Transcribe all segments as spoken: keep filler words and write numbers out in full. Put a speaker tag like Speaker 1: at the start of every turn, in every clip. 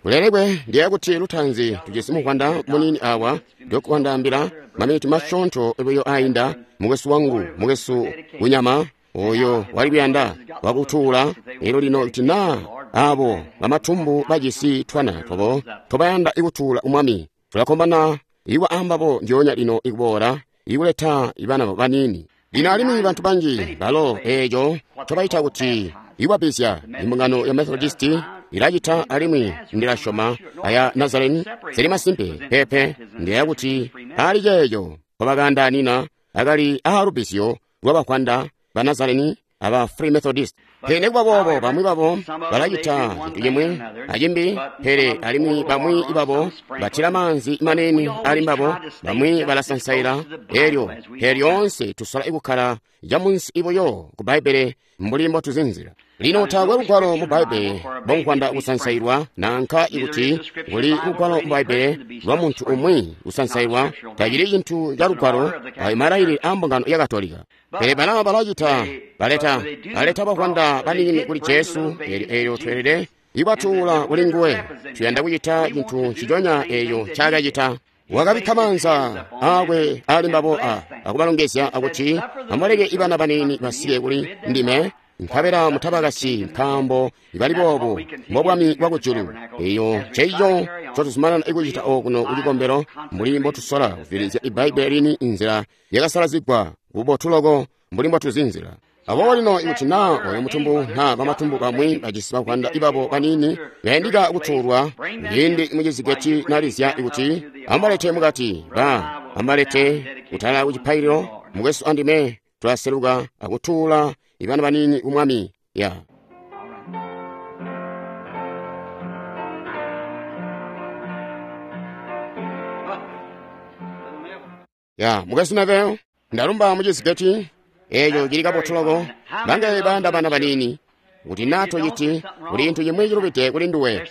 Speaker 1: Kulelekwe ndiye kuti lutanzi tujisi muvwanda muniini awa Doc wandaambila maminiti masyoonto buyo ainda mukwesu wangu mukwesu kunyama oyo wali kuyanda wakutuula elyo lino kuti naa abo bamatumbu bajisi twana twabo tobayanda ikutuula umwami tulakombana iwa ambabo ndyoonya lino ikuboola ikuleta ibana baniini. Lino alimwi bantu banji balo eeco ncobaita kuti iwabizya imbungano ya Methodist ilacita alimwi ndilasyoma aya Nazareni zili masimpe pepe ndiya kuti ali ceeco mpabakandaanina akali aalubizyo lwabavwanda ba Nazareni aba Free Methodist. Pele nikuba boobo bamwi babo balacita cintu cimwi acimbi, pele alimwi bamwi babo batila maanzi manene ali mbabo, bamwi balasansaila elyo pele lyoonse tusola ikukkala camunsi buyo ku Bbaibbele mbuli mbotuzinzila. Lino taakwe lugwalo mu Bbaibbele lwankwanda kusansailwa nanka ikuti kuli lugwalo mu Bbaibbele lwa muntu umwi kusansailwa tacili cintu ca lugwalo ayo malailile a mbungano ya Katolika. Pele bana balacita baleta baleta bavwanda baniini kuli Jesu elyo elyo tweelede ibatuula kuli nguwe. Tuyanda kucita cintu nciconya eeyo ncaakacita. Wakabikka maanza aakwe ali mbabo a akubalongezya akuti amuleke ibana baniini basike kuli ndime nkabela mutabakasyi nkaambo ibali boobo mbobwami bwakujulu. Eyo nceico ncotuzumanana ikucita okuno kucikombelo mbuli mbotusola kuvilizya Ibbaibbele lini inzila yakasalazigwa bubotu loko mbuli mbotuzinzila. Aboobo lino ikuti naa oyo mutumbu naa bamatumbu bamwi bajisi bavwanda ibabo baniini bayandika kutuulwa ciindi mucizigeti nalizya ikuti amubalete mukati ba amubalete kutala kucipaililo mukwesu andime tulaseluka akutuula ibana baniini ku Mwami. Ya. Ya mukwesu Neville ndalumba mucizigeti eeco cili kabotu loko bangaye bayanda bana baniini kuti nato citi kuli cintu cimwi cilubide kuli nduwe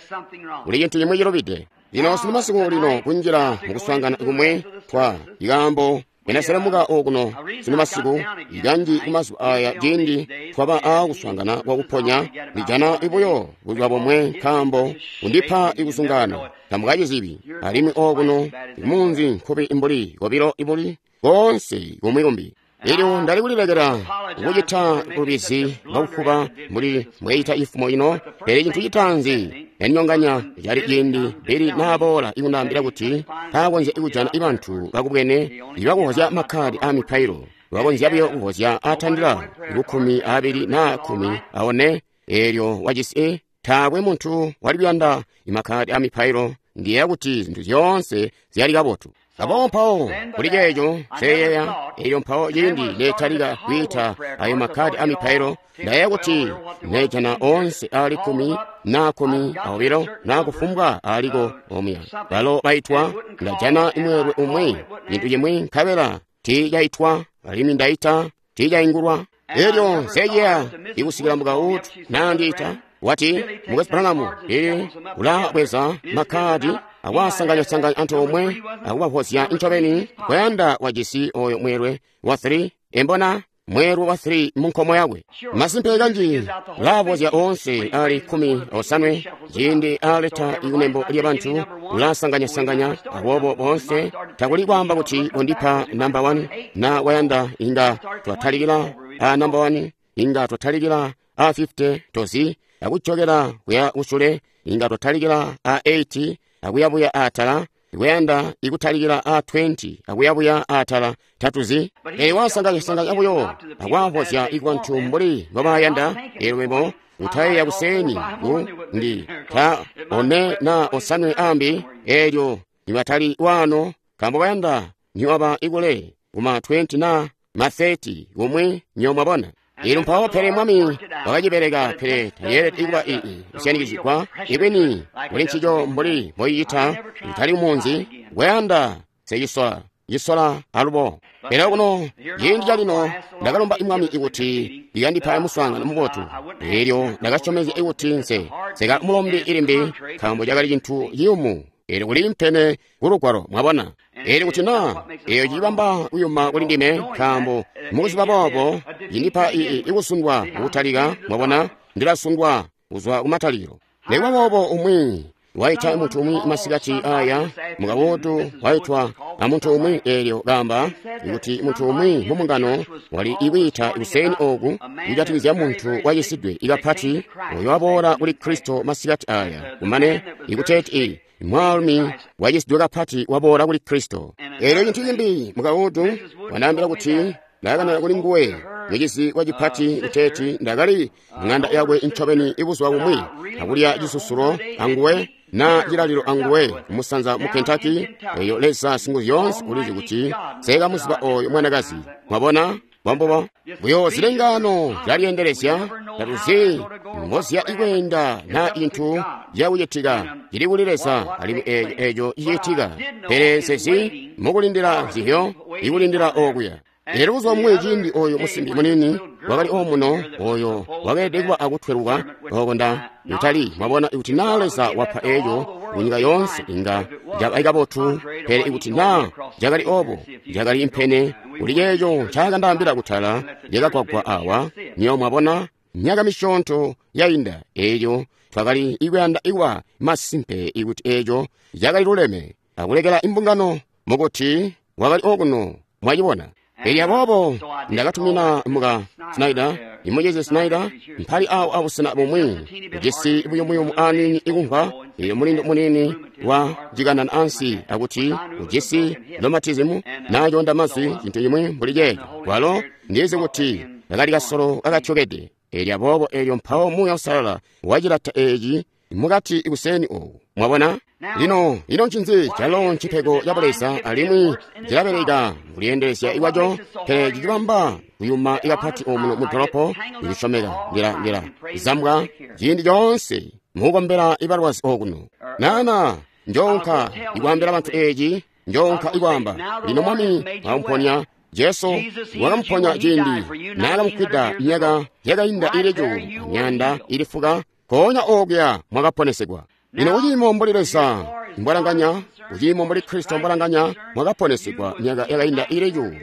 Speaker 1: kuli cintu cimwi cilubide. Lino sunu masiku lino kunjila mukuswaangana kumwe twa ikaambo enaselemuka okuno sunu masiku ikanji kumazuba aya ciindi twaba aakuswaangana kwakuponya ndijana ibuyo buzuba bomwe nkaambo kundipa ikusungana tamukacizibi alimwi okuno imunzi nkubi imbuli kobilo ibuli koonse kumwi kumbi. Elyo ndali kulilekela kucita bulubizi bwakufuba mbuli mbweyita ifumo ino, pele cintu citaanzi yanyonganya cali ciindi Bili naaboola ikundaambila kuti taakonzya ikujana ibantu bakubwene ibakuvozya makkadi a mipailo bakonzya buyo kuvozya atandila kukkumi aabili naa kkumi aone. Elyo wajisi taakwe muntu wali kuyanda imakkadi a mipailo. Ndiyeeya kuti zintu zyoonse zyali kabotu. Aboobo mpawo kuli ceeco nseyeeya elyo mpawo ciindi netalika kwiita ayo makkadi a mipailo ndayeeya kuti neejana oonse aali kkumi naa kkumi aobilo naa kufumbwa aaliko omuya balo baitwa ndajana imweelwe umwi cintu cimwi nkabela tiicaitwa alimwi ndaita tiicaingulwa. Elyo nseyeeya ikusikila mukautu naandiita wati mukwesu Branham ili ulabweza makkadi akwasanganya-sanganya antoomwe akubavozya ncobeni kwayanda wajisi oyo mweelwe wa three embona mweelwe wa three munkomo yakwe. Masimpe kanji ulavozya oonse ali kkumi osanwe ciindi aleta ikunembo lyabantu ulasanganya-sanganya aboobo boonse takuli kwaamba kuti undipa namba one na wayanda inga twatalikila a namba one inga twatalikila a fifty tozi akujokela kuya kusule inga twatalikila a eighty akuyabuya atala ikuyanda ikutalikila a twenty akuyabuya atala tatuzi. Pele wasanganya-sanganya buyo akwavozya ikubantu mbuli mbobayanda. Elyo webo utayeeya kuseni ku ndi ta one na osanwe ambi elyo nibatali wano nkaambo bayanda niwaba ikule kuma twenty na ma thirty kumwi nyomwabona. Elyo mpawo pele Mwami wakacibeleka pele tayeelede ikuba ii kusyanikizigwa ibwini kuli ncico mbuli mboicita kutali kumunzi kwayanda secisola cisola alubo. Pele kuno ciindi calino ndakalomba Mwami ikuti ikandipa muswaangano mubotu elyo ndakasyomezya ikuti nse seka mulombi ilimbi nkaambo cakali cintu ciyumu elyo kuli mpene kulugwalo mwabona. Elyo kuti naa eyo cibamba kuyuma kuli ndime nkaambo mukuziba boobo cindipa ii ikusundwa kutalika mwabona ndilasundwa kuzwa kumatalikilo. Nikuba boobo umwi waita muntu umwi masikati aya mukawotu waitwa a muntu umwi eelyo kaamba kuti muntu umwi mu mbungano wali ikwiita kuseni oku kujatikizya muntu wacisidwe ikapati oyo waboola kuli Kristo masikati aya kumane ikuteeti mwaalumi wacisidwe kapati waboola kuli Kristo. Eelyo cintu cimbi mukawotu wandaambila kuti ndakanana kuli nguwe mucizi wacipati kuteeti ndakali ng'anda yakwe ncobeni ibuzuba bumwi akulya cisusulo anguwe na cilalilo anguwe kumusanza mu Kentucky. Eyo Leza Singuzyoonse ulizi kuti seekamuziba oyo mwanakazi. Mwabona bwambubo buyo zilengano zyalyeendelezya tatuzi mbozya ikweenda na intu yakucitika cili kuli Leza alimwi eeco eeco cicitika pele sezi mukulindila zihyo ikulindila okuya. Lero buzuba bumwi ciindi oyo musimbi munini wakali omuno oyo wakeelede kuba akutweluka oko nda utali mwabona ikuti naa Leza wapa eeco kunyika yoonse inga caba kabotu pele ikuti naa cakali obo cakali impene kuli ceeco ncakandaambila kutala lyakagwagwa awa niyo mwabona myaka misyoonto yainda eeco twakali ikuyanda ikuba masimpe ikuti eeco cakali luleme akulekela imbungano mukuti wakali okuno mwacibona. Elyo aboobo ndakatumina muka Snyder, imucizi Snyder, mpali awo abusena bumwi ujisi buyumuyumu aniini ikumva eyo mulindo munini wa jikanana ansi akuti ujisi rheumatism naconda mazwi cintu cimwi mbuli ceeco walo ndizi kuti kakali kasolo kakatyokede. Elyo aboobo elyo mpawo Muuya Uusalala wacilata eeci mukati kuseni oku mwabona. Lino ino ncinzi calo ncipego ca Buleza alimwi cilabeleka kulyendelezya ikwaco pele cicibamba kuyuma ikapati omuno mu dolopo ikusyomeka ndila ndila zambwa ciindi coonse mukukombela ibalwazi okuno. Nana njoonka ikwaambila bantu eeci njoonka ikwaamba lino Mwami wamuponya Jesu wakamuponya ciindi naakamukwida myaka yakainda ili cuulu myanda ili fuka koonya okuya mwakaponesegwa. Lino kuciimo mbuli Leza mbwalanganya kuciimo mbuli Kristo mbwalanganya mwakaponesegwa myaka yakainda ili cuulu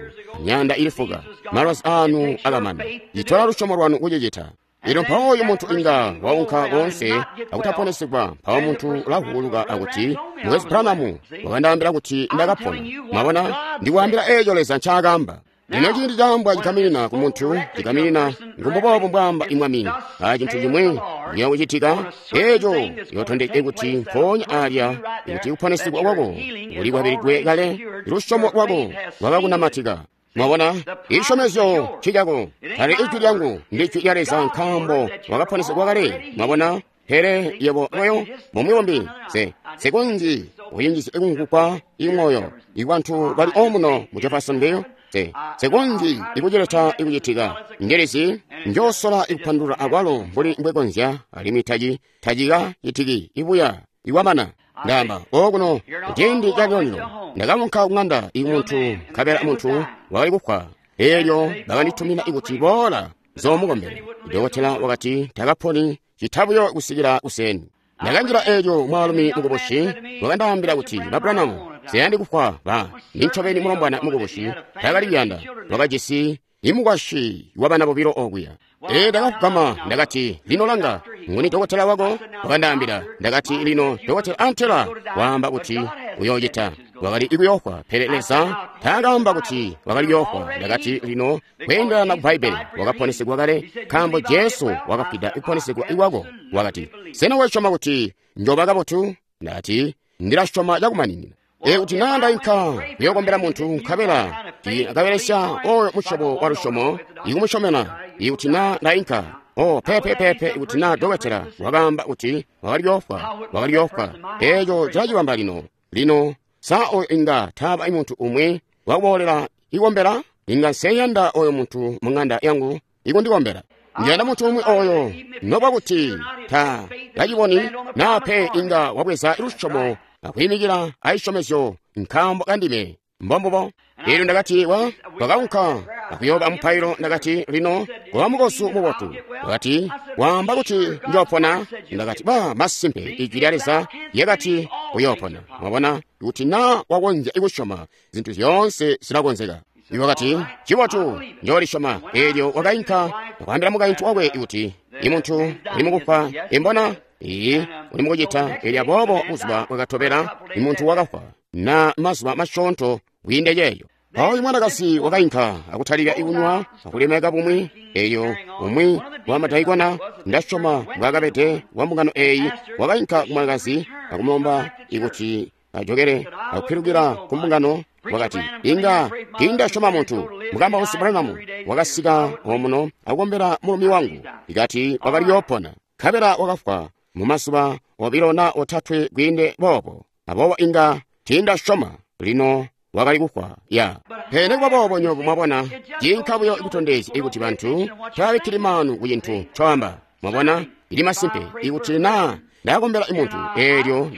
Speaker 1: myanda ili fuka malwazi anu akamana citola lusyomo lwanu kucicita. Lino mpawo oyu muntu inga waunka koonse akutaponesegwa mpawo muntu ulavuuluka akuti Mukwesu Branham wakandaambila kuti ndakapona. Mwabona ndikwaambila eeco Leza ncaakaamba. Lino ciindi caambwa cikaminina ku muntu cikaminina ngumbuboobo mbwaamba imwami a cintu cimwi ciyakucitika eeco yootondeke kuti mpoonya alya kuti kuponesegwa kwako kuli kwabilidwe kale lusyomo lwako lwakakunamatika. Mwabona isyomezyo ncicako tali ijwi lyangu ndi jwi lya Leza nkaambo wakaponesegwa kale. Mwabona pele yebo moyo mumuyombi se sekonzi uyinjizye ikunkupa imoyo ibantu bali omuno mu Jeffersonville se sekonzi ikucileta ikucitika ngelezi njosola ikupandulula akwalo mbuli mbwekonzya alimwi taci tacika citiki ibuya iwamana. Ndamba okuno ciindi calyolyo ndakaunka kung'anda imuntu nkabela muntu wakali kufwa eelyo bakanditumina ikuti boola zoomukombele. Dokotela wakati takaponi citabuyo kusikila kuseni. Ndakanjila eelyo mwaalumi mukubusi wakandaambila kuti ba Branham siyandi kufwa ba nincobeni mulombwana mukubusi takali kuyanda wakajisi imukwasyi wabana bobilo okuya. Ee ndakafugama ndakati lino langa nguni dokotela wako wakandaambila ndakati lino dokotela antela waamba kuti uyoocita wakali ikuyofwa pele Leza taakaamba kuti wakali kuyofwa. Ndakati lino kweendelana ku Bbaibbele wakaponesegwa kale nkaambo Jesu wakafwida ikuponesegwa ikwako. Wakati sena wasyoma kuti njoba kabotu? Ndakati ndilasyoma cakumaninina. Ikuti naa ndainka kuyokombela muntu nkabela akabelesya oyo musyobo wa lusyomo ikumusyomena ikuti naa ndainka o pepe pepe ikuti naa dokotela wakaamba kuti wakali kuyofwa wakali kuyofwa eeco cilacibamba lino lino sa oyo inga taaba muntu umwi wakuboolela ikombela inga nseyanda oyo muntu mu ng'anda yangu ikundikombela. Ndiyanda muntu umwi oyo nokuba kuti ta kaciboni naa pe inga wabweza lusyomo akuyimikila aisyomezyo nkaambo kandime mbombubo. Eelyo ndakati wa twakaunka akuyoba mupailo ndakati lino kuba mukosu mubotu. Wakati waamba kuti njoopona. Ndakati ba masimpe ijwi lya Leza lyakati uyoopona. Mwabona kuti naa wakonzya ikusyoma zintu zyoonse zilakonzeka. Iwo wakati cibotu njoolisyoma. Eelyo wakainka akwaambila mukaintu wakwe kuti imuntu uli mukufa imbona Iyi uli mukucita. Elyo aboobo buzuba bwakatobela muntu wakafwa, na mazuba masyoonto kwiinde ceeyo. Mpawo mwanakazi wakainka akutalika ikunywa akulemeka bumwi. Eyo umwi wa madaikona, ndasyoma mbwaakabede wa mbungano eyi, wakainka ku mwanakazi akumulomba ikuti ajokele akupilukila ku mbungano. Wakati, inga tiindasyoma muntu. Mukambausi Branham wakasika omuno akukombela mulumi wangu, ikati wakali yoopona, nkabela wakafwa mu mazuba obilo na otatwe kwiinde boobo. Aboobo inga tiindasyoma lino wakali kufwa ya. Pele nikuba boobo, nyobo mwabona, ciinka buyo kutondezya ikuti bantu tababikkili maanu ku cintu ncoamba. Mwabona, ili masimpe ikuti naa ndakombela imuntu, eelyo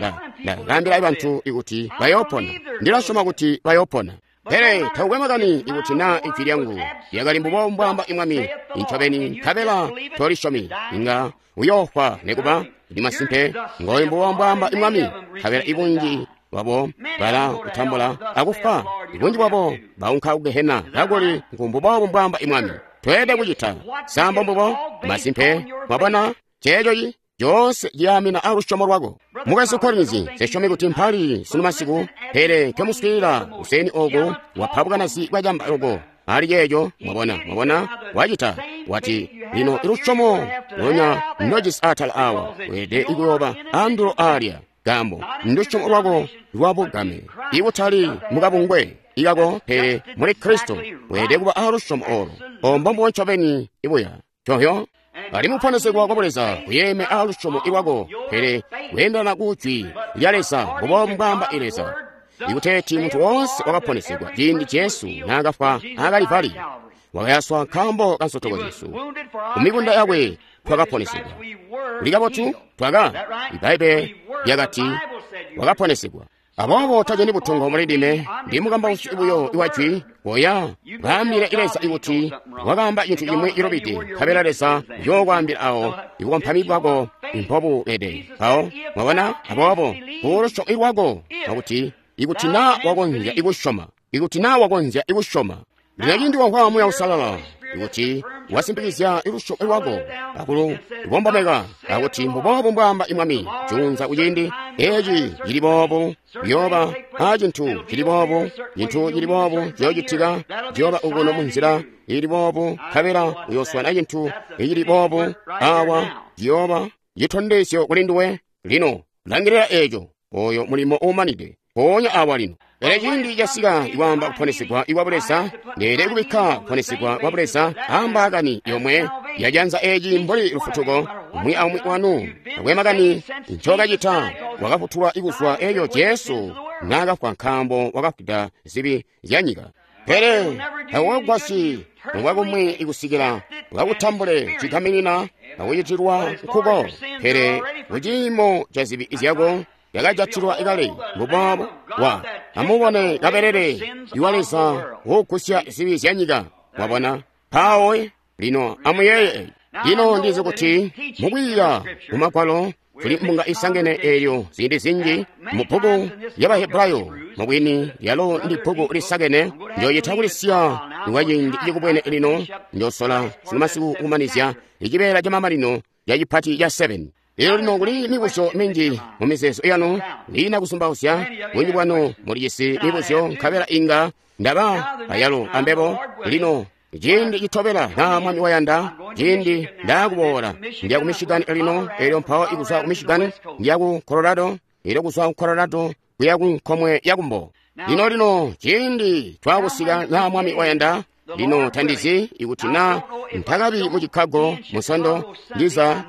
Speaker 1: ndakaambila bantu ikuti bayoopona, ndilasyoma kuti bayoopona. Pele takukwe makani ikuti naa ijwi lyangu lyakali mbubo mbwaamba imwami incobeni, nkabela tolisyomi, inga uyoofwa nekuba. Ili masimpe ngoyo mbubo mbwaamba imwami, nkabela ibunji bwabo bala kutambula akufwa, ibunji bwabo baunka kugehena, kakuli ngu mbwaamba imwami. Tweelede kucita sambo mbubo masimpe. Mwabona ceeco coonse ciyaamina alusyomo lwako. Mukwesu Collins, nsesyomi kuti mpali sunu masiku, pele nkemuswiilila useni oku wapa bukanazi bwacamba loko ali ceeco. Mwabona, mwabona wacita wati lino ilusyomo lunya ndojisi atala awa weelede ikuyoba andulo alya, nkaambo ndusyomo lwako lwabugame, ikutali mukabungwe ikako, pele muli Kristo weelede kuba alusyomo olo. Ombo mbubo ncobeni ibuya cohyo. Ali muponesegwa kwa Buleza kuyeeme alusyomo ilwako, pele kuyendana ku jwi lya Leza, mbubo mbwaamba Leza. Ikuteeti muntu woonse wakaponesegwa ciindi Jesu naakafwa aKalivali, wakayaswa nkaambo ka nsotoko zyesu, ku mikunda yakwe twakaponesegwa. Kuli kabotu twaka, Ibbaibbele lyakati wakaponesegwa. Aboobo tajani butongo muli ndime, ndi mukambausi buyo iwa jwi. Koya kaambile Leza ikuti wakaamba cintu cimwi cilubide, nkabela Leza uyookwaambila awo ikukompami bwako mpobubede. Mpawo mwabona, aboobo kulusyomo ilwako lwakuti ikuti naa wakonzya ikusyoma, ikuti naa wakonzya ikusyoma. Lino ciindi wamvwa Muuya Uusalala ikuti wasimpikizya ilusyomo lwako akulubombomeka akuti mbuboobu mbwaamba imwami, juunza kuciindi eci cili boobu ciyooba a cintu cili boobu, cintu cili boobu ciyoocitika, ciyooba ukuno munzila ili boobu, nkabela uyooswana cintu icili boobu awa, ciyooba citondezyo kuli nduwe. Lino langilila eco, oyo mulimo uumanide mpoonya awa lino. Pele ciindi casika ikwaamba kuponesegwa ikwa Buleza, ndeelede kubikka kuponesegwa kwa Buleza ambaakani yomwe yajanza eci mbuli lufutuko. Umwi aumwi wanu takwe makani ncokacita, wakafutulwa ikuzwa eyo Jesu naakafwa, nkaambo wakafwida zibi zya nyika. Pele takukagwasyi mubwakumwi ikusikila ukakutambule cigaminina akucitilwa nkuko, pele kuciimo ca zibi zyako yakajatilwa ikale mbuboobo wa. Amubone kabelele iwa Leza wogusya zibi zya nyika. Mwabona mpawo lino amuyeeye. Lino ndizi kuti mukwiiya mu Magwalo tuli mbunga isangene eelyo ziindi zinji mu bbuku lya Bahebrayo, mubwini lyalo ndi bbuku lisakene. Njoyita kulisiya kwa ciindi cikubwene lino, njosola sunu masiku kumanizya icibeela camamanino ca cipati ca seven. Lino lino kuli mibuzyo minji mu mizeezo yanu, lina kusumbauzya bunji bwanu mulijisi mibuzyo, nkabela inga ndaba ayalo ambebo. Lino ciindi citobela naa Mwami wayanda, ciindi ndaakuboola ndiya ku Michigan lino, elyo mpawo ikuzwa ku Michigan ndiya ku Colorado, elyo kuzwa ku Colorado kuya ku nkomwe ya kumbo. Lino lino ciindi twaakusika naa Mwami wayanda. Lino tandizi ikuti naa ntakabi mu Chicago musondo, ndiza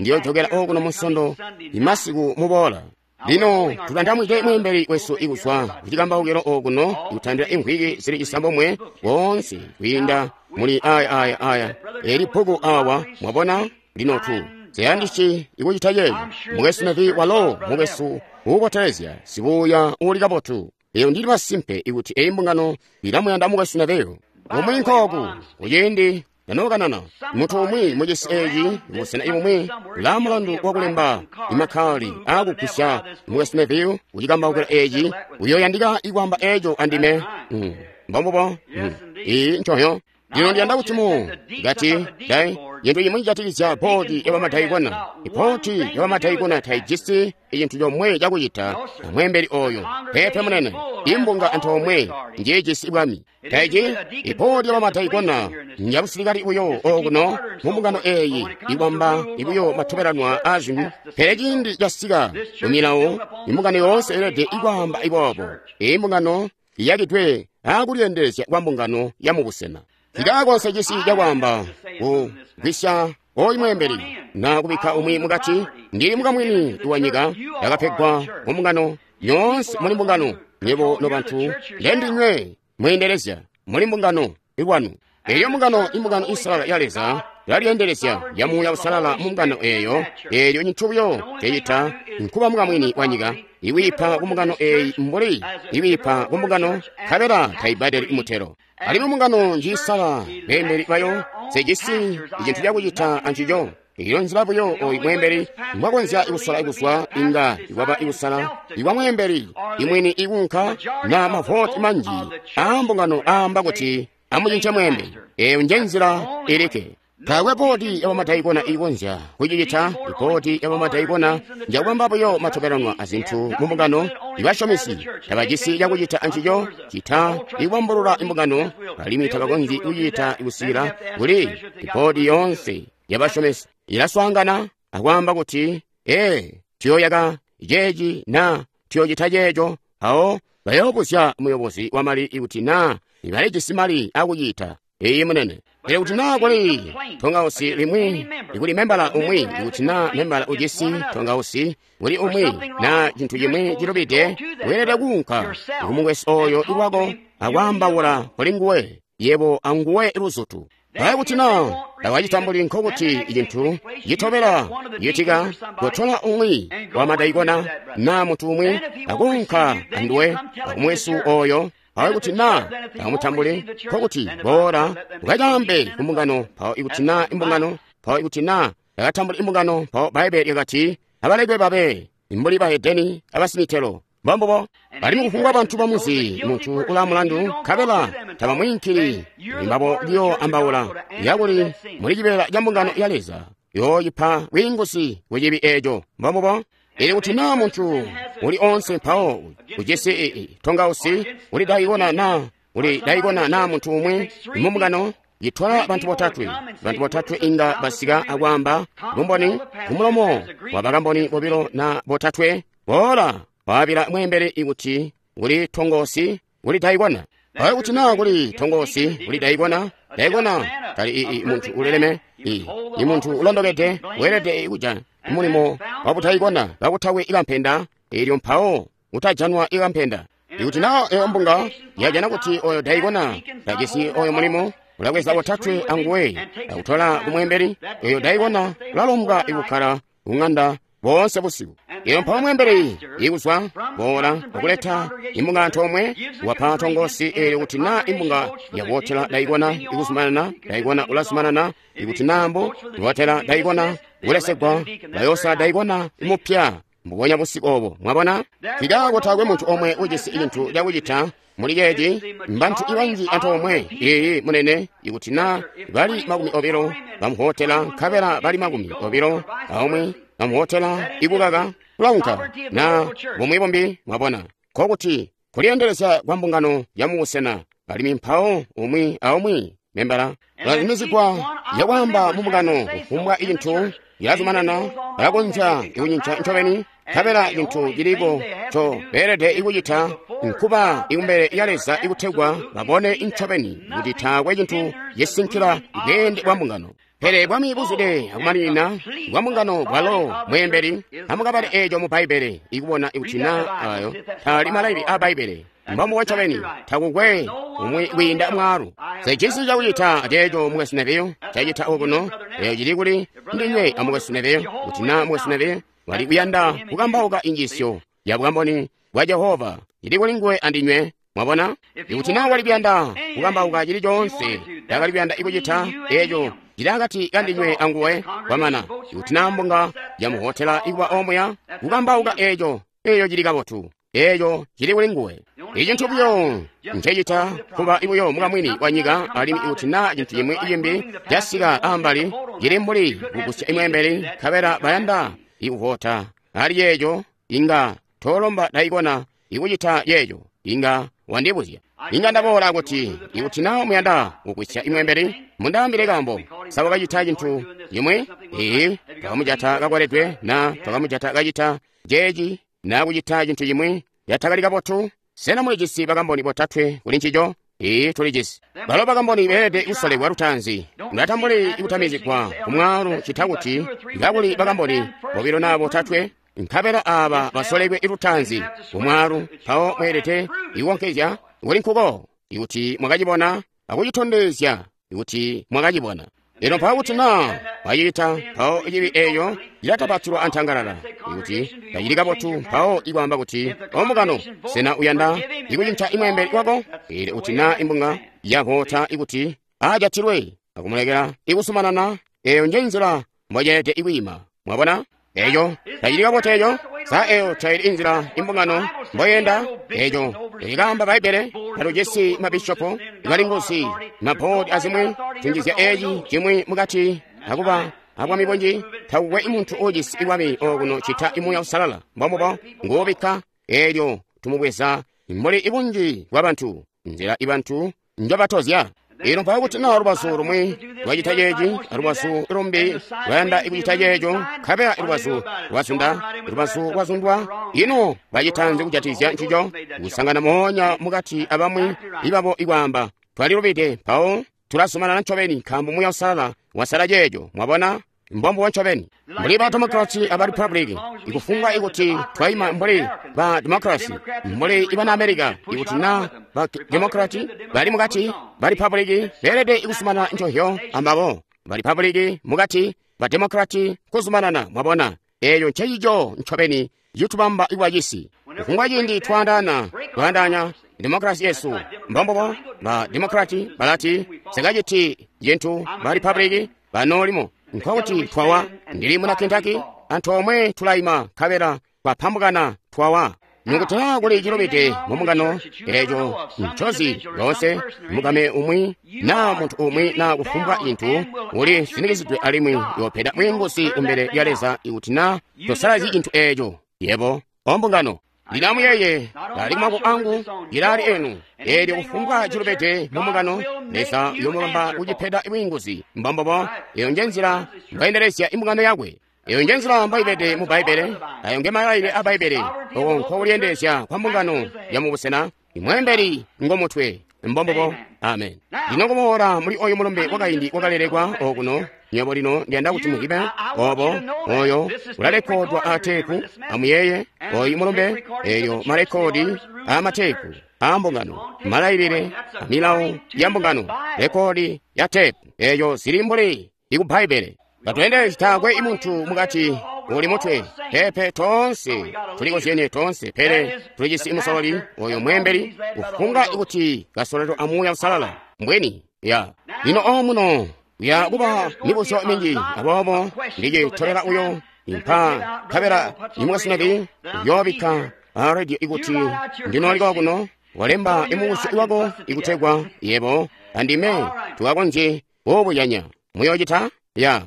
Speaker 1: ndiyojokela okuno musondo imasiku muboola. Lino tutandamwike mweembeli wesu ikuzwa kucikambaukilo okuno ikutandila imvwiki zili cisambomwe koonse kwiinda muli aya aya aya eli bbuku awa. Mwabona lino tu siyandisyi ikucita ceeco. Mukwesu Nevi walo mukwesu uubotelezya, sibuuya uuli kabotu. Eyo ndili masimpe ikuti eyi mbungano ilamuyanda mukwesu Neveyo. Umwi nkooku kuciindi nanookanana muntu umwi mucisi eci busena ibumwi ulaa mulandu wakulemba imakali aakugwisya mukwesu Neville kucikambaukila eci, uyoyandika ikwaamba eco andime. Mm. Mbombubo. Mm. Iyi ncoyo. Lino ndiyanda kuti mu ngati dai Cintu cimwi cijatikizya boodi ya bamadaikona. Iboodi ya bamadaikona taijisi cintu comwe cakucita na mweembeli oyo. Peepe munene, imbunga antoomwe njiijisi bwami. Taiji iboodi ya bamadaikona njabusilikali buyo okuno mu mbungano eeyi ibamba ibuyo matobelanwa a zintu. Pele ciindi casika mu milawo, imbungano yoonse yeelede ikwaamba iboobo. Iyi mbungano iyakidwe akulyeendelezya kwa mbungano ya mubusena. Cikakonse cisi cakwaamba kugwisya oyu mweembeli na kubikka umwi mukati. Ndili mukamwini wa nyika yakapegwa mu mbungano nyoonse. Muli mbungano nywebo nobantu, ndendinywe mweendelezya muli mbungano ilwanu. Eyo mbungano, imbungano isalala ya Leza ilalyendelezya ya Muuya Usalala mu mbungano eyo. Eelyo cintu buyo cecita nkuba mukamwini wa nyika iwiipa ku mbungano eyi mbuli iwiipa ku mbungano, nkabela taibadeli mutelo. Alimwi mbungano njiisala beembeli bayo, sejisi icintu cakucita ancico. Iyo nzila buyo oyu mweembeli mbwakonzya ikusala ikuzwa inga ikwaba ikusala ikwa mweembeli imwini ikuunka na mavoti manji aa mbungano aamba kuti amucince mweembeli. Eyo nje nzila ilikke. Taakwe boodi ya bamadaikona iikonzya kucicita. Iboodi ya bamadaikona njakubamba buyo matobelanwa azintu mu mbungano. Ibasyomesi tabajisi cakucita ancico cita ikubambulula imbungano, alimwi tabakonzyi kucita kusikila kuli iboodi yoonse yabasyomesi ilaswaangana akwaamba kuti, ee, tuyooyaka ceeci na tuyoocita ceeco. Awo bayoobuzya muyobozi wamali ikuti naa ibalijisi mali akucita. Iyi munene. Pele kuti naa kuli tongausi limwi ikuli membala umwi, ikuti naa membala ujisi tongausi kuli umwi na cintu cimwi cilubide, weelede kuunka kumukwesu oyo ilwako akwaambaula kuli nguwe, yebo anguwe luzutu. Pele kuti naa tawacitambuli, nkokuti cintu citobela citika kutola umwi wa madaikona na muntu umwi akuunka anduwe akumwesu oyo. Awe kuti naa takamutambuli, nkokuti boola ukacaambe ku mbungano. Mpawo ikuti naa imbungano, mpawo ikuti naa takatambuli imbungano, mpawo Bbaibbele lyakati abalekwe babe mbuli bahedeni abasimitelo. Mbombubo. Alimwi kufumbwa bantu bamuzi muntu ula mulandu, nkabela tabamwiinkili mbabo buyo ambaula yakuli muli cibeela ca mbungano ya Leza yooyipa bwiinguzi ku cibi eeco. Mbombubo. Ili kuti naa muntu uli onse mpawo ujisi tongausi uli daikona na uli daikona na muntu umwi mu mbungano, yitwala bantu botatwe. Bantu botatwe inga basika akwaamba bumboni kumulomo wa bakamboni bobilo na botatwe. Boola waabila mweembeli ikuti kuli tongosi uli daikona. Awe kuti naa kuli tongosi uli daikona, daikona tali ii muntu uleleme, ii i muntu ulondokede, weelede kuja mulimo wabutaikona kakutawe ikampenda. Eelyo mpawo utajanwa ikampenda. Ikuti naa eyo mbunga yajana kuti oyo daikona tajisi oyo mulimo, ulabweza botatwe anguwe akutola kumweembeli. Oyo daikona ulalombwa ikukkala kung'anda boonse busiku. Iyo mpawo mweembeli ikuzwa boola akuleta imbunga antoomwe, wapa tongosi eelyo kuti naa imbunga yakuwotela daikona ikuzumanana, daikona ulazumanana. Ikuti naa mbo iwotela daikona kulesegwa, bayosala daikona imupya mbubonya busiku obo. Mwabona? Nkikaako taakwe muntu omwe ujisi cintu cakucita muli ceeci. Mbantu ibanji antoomwe. Iyi munene. Ikuti naa bali makumi obilo bamuhotela, nkabela bali makumi obilo aumwi bamuhotela ikukaka, kulaunka na bumwi bumbi. Mwabona? Nkokuti kulyeendelezya kwa mbungano ya mubusena, alimwi mpawo umwi aumwi membala ulazumizigwa yakwaamba mu mbungano kufumbwa icintu ilazumanana, balakonzya ikucinca ncobeni. Nkabela cintu ciliko nco beelede ikucita nkuba ikumbele ya Leza ikutegwa babone ncobeni kuti taakwe cintu cisinkila bweende bwa mbungano. Pele bwami buzwide akumaninina bwa mbungano bwalo mweembeli. Amukabale eeco mu Bbaibbele ikubona ikuti naa ayo taali malailile a Bbaibbele. Mbombubo ncobeni, takukwe umwi kwiinda mwaalu. Sejisi cakucita aceeco mukwesu Neville cacita okuno. Eeyo cili kuli ndinywe amukwesu Neville. Kuti naa mukwesu Neville wali kuyanda kukambauka injiisyo ya bukamboni bwa Jehova, cili kuli nguwe andinywe. Mwabona? Ikuti naa wali kuyanda kukambauka cili coonse ndakali kuyanda ikucita, eeco cili akati kandinywe anguwe. Kwamana. Ikuti naa mbunga yamuhotela ikuba omuya kukambauka eeco, eeyo cili kabotu. Eeco cili kuli nguwe. Icintu buyo ncecita kuba buyo mukamwini wa nyika, alimwi ikuti na cintu cimwi cimbi casika ambali cili mbuli kugusya imweembeli, nkabela bayanda ikuvota ali yeeco, inga tolomba daikona ikucita yeeco, inga wandibuzya. Inga ndaboola kuti ikuti na muyanda kugusya imweembeli, mundaambile kaambo. Sa wakacita cintu cimwi? Ee, twakamujata kakoledwe, na twakamujata kacita jeeci, na kucita cintu cimwi yatakali kabotu. Sena mulijisi bakamboni botatwe kuli ncico? Ee, tulijisi. Balo bakamboni beelede kusolekwa lutaanzi. Mulatambuli ikutamizigwa kumwaalu cita kuti kakuli bakamboni bobilo na botatwe, nkabela aaba basolekwe lutaanzi kumwaalu, mpawo mweelede ikukonkezya kuli nkuko ikuti mwakacibona akucitondezya ikuti mwakacibona. Lino mpawo kuti na mwacicita, mpawo cibi eeyo cilatapatilwa antangalala. Ikuti tacili kabotu, mpawo ikwaamba kuti, omukano, sena uyanda ikucinca imweembeli wako? Pele kuti na imbunga yavota ikuti ajatilwe akumulekela ikusumanana, eeyo nje nzila mboceelede ikwiima. Mwabona? Eeyo tacili kabotu eeyo. Sa eeyo taili inzila imbungano mboyenda? Eeyo ikaamba Bbaibbele, tatujisi mabishopo, balinguzi, maboodi azimwi, tunjizya eeci cimwi mukati akuba abwami bunji. Takukwe muntu uujisi ibwami okuno cita Muuya Uusalala. Mbombubo nguubikka, eelyo tumubweza mbuli ibunji bwabantu, nzila ibantu njobatozya. Ino mpawo kuti na lubazu lumwi lwacita ceeci, alubazu lumbi lwayanda ikucita ceeco, nkabela lubazu lwazunda, lubazu lwazundwa, ino bacita nzi kujatikizya ncico? Kusangana moonya mukati abamwi ibabo ikwaamba, twalilubide, mpawo tulazumanana ncobeni nkaambo Muuya Uusalala wasala ceeco. Mwabona? Mbombubo ncobeni. Mbuli ba Demokrati aba Republic, ikufumbwa ikuti twaima mbuli ba Demokrasi, mbuli ibana America, ikuti na ba Demokrati bali mukati, ba Republic beelede ikusumanana ncohyo ambabo. Ba Republic mukati, ba Demokrati kuzumanana. Mwabona? Eeyo nceyico ncobeni citubamba ikuba cisi. Kufumbwa ciindi twaandaana, twaandaanya demokrasi yesu. Mbombubo ba Demokrati balati sikaciti cintu, ba Republic banoolimo. Nkokuti twawa. Ndili muna Kentucky, antoomwe tulaima nkabela twapambukana twawa. Nukuti naa kuli cilubide mumbungano, eeco ncozi loonse mukame umwi naa muntu umwi naa kufumbwa cintu uli sinikizidwe alimwi yoopeda bwiinguzi kumbele lya Leza ikuti naa tosalazyi cintu eeco. Yebo, ombungano, lino amuyeeye, ali kumako angu, ilaali enu. Eelyo kufumbwa cilubide mumbungano, Leza uyomubamba kucipeda bwiinguzi. Mbombobo, eyo nje nzila mbwaendelezya imbungano yakwe. Eyo nje nzila mboibede mu Bbaibbele, ayo nge malailile a Bbaibbele. Oko nkokulyendezya kwa mbungano ya mubusena, imweembeli ngomutwe. Mbombobo, amen. Lino kuboola muli oyu mulumbe wakaindi wakalelekwa okuno, nywebo lino ndiyanda kuti muzibe obo oyo ulalekodwa ateepu. Amuyeeye oyu mulumbe, eyo malekodi amateepu ambungano, malailile amilawo ya mbungano, rekodi ya teepu, eyo zili mbuli iku Bbaibbele. Batweendelezi taakwe imuntu mukati uli mutwe, pepe toonse tulikozyenye toonse, pele tulijisi musololi oyo mweembeli kufunga ikuti kasololelwa a Muuya Uusalala mbweni ya lino omuno ya kuba mibuzyo minji, aboobo ndicitobela uyo impa nkabela imukasinabi uyoobikka a radio ikuti ndinooliko kuno walemba imubuzyo iwako ikutegwa yebo andime tukakonzye kuubuyanya. Muyoocita ya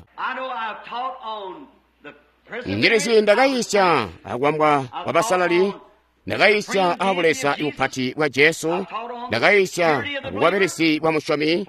Speaker 1: ndilizi ndakayisya akwambwa kwa basalali, ndakayisya abuleza ibupati bwa Jesu, ndakayisya abukwabilizi bwa musyomi,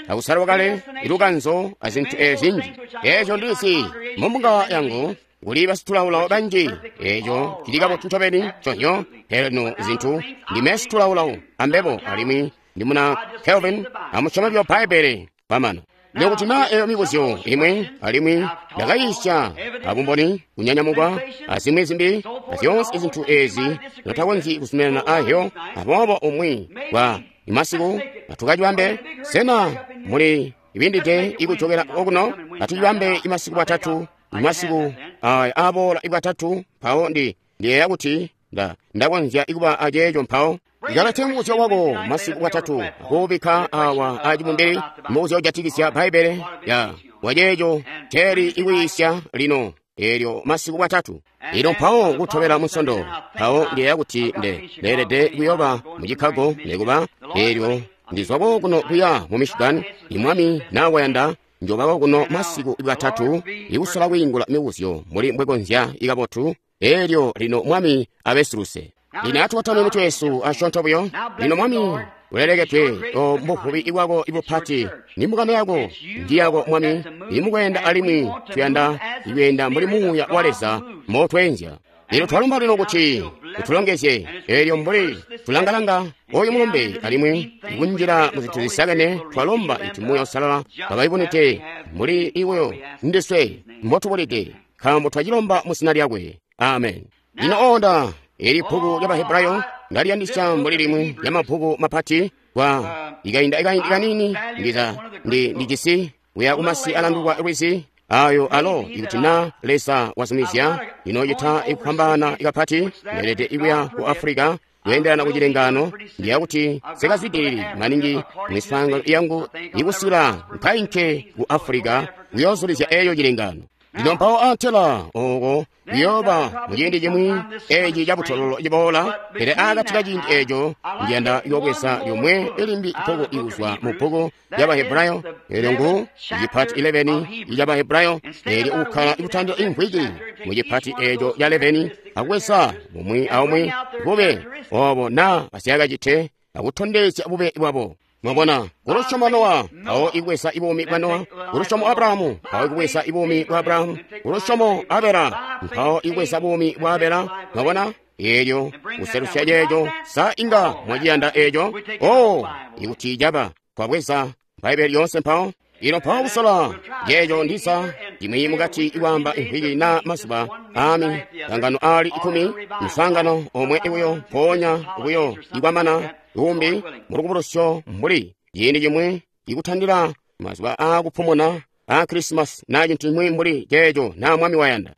Speaker 1: akusalwa kale ilukanzo azintu ezinji. Eeco ndilizi mumbunga yangu kuli basitulawulawo banji, eeco cili kabotu ncobeni conyo. Pele lino zintu ndime situlawulawo ambebo, alimwi ndi muna Calvin amusyoma byo Bbaibbele kwamana. Nokuti naa eyo mibuzyo imwe, alimwi ndakayisya abumboni kunyanyamukwa azimwi zimbi, azyoonse izintu ezi notakonzyi kuzuminana ahyo. Aboobo umwi wa imasiku atukacibambe. Sena muli ibindide ikujokela okuno? Atucibambe imasiku bwatatu, imasiku aya aboola ibwatatu. Mpawo ndi ndiyeeya kuti nda ndakonzya ikuba aceeco mpawo. Ikalete mubuzyo wako masiku bwatatu akuubikka awa acibumbili, mubuzyo ujatikizya Bbaibbele ya waceeco teeli ikwiisya lino. Eelyo masiku bwatatu. Ino mpawo kutobela Munsondo, mpawo ndiyeeya kuti nde leelede kuyooba mu Chicago nekuba. Eelyo ndizwako kuno kuya mu Michigan, imwami na wayanda njobako kuno masiku bwatatu ikusola kwiingula mibuzyo mbuli mbwekonzya ikabotu. Eelyo lino Mwami abesuluse. Lino atubatame mitwe yesu asyoonto buyo. Lino Mwami ulelekedwe o mbuvubi bwako ibupati, ni mbungano yako ndi yako Mwami, imukweenda alimwi tuyanda ikweenda mbuli Muuya wa Leza motweenzya. Lino twalumba lino kuti utulongezye. Eelyo mbuli tulangalanga oyu mulumbe alimwi ikunjila mu zintu zisakene, twalomba iti Muuya Uusalala kabaibonete mbuli iweyo ndiswe mbotubulide, nkaambo twacilomba mu zina lyakwe. Amen. Lino onda eli bbuku lya Bahebrayo ndaliyandisya mbuli limwi lya mabbuku mapati kwa ikainda ikaindi kanini ndiza ndi ndijisi kuya kumasi alandukwa lwizi ayo alo ikuti na Leza wazumizya inocita ikupambana ikapati ndeelede ikuya ku Africa kuyenderana ku chilengano. Ndiya kuti sikazwidilili maningi miswaangano yangu ikusila nkainke ku Africa kuyoozulizya eyo chilengano. Lino mpawo antela oko kuyooba mu ciindi cimwi eci cabutololo ciboola, pele akati ka ciindi eco ndiyanda yobweza lyomwe limbi bbuku ikuzwa mu bbuku lya Bahebrayo. Eelyo ngu cipati eleveni ica Bahebrayo, eelyo ukkala ikutandila imvwiki mu cipati eco ca eleveni akubweza mumwi aumwi bube obo na asyakacite akutondezya bube bwabo. Mwabona, kulusyomo Nowa, mpawo ikubweza ibuumi bwa Nowa. Kulusyomo Abrahamu, mpawo ikubweza ibuumi bwa Abrahamu. Kulusyomo Abela, mpawo ikubweza buumi bwa Abela. Mwabona, eelyo kuselusya ceeco, sa inga mwaciyanda eeco? Oh, ikuti caba, twabweza Bbaibbele lyoonse mpawo. Ino mpawo kusola ceeco ndisa imwi mukati ikwaamba imvwiki na mazuba ami sangano ali ikumi, msangano omwe ibuyo mpoonya buyo ikwamana umbi mulukubulusyo mbuli ciindi cimwi ikutandila mazuba akupumuna a Christmas na cintu cimwi mbuli ceeco na Mwami wayanda.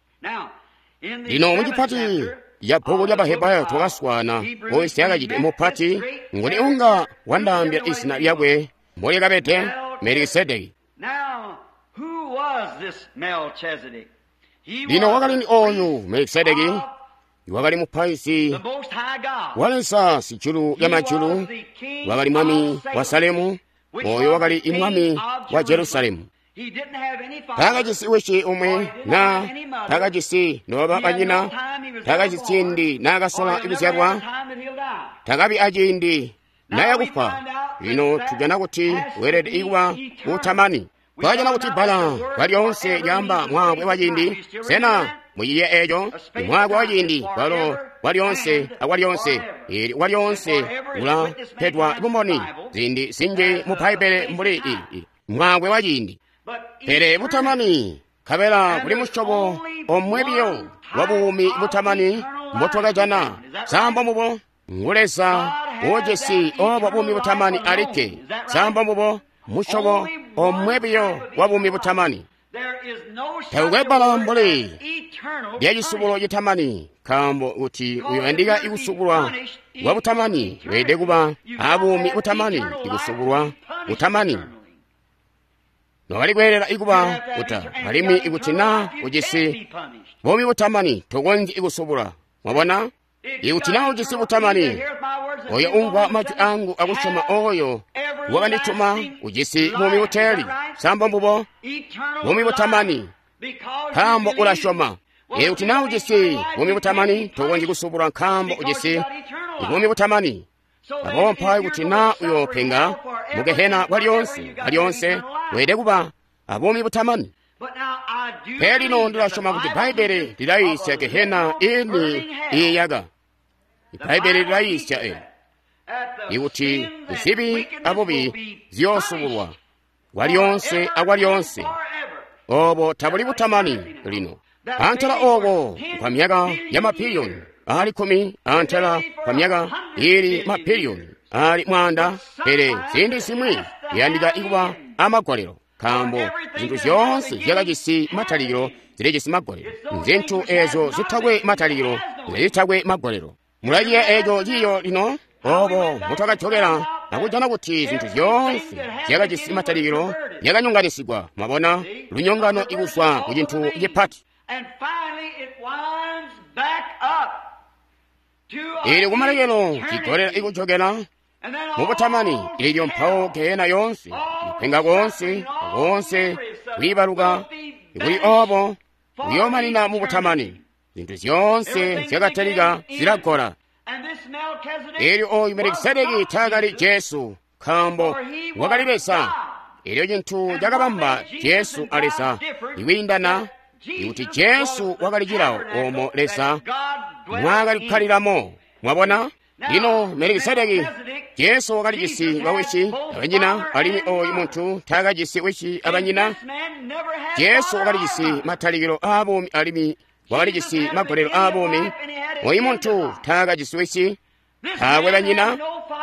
Speaker 1: Lino mucipati ya bbuku lya Bahebrayo twakaswana oyo syakacite mupati nguni unga wandaambila izina lyakwe mbolyakabede Melikisedeki. Lino wakali ni oyu Melikisedeki wakali mupaizi wa Leza sijulu lya majulu, wakali mwami wa Salemu, oyo wakali imwami wa Jerusalemu. Takajisi wisi umwi na takajisi nobaba banyina, takajisi ciindi naakasola kuzyalwa, takabi aciindi nayakufa. Lino tujana kuti weelede ikuba utamani. Twajana kuti bbala kwalyoonse lyaamba mwaakwe wa ciindi. Sena muyiye eeco? Mwaakwe wa ciindi kwalo kwalyoonse akwalyoonse. Eli kwalyoonse ulapedwa bumboni ziindi zinji mu Bbaibbele mbuli iyi mwaakwe wa ciindi. Pele butamani, nkabela kuli musyobo omwe biyo wa buumi butamani mbotwakajana. Sambo mubo ngu Leza uujisi obo buumi butamani alikke. Sambo mubo musyobo omwe biyo wa buumi butamani. Takukwe bbala mbuli lya cisubulo citamani, nkaambo kuti uyoyandika ikusubulwa kwa butamani weelede kuba abuumi butamani. Ikusubulwa butamani nokali kweelela ikuba kuta, alimwi ikuti na ujisi buumi butamani tokonzyi ikusubula. Mwabona, ikuti na ujisi butamani, oyo umvwa majwi angu akusyoma oyo wakandituma ujisi buumi buteeli. Sambo mbubo buumi butamani, nkaambo ulasyoma. Ikuti na ujisi buumi butamani tokonzyi kusubulwa, nkaambo ujisi buumi butamani. Aboobo mpawo ikuti na uyoopenga mu gehena kwalyoonse kwalyoonse, weelede kuba abuumi butamani. Pele lino ndilasyoma kuti Bbaibbele lilayiisya gehena ini iiyaka. Bbaibbele lilayiisya e ikuti zibi abubi ziyoosubulwa kwalyoonse akwalyoonse. Obo tabuli butamani lino. Antela obo kwa myaka ya mapiliyoni ali kkumi, antela kwa myaka ili mapiliyoni ali mwaanda. Pele ziindi zimwi iyandika ikuba amagolelo, nkaambo zinthu zyoonse zyakajisi matalikilo zilijisi magolelo. Nzintu ezo zitakwe matalikilo zitakwe magolelo. Mulaciya eco ciyo lino obo mutwakajokela akujana kuti zinthu zyoonse zyakajisi matalikilo zyakanyonganisigwa. Mwabona, lunyongano ikuzwa ku cintu cipati. Ili kumalekelo chigolera ikuchokera mubutamani ilyo mpawo gehena yonse kupenga konse konse kuyibaluka kuli obo kuyomanina mubutamani. Zinthu zonse zyakatalika zilagola. Elyo oyu Melikisedeki taakali Jesu, nkaambo wakali Leza. Elyo chinthu chakabamba Jesu a Leza ikwiindana ikuti Jesu wakali chilawo omo Leza mwakali kukhaliramo. Mwabona? Lino Melikisedeki, Jesu wakalijisi bawisi abanyina, alimwi oyu munthu taakajisi wisi abanyina. Jesu wakalijisi matalikilo aabuumi alimwi wakalijisi magolelo aabuumi. Oyu munthu taakajisi wisi, taakwe banyina,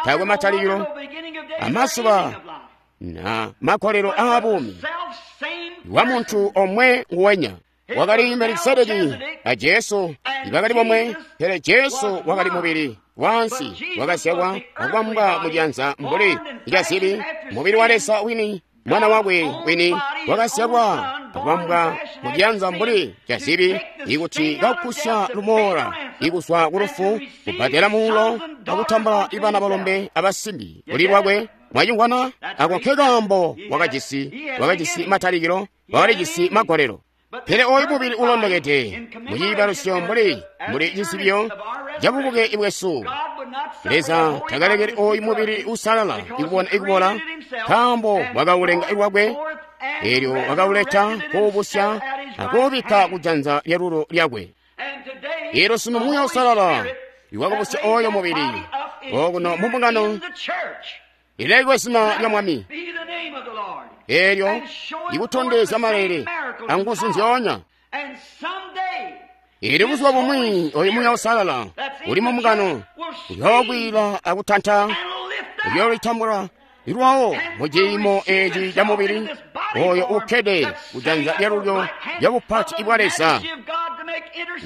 Speaker 1: taakwe matalikilo amazuba na magolelo aabuumi wa munthu omwe nguwenya. Wakali Melikisedeki a Jesu ibakali bomwe, pele Jesu wakali mubili wansi wakazyalwa akubambwa mujanza mbuli lyazibi, mubili wa Leza wini, mwana wakwe wini wakazyalwa akubambwa mujanza mbuli lyazibi, ikuti kakusya lumola ikuzwa ku lufu, kubbadela muulo akutambula ibana balombe abasimbi kuli lwakwe. Mwachingwana ako nke kaambo wakajisi wakajisi matalikilo, wakalijisi magolelo. Pele oyu mubili ulondokede muciibalusyo mbuli mbuli cizibyo cabubuke bwesu. Leza takalekeli oyu mubili usalala ikubona ikubola, nkaambo wakaulenga lwakwe, elyo wakauleta kuubusya akuubikka kujanza lyalulo lyakwe. Elyo sunu Muuya Usalala iwakabusya oyo mubili okuno mu mbungano ilekwe zina lya Mwami, elyo ikutondezya malele anguzu nzyoonya. Ili buzuba bumwi oyu Muuya Usalala uli mu mbungano uyoogwila akutanta, uyoolitambula lwawo mu ciimo eci ca mubili oyo ukkede kujanza lyalulyo lya bupati bwa Leza,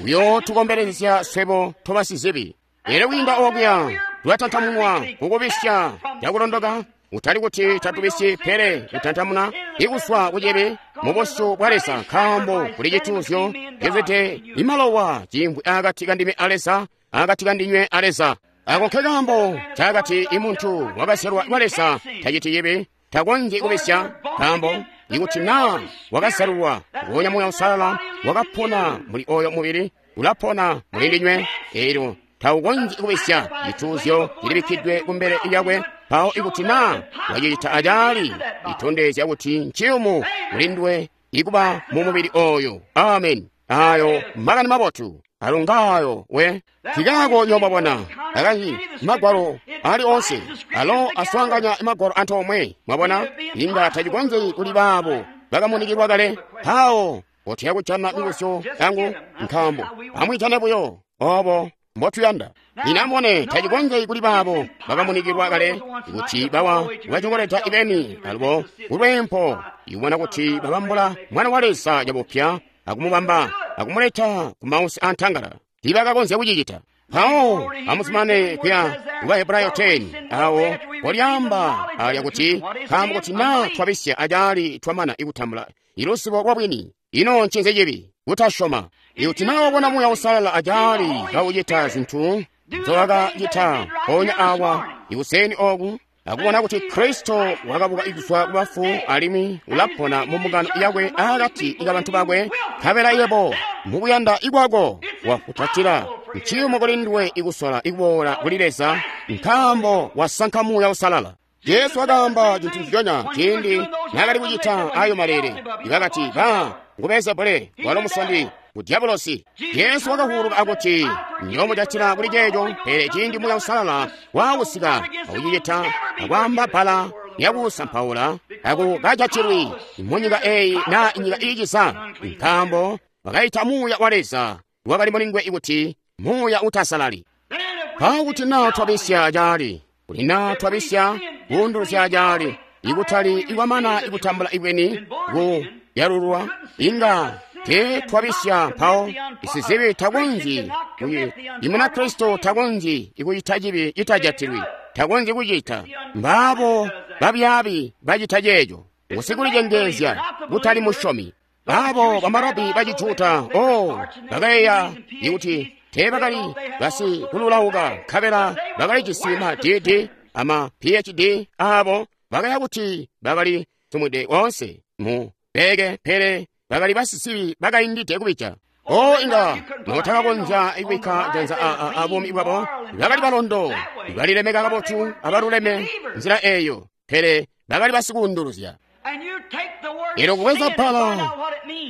Speaker 1: uyootukombelezya swebo tobasizibi. Elyo kwiinda okuya tulatantamunwa kukubisya cakulondoka, utali kuti tatubisyi, pele kutantamuna ikuswa kucibi mu busyu bwa Leza, nkaambo kuli cituuzyo cizwide imalowa ciimvwi akati kandime a Leza, akati kandinywe a Leza. Ako nke kaambo cakati imuntu wakazyalwa kwa Leza taciti cibi, takonzyi kubisya, nkaambo ikuti naa wakazyalulwa nguonya Muuya Usalala wakapona muli oyo mubili, ulapona muli ndinywe, elyo taukonzyi kubisya. Cituuzyo cilibikkidwe kumbele lyakwe. Mpawo ikuti naa wacicita acaali, itondezya kuti nciyumu kuli nduwe ikuba mu mubili oyo. Amen. Ayo makani mabotu alungaayo we tikaako nyomwabona akanji magwalo ali onse alo aswaanganya magwalo antoomwe. Mwabona, inga tacikonzyi kuli baabo bakamunikilwa kale. Mpawo potiya kujana mibuzyo yangu, nkaambo amwiitane buyo obo mbotuyanda. Lino amubone, tacikonzyi kuli baabo bakamunikilwa kale kuti bawa bacikoleta ibeni alubo kulwempo ikubona kuti babambula Mwana wa Leza cabupya akumubamba akumuleta ku mausi antangala. Tibakakonzya kucicita. Mpawo amuzumane kuya ku Bahebrayo khumi awo polyaamba alya kuti nkaambo kuti naa twabisya acaali twamana ikutambula iluzibo lwa bwini. Ino ncinzi cibi? Kutasyoma. Ikuti naa wabona Muuya Usalala acaali kaucita zinthu nzowakacita mpoonya awa ikuseni oku, akubona kuti Kristo wakabuka kuzwa ku bafu alimwi ulapona mu mbungano yakwe akati kabantu bakwe, nkabela yebo mukuyanda ikwako wakutatila nciyumu kuli nduwe ikusola ikuboola kuli Leza, nkaambo wasanka Muuya Usalala. Jesu wakaamba cintu nciconya ciindi naakali kucita ayo malele. Ibakati ba ngu Beelzebule, walo musondi ngu Diabolosi. Jesu wakavuuluka akuti nyomucatila kuli ceeco, pele ciindi Muuya Usalala wakusika akucicita akwaamba bbala lyakusampaula akukacatilwi munyika eyi naa nyika iiciza, nkaambo bakaita Muuya wa Leza wakali mulinguwe kuti muuya utasalali. Mpawo kuti naa twabisya acaali, kuti naa twabisya kuunduluzya acaali, ikutali ikwamana ikutambula ibweni ku yalulwa, inga te twabisya. Mpawo isizibi takonzyi Imunakristo takonzyi ikucita cibi citajatilwi, takonzyi kucita. Mbaabo babyaabi bacita ceeco, usikulicengeezya kutali musyomi. Abo bamarabi bacijuda, oh, bakayeeya ikuti teebakali basikululauka, nkabela bakalijisi ma D D ama P H D abo bakaya kuti bakali sumwide onse mu beke, pele bakali basisibi bakaindide kubija. Oh, inga notakakonzya kubikka janza abuumi bwabo, bakali balondo, balilemeka kabotu abaluleme nzila eyo, pele bakali basikuunduluzya. Elyo kubweza bbala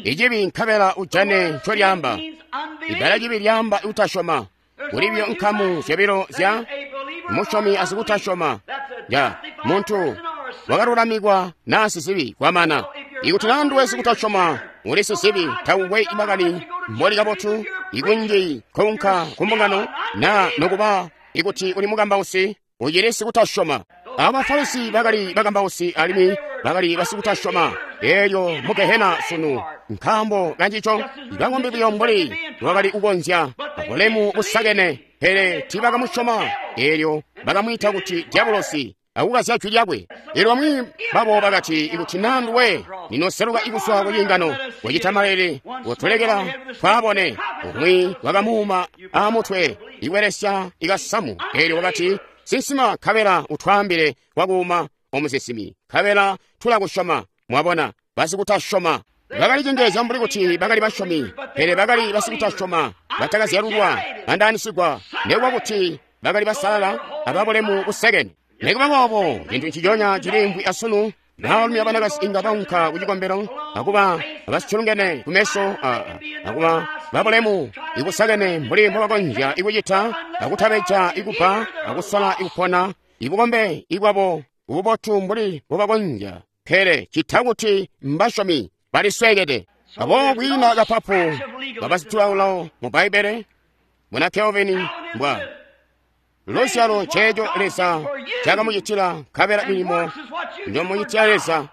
Speaker 1: icibi nkabela ujane ncolyaamba. Ibbala cibi lyaamba utasyoma. Kulibyo nkamu zyobilo zya musyomi asikutasyoma. Ya muntu wakalulamikwa naa sizibi kwamana. Ikuti naa nduwe sikutasyoma uli sizibi, taukwe makani mboli kabotu ikunji kounka kumbungano, naa nokuba ikuti uli mukambausi ucili sikutasyoma. Abafarisi bakali bakambausi alimwi bakali basikutasyoma. Elyo mu Gehena sunu nkaambo kancico bang'ombe buyo mbuli wakali kukonzya abulemu busakene, pele tiibakamusyoma. Elyo bakamwiita kuti diabulosi akukazya jwi lyakwe. Elyo bamwi babo bakati, ikuti naa nduwe ninoseluka ikuswa kuciingano wacita malele, wotulekela twabone. Umwi wakamuuma amutwe ikwelesya ikasamu. Elyo wakati, sinsima nkabela utwaambile wakuuma omusisimi, nkabela tulakusyoma. Mwabona, basikutasyoma bakalicengeezya mbuli kuti bakali basyomi, pele bakali basikutasyoma batakazyalulwa andaanisigwa, nekuba kuti bakali basalala ababulemu busekene. Nekuba boobo, cintu nciconya ciliimvwi asunu. Baalumi abanakazi inga baunka kucikombelo akuba abasiculungene kumeso, akuba babulemu ibusakene mbuli mbobakonzya ikucita, akutabeja ikupa, akusola ikupona ibukombe ibwabo ububotu mbuli mbobakonzya, pele cita kuti mbasyomi baliswekede. Aboobo kwiina kapapu kabasitulaolao mu Bbaibbele muna Kelvin mbwa luzyalo ceeco Leza cakamucitila, nkabela milimo njomucitila Leza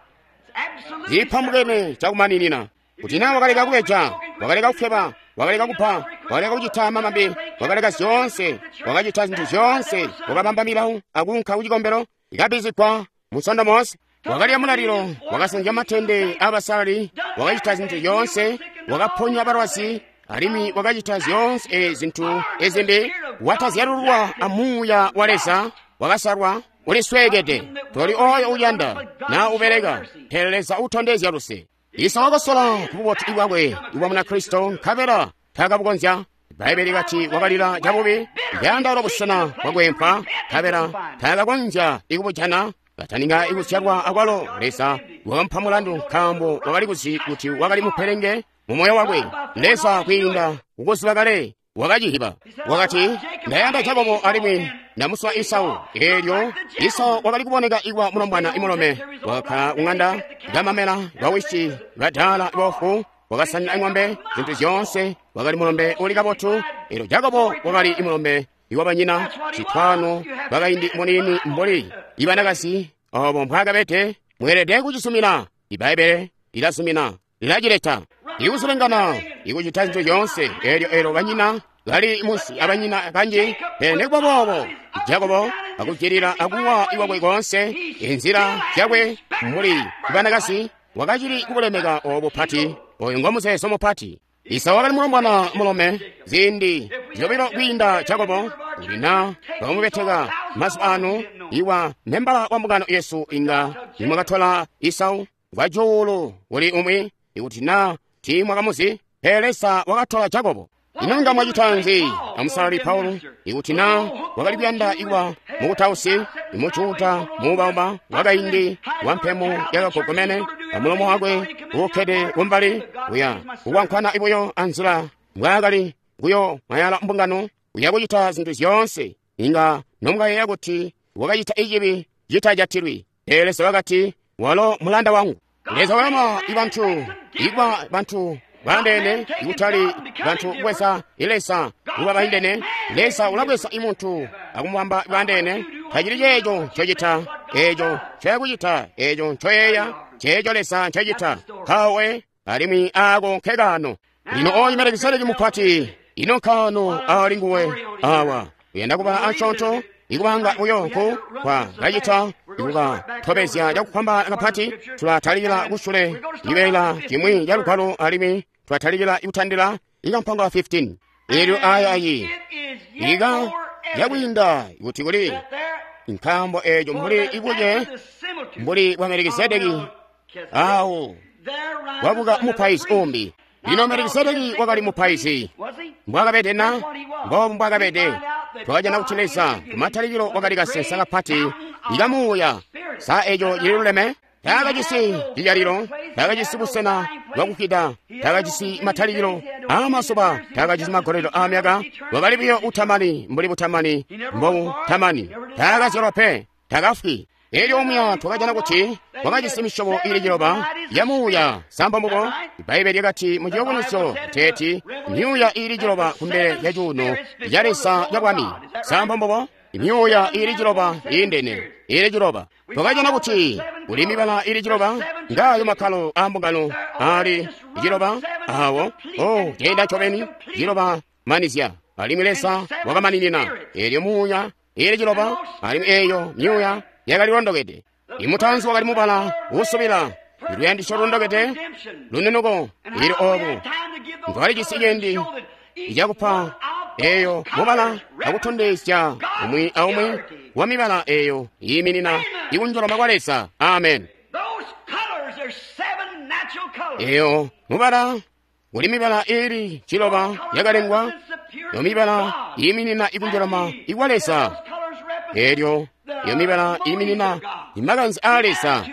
Speaker 1: zipambukene cakumaninina. Kuti naa wakaleka kubeja, wakaleka kufweba, wakaleka kupa, wakaleka kucita mamambe, wakaleka zyoonse, wakacita zintu zyoonse, wakabamba milawo akuunka kucikombelo ikabizigwa musondo moonse, wakalya mulalilo, wakasanzya matende abasalali, wakacita zintu zyoonse, wakaponya balwazi, alimwi wakacita zyoonse zintu ezimbi, watazyalulwa amuuya wa Leza, wakasalwa, ulisweekede. Toli oyo uyanda naa ubeleka, pele Leza utondezya luse. Isa wakasola kububotu bwakwe ibwa Munakristo, nkabela taakabukonzya. Bbaibbele likati wakalila cabubi, yandaula busena bwakwempwa, nkabela taakakonzya ikubujana. Kataninga ikuzyalwa akwalo, Leza wakamupa mulandu nkaambo wakali kuzi kuti wakali mupelenge mu moyo wakwe. Leza kwiinda kukuziba kale wakacihiba. Wakati, ndayanda Jakobo alimwi ndamuswa Esau. Elyo Esau wakali kuboneka ikwa mulombwana imulome, wakakkala kung'anda kamamela bawisi badaala bofu, wakasanina ing'ombe zintu zyoonse, wakali mulombe uli kabotu. Elyo Jakobo wakali imulombe iwabanyina sitwano bakaindi munini mbuli ibanakazi obo mbwakabete. Mweelede kucisumina. Ibbaibbele lilasumina, lilacileta ikusulengana ikucita zintu zyoonse. Elyo elyo banyina bali munsi abanyina kanji, pele nekuba boobo Jakobo akucilila akuwa iwakwe koonse inzila zyakwe mbuli banakazi, wakacili kubulemeka obu pati. Oyu ngomuzeezo mupati. Esau wakali mulombwana mulome ziindi zyobilo kwiinda Jakobo. Kuti naa bakamubeteka mazuba ano iwa membala wa mbungano yesu, inga nimwakatola Esau kwacuulu kuli umwi, ikuti naa tiimwakamuzi, pele Leza wakatola Jakobo. Ino nga mwacita nzi amusalali Paulo? Ikuti naa wakali kuyanda ikwa mukutausi, imujuda muubauba wakaindi wampemo yakagogomene, amulomo wakwe uukkede kumbali uya kukwankwana ibuyo anzila mbwaakali kuyo mwayala mbungano, uya kucita zintu zyoonse, inga nomukayeeya kuti wakacita icibi citajatilwi. Pele Leza wakati, walo mulanda wangu. Leza walama ibantu ikwa bantu baandeene, ikutali bantu kubweza Leza kuba baindene. Leza ulabweza imuntu akumubamba baandeene. Tacili ceeco ncocita, eeco ncoyakucita, eeco ncoyeeya, ceeco Leza ncacita. Mpawe alimwi aako nkekaano. Lino oyu Melikisedeki mupati, ino nkaano ali nguwe awa. Uyanda kuba asyoonto, ikubanga buyo nku kwa kacita ikuka tobezya cakufwambaana kapati. Tulatalikila kusule cibeela cimwi ca Lugwalo alimwi twatalikila kutandila ikampango fifteen. Elyo aya ayi ika yakwiinda kuti kuli nkaambo eeco mbuli ibuce mbuli bwa Melikisedeki awo wabuka mupaizi umbi. Lino Melikisedeki wakali mupaizi mbwakabede na mboobu mbwakabede. Twakajana kuti Leza kumatalikilo wakali kasensa kapati ikamuuya. Sa eeco cililuleme? Taakajisi cijalilo, taakajisi busena bwakufwida, taakajisi matalikilo aamazuba, taakajisi magolelo aamyaka. Wakali buyo utamani mbuli butamani mbobutamani. Taakazyalwa pe, taakafwi. Elyo omuya twakajana kuti wakajisi misyobo ili ciloba ya muuya. Samba mbubo Bbaibbele lyakati mu Ciyubunuzyo teeti myuuya ili ciloba kumbele ya cuuno ca Leza ca bwami. Samba mbubo myuuya ili ciloba iindene ili ciloba. Twakajana kuti kuli mibala ili ciloba ngayo makkalo aambungano ali ciloba awo. Oh, ceenda ncobeni ciloba manizya alimwi Leza wakamaninina. Elyo muuya ili ciloba alimwi eeyo myuuya yakali londokede. Imutanzi wakali mubala uusubila, luyandisyo londokede, lununuko. Ili obu twalijisi ciindi cakupa eeyo mubala akutondezya umwi aumwi wa mibala eeyo yiiminina ikunjoloma kwa Leza. Amen. Eeyo mubala kuli mibala ili ciloba yakalengwa. Yo mibala yiiminina ikunjoloma ikwa Leza. Elyo iyo mibala iiminina imakanze aa Leza,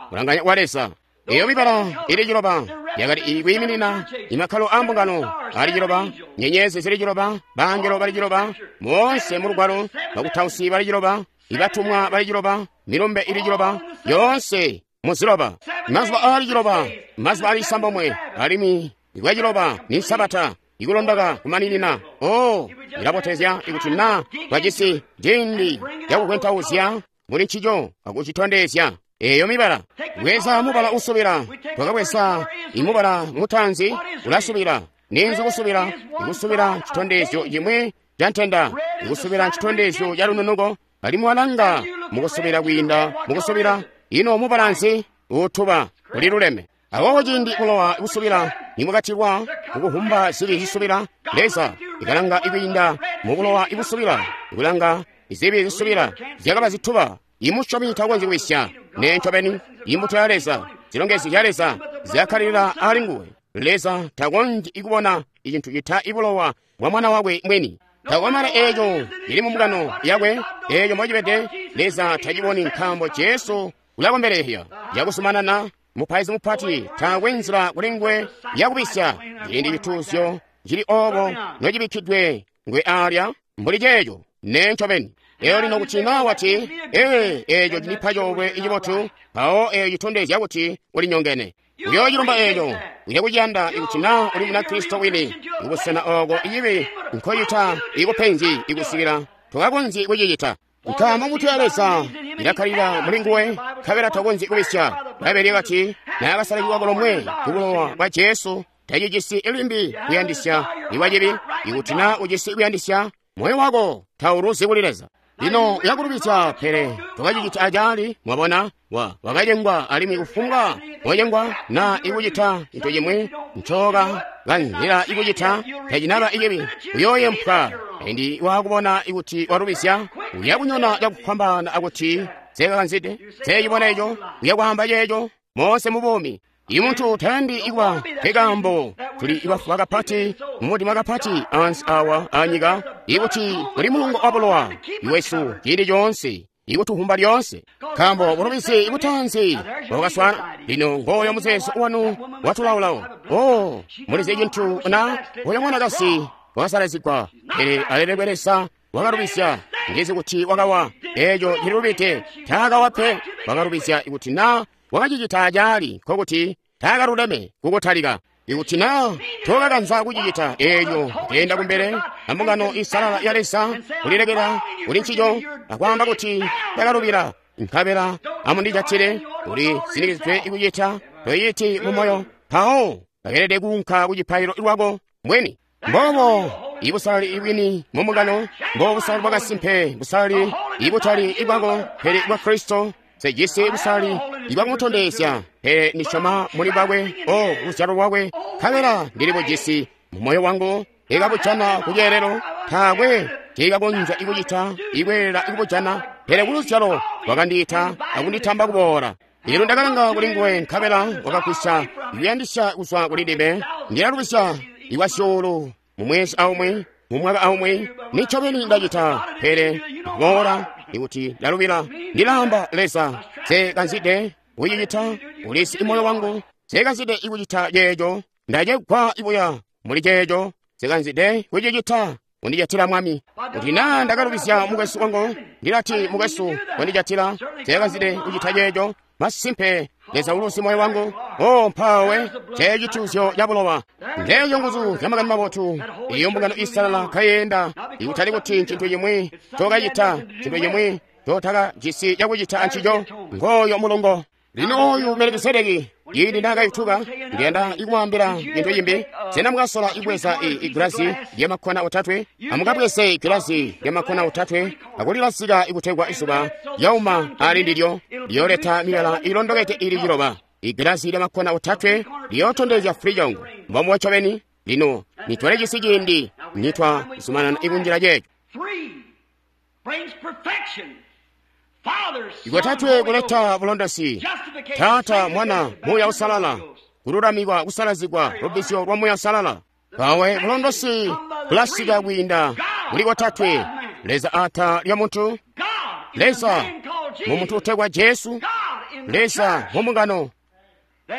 Speaker 1: kulanganya kwa Leza. Iyo mibala ili ciloba yakali ikwiiminina imakkalo aambungano ali ciloba, nyenyezi zili ciloba, bangelo bali ciloba, moonse mu Lugwalo bakutausi bali ciloba, ibatumwa bali ciloba, milumbe ili ciloba, yoonse mu ziloba. Mazuba aali ciloba, mazuba aali isambomwe, alimwi ikwa ciloba ni Sabata, ikulondoka kumaninina. Oh, ilabotezya ikuti na twajisi ciindi cakukwentauzya muli ncico akucitondezya eeyo mibala. Bweza mubala usubila. Twakabweza imubala mutanzi ulasubila. Ninzi kusubila? Ikusubila citondezyo cimwi ca ntenda, ikusubila ncitondezyo ca lununuko. Alimwi walanga mukusubila kwiinda mukusubila. Ino mubala nzi? Utuba uliluleme. Aboobo ciindi kulowa kusubila nimwakatilwa kukuhumba zibi zisubila, Leza ikalanga ikwiinda mukulowa ikusubila, ikulanga izibi zisubila zyakaba zituba. Imusyomi takonzyi kubisya. Nee ncobeni imbuto ya Leza, zilongezyo zya Leza zyakkalilila ali nguwe. Leza takonzyi ikubona icintu cita ibulowa bwa mwana wakwe mwini. Takwamana eeco ili mu mbungano yakwe, eeco mbocibede Leza taciboni nkaambo Jesu ulakombelehya yakusumanana. Mupaizi mupati taakwe nzila kuli nguwe yakubisya. Ciindi cituuzyo cili oobo nocibikkidwe ngwe alya mbuli ceeco. Nee ncobeni. Eyo lino kuti naa wati, ee, eeco cinipa coolwe icibotu, mpawo eeyo citondezya kuti ulinyongene. Uyoocilumba eeco, uya kuciyanda ikuti naa uli Munakristo wini. Kubusena ooko icibi nkocita ikupenzi ikusikila tokakonzyi kucicita. Nkaambo mbuto ya Leza ilakkalilila muli nguwe, nkabela takonzyi kubisya. Bbaibbele lyakati naakasalazigwa kolomwe kubulowa bwa Jesu, tacijisi limbi kuyandisya ikwa cibi. Ikuti naa ujisi kuyandisya, moyo wako tauluzi kuli Leza. Lino uyakulubisya, pele tokacicita acaali. Mwabona, wa wakacengwa alimwi kufumbwa wacengwa naa ikucita cintu cimwi ncoka kanzila ikucita tacinaba icibi, uyooyempwa. Indi wakubona ikuti walubisya, uyakunyona cakufwambaana akuti seekakanzide, seecibona eco, uyakwaamba ceeco moonse mu buumi. Imuntu tayandi ikuba nkekaambo tuli ibafuba kapati mumudima kapati ansi awa anyika, ikuti kuli mulungo wa bulowa iwesu ciindi coonse, ikutuhumba lyoonse. Nkaambo bulubizi ibutanzi bwakaswana. Lino ngooyo muzeezo wanu watulaulawo. Oh, mulizi cintu na oyo mwanakazi wakasalazigwa, pele alelekwe Leza wakalubisya. Ndizi kuti wakawa, eeco cililubide. Taakawa pe, wakalubisya. Ikuti naa wakacicita acaali, nkokuti taakaluleme kukutalika. Ikuti naa tokakanza kucicita eeco, kenda kumbele ambungano isalala ya Leza, kulilekela kuli ncico akwaamba kuti ndakalubila, nkabela amundijatile, uli sinikizidwe ikucita, toyiti mumoyo, mpawo bakeelede kuunka kucipaililo lwako mbweni. Mboobo ibusalali ibwini mu mbungano, mbo busalali bwakasimpe, busalali ibutali ibwako pele bwa Kristo Nsejisi busali ibwakumutondezya, pele ndisyoma muli bwakwe, o luzyalo lwakwe, nkabela ndili bujisi mu moyo wangu. Ikabujana ku ceelelo, taakwe nceikakonzya ikucita ikweelela ikubujana, pele ku luzyalo wakandiita akunditamba kuboola. Elyo ndakalanga kuli nguwe, nkabela wakagwisya ikuyandisya kuzwa kuli ndime. Ndilalubisya ikwazyuulu mu mwezi aumwi, mu mwaka aumwi, nincobeni ndacita, pele kuboola ikuti ndalubila, ndilaamba Leza, nsekanzide kucicita, ulisi moyo wangu, nsekanzide ikucita ceeco, ndacegwa ibuya muli ceeco, nsekanzide kucicita. Undijatila Mwami. Kuti naa ndakalubizya mukwesu wangu, ndilati mukwesu wandijatila, nsekanzide kucita ceeco. Masimpe Leza uluzi moyo wangu. O mpawe cecituuzyo ca bulowa, ndeeyo nguzu zya makani mabotu. Iyo mbungano isalala kayenda, ikutali kuti ncintu cimwi cokacita, cintu cimwi cotakajisi cakucita ancico. Ngooyo mulongo. Lino oyu Melikisedeki, ili ndakayutuka, ndiyanda ikumwaambila cintu cimbi. Sena mukasola ibweza igilasi lyamakkona otatwe? Amukabweze igilasi lyamakkona otatwe akulilasika ikutegwa izuba lyauma ali ndilyo liyoleta mibala ilondokete ili ciloba. Igilasi lyamakkona otatwe liyootondezya fulijongo mbombubo ncobeni. Lino nitwale cisi ciindi nitwa zumanana ikunjila ceeco. Ikwatatwe kuleta bulondosi, Taata, Mwana, Muuya Usalala, kululamikwa, kusalazigwa, lubbizyo lwa Muuya Usalala. Pawe bulondosi bulasika kwiinda muli kotatwe: Leza ata lya muntu, Leza mu muntu utegwa Jesu, Leza mu mbungano.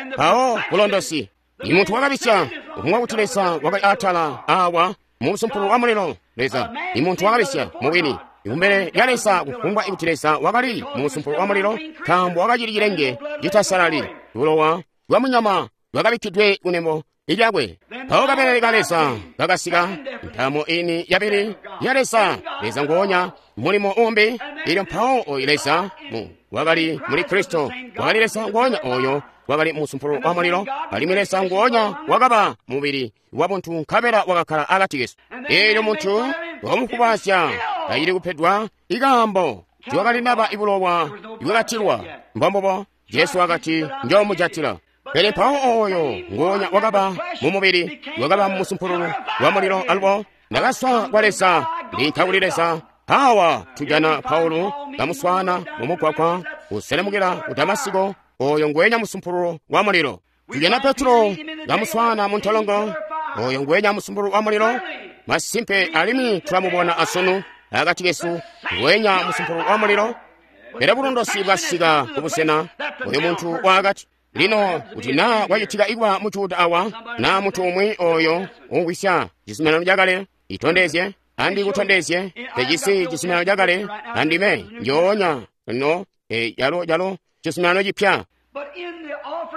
Speaker 1: Mpawo bulondosi ni muntu wakabisya, ukumwa kuti Leza wakali atala awa mu musumpulu wa mulilo. Leza ni muntu wakabisya mubwini kumbele lya Leza, kufumbwa ikuti Leza wakali mu musumpulu wa mulilo, nkaambo wakacili cilenge citasalali, bulowa bwa munyama bwakabikkidwe kunembo lyakwe. Mpawo kabelele ka Leza kakasika, ntamo ini yabili ya Leza, Leza nguonya mulimo umbi. Elyo mpawo oyu Leza mu wakali muli Kristo, wakali Leza nguonya oyo wakali mu musumpulu wa mulilo, alimwi Leza nguonya wakaba mubili wa buntu nkabela wakakkala akati kesu. Elyo muntu wakamufubasya kacili kupedwa ikaambo tiwakali naba ibulowa ibwakatilwa. Mbombubo Jesu wakati, njoomujatila. Pele mpawo oyo nguonya wakaba mu mubili, wakaba mu musumpululu wa mulilo. Alubo ndakaswa kwa Leza, ndinka kuli Leza. Awa tujana Paulo kamuswana mu mugwagwa kuselemukila ku Damasiko, oyo ngwenya musumpululu wa mulilo. Tujana Petro kamuswana mu ntolongo, oyo ngwenya musumpululu wa mulilo. Masimpe alimwi tulamubona asunu akati kesu, ngwenya musumpululu wa mulilo. Pele bulondosi bwasika kubusena oyo muntu wakati, lino kuti naa kwacitika ikuba mujuda awa naa muntu umwi oyo umvwisya cizuminano cakale, itondezye andi kutondezye tecisi cizuminano cakale andime njoonya no e, yalo yalo cizuminano cipya.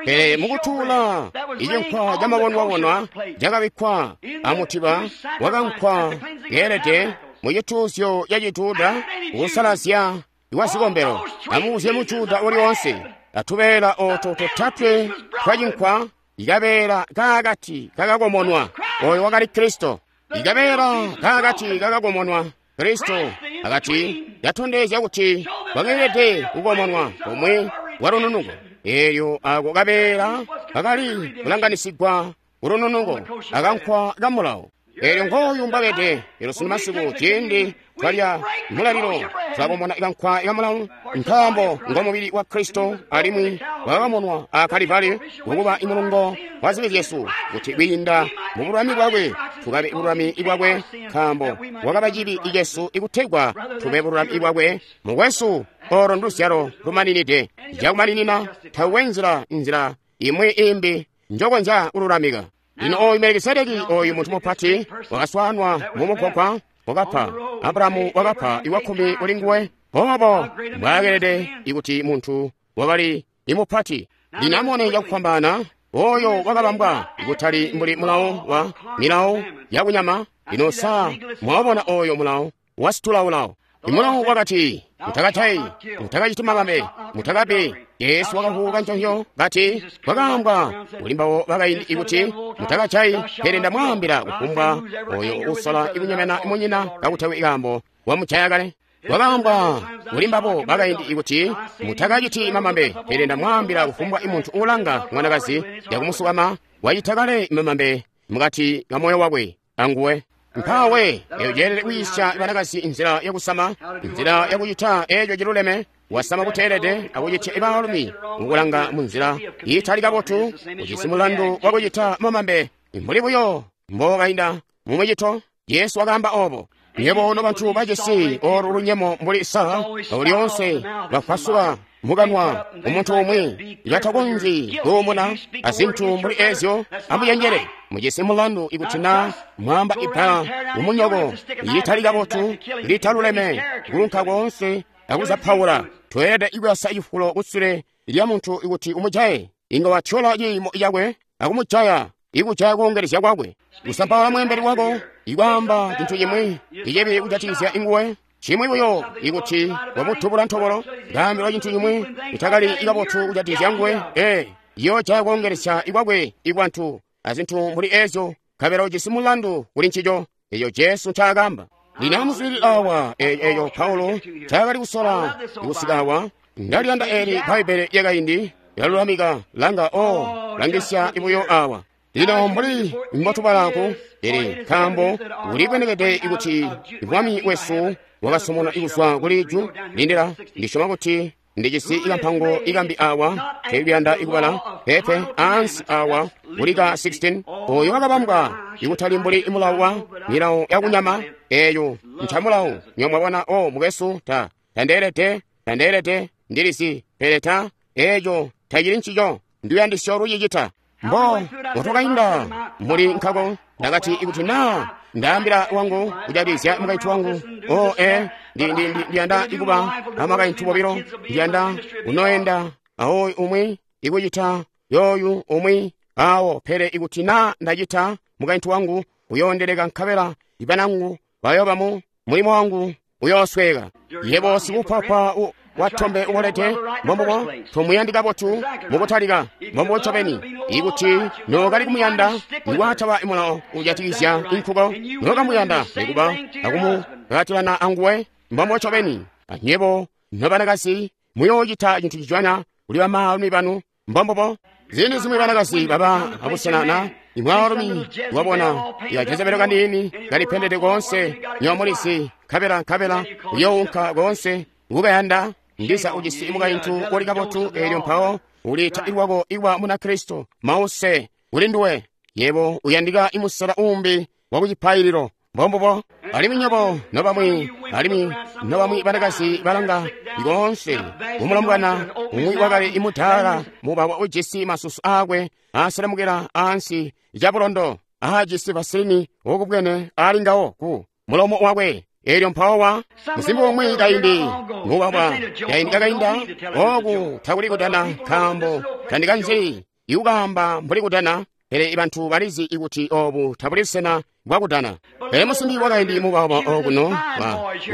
Speaker 1: Pele mukutuula icinkwa camabonwabonwa cakabikkwa amutiba wakankwa keelede mucituuzyo ca Cijuda kusalazya kwa zikombelo. Amubuzye mujuda uliwonse atubeela oto totatwe twa cinkwa, ikabeela kaakati kakakomonwa, oyo wakali Kristo. Ikabeela kaakati kakakomonwa, Kristo akati yatondezya kuti wakeelede kukomonwa kumwi kwa lununuko. Elyo ako kabeela kakali kulanganisigwa kulununuko akankwa ka mulawo. Elyo ngooyu mbabede. Elyo sunu masiku ciindi twalya mulalilo tulakomona ikankwa ka mulawo, nkaambo ngo mubili wa Kristo, alimwi wakakomonwa a Kalivali kukuba imulungo wa zibi zyesu, kuti kwiinda mu bululami bwakwe tukabe bululami bwakwe, nkaambo wakaba cibi cesu ikutegwa tube bululami bwakwe. Mukwesu, olo nduzyalo lumaninide cakumaninina, tawe nzila nzila imwi imbi njokonzya kululamika. Lino oyu Melikisedeki, oyu muntu mupati wakaswanwa mu mugwagwa, wakapa Abrahamu wakapa iwakkumi kuli nguwe. Obo mbwaakelede ikuti muntu wakali imupati. Lino amone cakufwambaana oyo wakabambwa ikutali mbuli mulawo wa milawo yakunyama. Lino sa mwabona oyo mulawo wasitulaulawo. Imulawo wakati, mutakajayi, mutakaciti mabambe, mutakabi. Yesu wakavuka nconzyo kati, kwakaambwa kuli mbabo bakaindi ikuti mutakajayi, pele ndamwaambila kufumbwa oyo usola ikunyemena munyina kakutewe ikaambo wamujaya kale. Wakaambwa kuli mbabo bakaindi kuti mutakaciti mamambe, pele ndamwaambila kufumbwa muntu uulanga mwanakazi yakumusukama wacita kale mamambe mukati ka moyo wakwe anguwe. Mpawe eyo ceelede kwiisya banakazi nzila yakusama, nzila yakucita eeco ciluleme, wasama kuteelede akucitya baalumi mukulanga munzila iitali kabotu, ujisi mulandu wakucita mamambe mbuli buyo mbokainda mumucito. Yesu wakaamba obo. Nyebo nobantu bajisi olu lunyemo mbuli sa lyoonse bafwasuka mukanwa umuntu umwi batakonzyi kuumuna azintu mbuli ezyo. Amucenjele, mujisi mulandu ikuti na mwamba ibbala mumunyoko litali kabotu litaluleme kulunka koonse akuzapaula. Tweelede ikuyasa cifulo kusule lya muntu ikuti umujaye, inga watyola ciimo cakwe akumujaya, ikujaya kuongelezya kwakwe. Kusampaula mweembeli wako, ikwaamba cintu cimwi icibi kujatikizya inguwe, cimwi buyo ikuti wamutubula ntobolo, kaambilwa cintu cimwi itakali ikabotu kujatikizya nguwe, ee, yoojaya kuongelezya ikwakwe ikwantu azintu mbuli ezyo, nkabela ujisi mulandu kuli ncico. Eyo Jesu ncaakaamba. Lino amuswiilile awa eyo Paulo ncaakali kusola kusika awa. Ndaliyanda eli Bbaibbele lyakaindi lyalulamika langa o langisya ibuyo awa. Lino mbuli mbotubalaku, pele nkaambo kulibwenekede ikuti Mwami wesu wakasomona kuzwa kuli ju lindila, ndisyoma kuti ndijisi ikampango ikambi awa teekuyanda ikubala pepe ansi awa kulika sixteen oyo wakabambwa ikutali mbuli mulawo wa milawo yakunyama eyo ncamulawo. Nyomwabona o mukwesu, ta tandeelede tandeelede ndilizi, pele ta eeco tacili ncico ndiyandisyo lucicita. Mbo mutwakainda muli nkako ndakati ikuti na ndaambila wangu kujatikizya mukaintu wangu o e ndiyanda ikuba amakaintu bobilo, ndiyanda unoenda awoyu umwi ikucita yoyu umwi awo, pele ikuti na ndacita mukaintu wangu uyoondeleka nkabela ibanangu bayoba mu mulimo wangu uyoosweka. Yebo sikupapa watombe ubolede mbombubo tomuyandi kabotu mukutalika mbombubo ncobeni. Ikuti nookali kumuyanda niwataba mulawo ujatikizya inkuko, nookamuyanda nikuba akumukakatilana anguwe mbombubo ncobeni. Anyebo nobanakazi muyoocita cintu cicwanya kuli bamaalumi banu mbombubo. Ziindi zimwi banakazi baba abusenana imwaalumi wabona ikajezebelo kaniini kalipendede koonse nyomulizi, nkabela nkabela uyounka koonse ukayanda ndiza ujisi mukaintu uli kabotu, eelyo mpawo uliita ilwako iwa Munakristo mause kuli nduwe. Yebo uyandika imusela uumbi wakucipaililo mbombubo. Alimwi nyobo nobamwi, alimwi nobamwi banakazi balanga koonse kumulomwana umwi wakali imudaala mubawa ujisi masusu aakwe aaselemukila ansi cabulondo aajisi vasilini wokubwene ali ngawo ku mulomo wakwe. Eelyo mpawo wa musimbi umwi kaindi mubawa kaindi kakainda oku takuli kudana, nkaambo tandikanzi ikukaamba mbuli kudana, pele bantu balizi ikuti obu tabuli busena bwakudana. Pele musimbi wakaindi mubawa okuno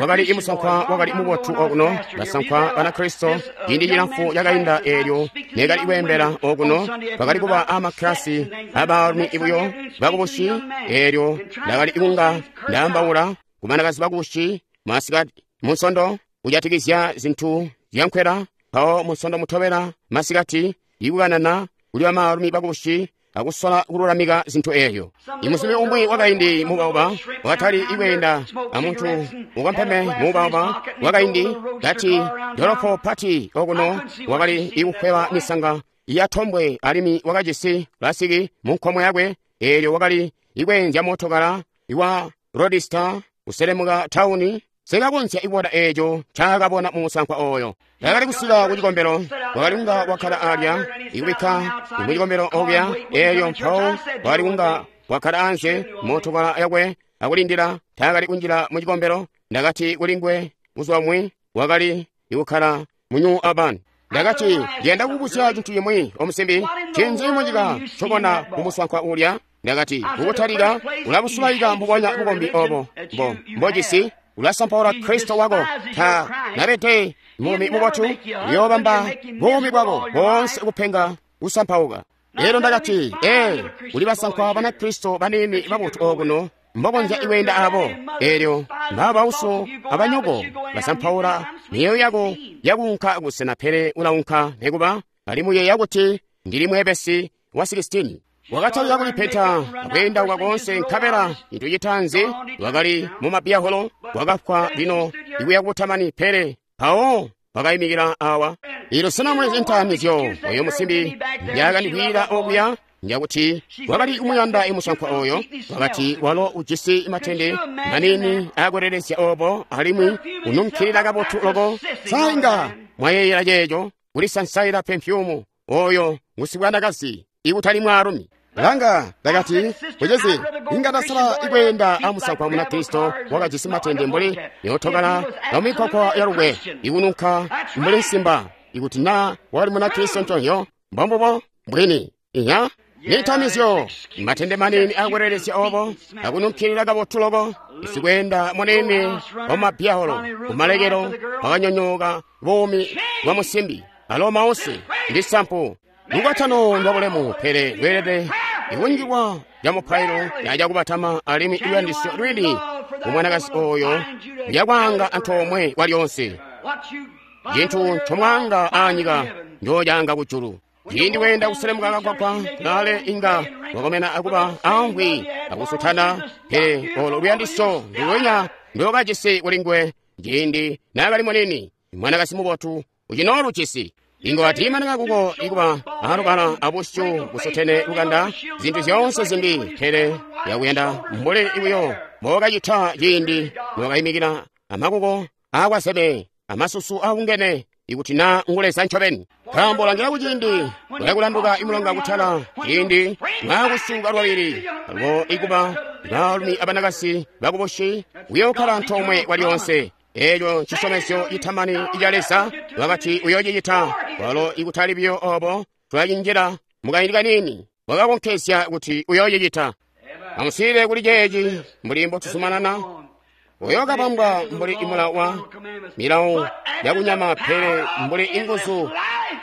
Speaker 1: wakali imusankwa wakali mubotu okuno, basankwa Banakristo ciindi cilamfu cakainda eelyo nekali kweembela okuno, bakali kuba amakilasi abaalumi ibuyo bakubusi. Eelyo ndakali kunga ndaambaula kubanakazi bakubusi masikati munsondo kujatikizya zintu zyankwela, mpawo munsondo mutobela masikati ikukanana kuli bamaalumi bakubusi akusola kululamika zintu eeyo. Imusimbi umwi wakaindi mubauba wakatali ikweenda amuntu ukampeme mubauba wakaindi kati dolopo pati okuno wakali ikukweba misanga yatombwe, alimwi wakajisi pulasiki munkomo yakwe. Eelyo wakali ikweenzya mootokala iwa rodista kuselemuka tauni. Sekakonzya ikuona eeco ncaakabona mumusankwa oyo. Takali kusika kucikombelo, wakali kunga wakkala alya ikubikka mucikombelo okuya. Eelyo mpawo wakali kunga wakkala anze mootokala yakwe akulindila, taakali kunjila mucikombelo. Ndakati kuli nguwe buzuba bumwi wakali ikukkala mu New Albany. Ndakati ndiyanda kukubuzya cintu cimwi omusimbi, ncinzi munyika ncobona mumusankwa ulya? Ndakati kukutalika ulabusulaika mbubonya bukombi obo mbo mbojisi, ulasampaula Kristo wako. Ta nabede mulumi mubotu, uyoobamba buumi bwako boonse kupenga kusampauka. Elyo ndakati ee, kuli basankwa Banakristo baniini babotu okuno mbokonzya kweenda abo. Elyo mbabauso abanyoko basampaula miyeeyo yako yakuunka kusena, pele ulaunka nekuba, alimwi uyeeya kuti ndili mweebesi wa sikisitini. Wakatalika kulipeta akweendauka koonse, nkabela cintu citaanzi wakali mu mabiyaholo, wakafwa lino ikuya kubutamani. Pele mpawo wakayimikila awa. Ilo sena mulizi ntamizyo oyo musimbi ndyakandikwiila okuya? Njakuti wakali kumuyanda imusankwa oyo. Wakati walo ujisi matende manini akwelelezya obo, alimwi ununkilila kabotu loko. Sa inga mwayeeyela ceeco? Kulisansaila pemfyumu oyo ngusibwanakazi ikutali mwaalumi. Langa, ndakati, mucizi, inga ndasala ikweenda amusankwa Munakristo wakajisi matende mbuli yootokala yamikwakwa yalukwe ikununka mbuli nsimba, ikuti na wakali Munakristo nconzyo. Mbombubo mbwini. Iya, nitamizyo matende manini akwelelezya obo akununkilila kabotu loko. Isikweenda munini wamabiyaholo kumalekelo wakanyonyooka buumi bwa musimbi. Alo mause ndi sampu. Lukwatano lwa bulemu, pele lweelede ikunjilwa lya mupailo yacakubatama, alimwi luyandisyo lwini kumwanakazi oyo lyakwaanga antoomwe kwalyonse. Cintu ncomwaanga aanyika njocaanga kujulu. Ciindi weenda kuselemuka kagwagwa kulaale, inga wakomena akuba amvwi akusutana, pele olo luyandisyo ndulwenya ndokajisi kuli nguwe ciindi naakali munini. Mwanakazi mubotu ucinoolujisi. Inga watiimanika kuko ikuba alubala abusyu busutene lukanda, zintu zyoonse zimbi, pele yakuyanda mbuli buyo mbokacita ciindi nokayimikila amakuko aakwaseme amasusu aungene, ikuti na nguleza ncobeni. Nkaambo langila kuciindi ulakulanduka imulonga kutala, ciindi mwakusuka lwabili alubo ikuba baalumi abanakasi bakubushi uyookhala antoomwe kwalyonse. Eeco cisyomezyo citamani ica Leza, wakati uyoocicita. Walo ikutali buyo obo, tulacinjila mukaindi kaniini, wakakonkezya kuti uyoocicita. Amuswiilile kuli ceeci mbuli mbotuzumanana. Uyookabambwa mbuli imulawo wa milawo yakunyama, pele mbuli inguzu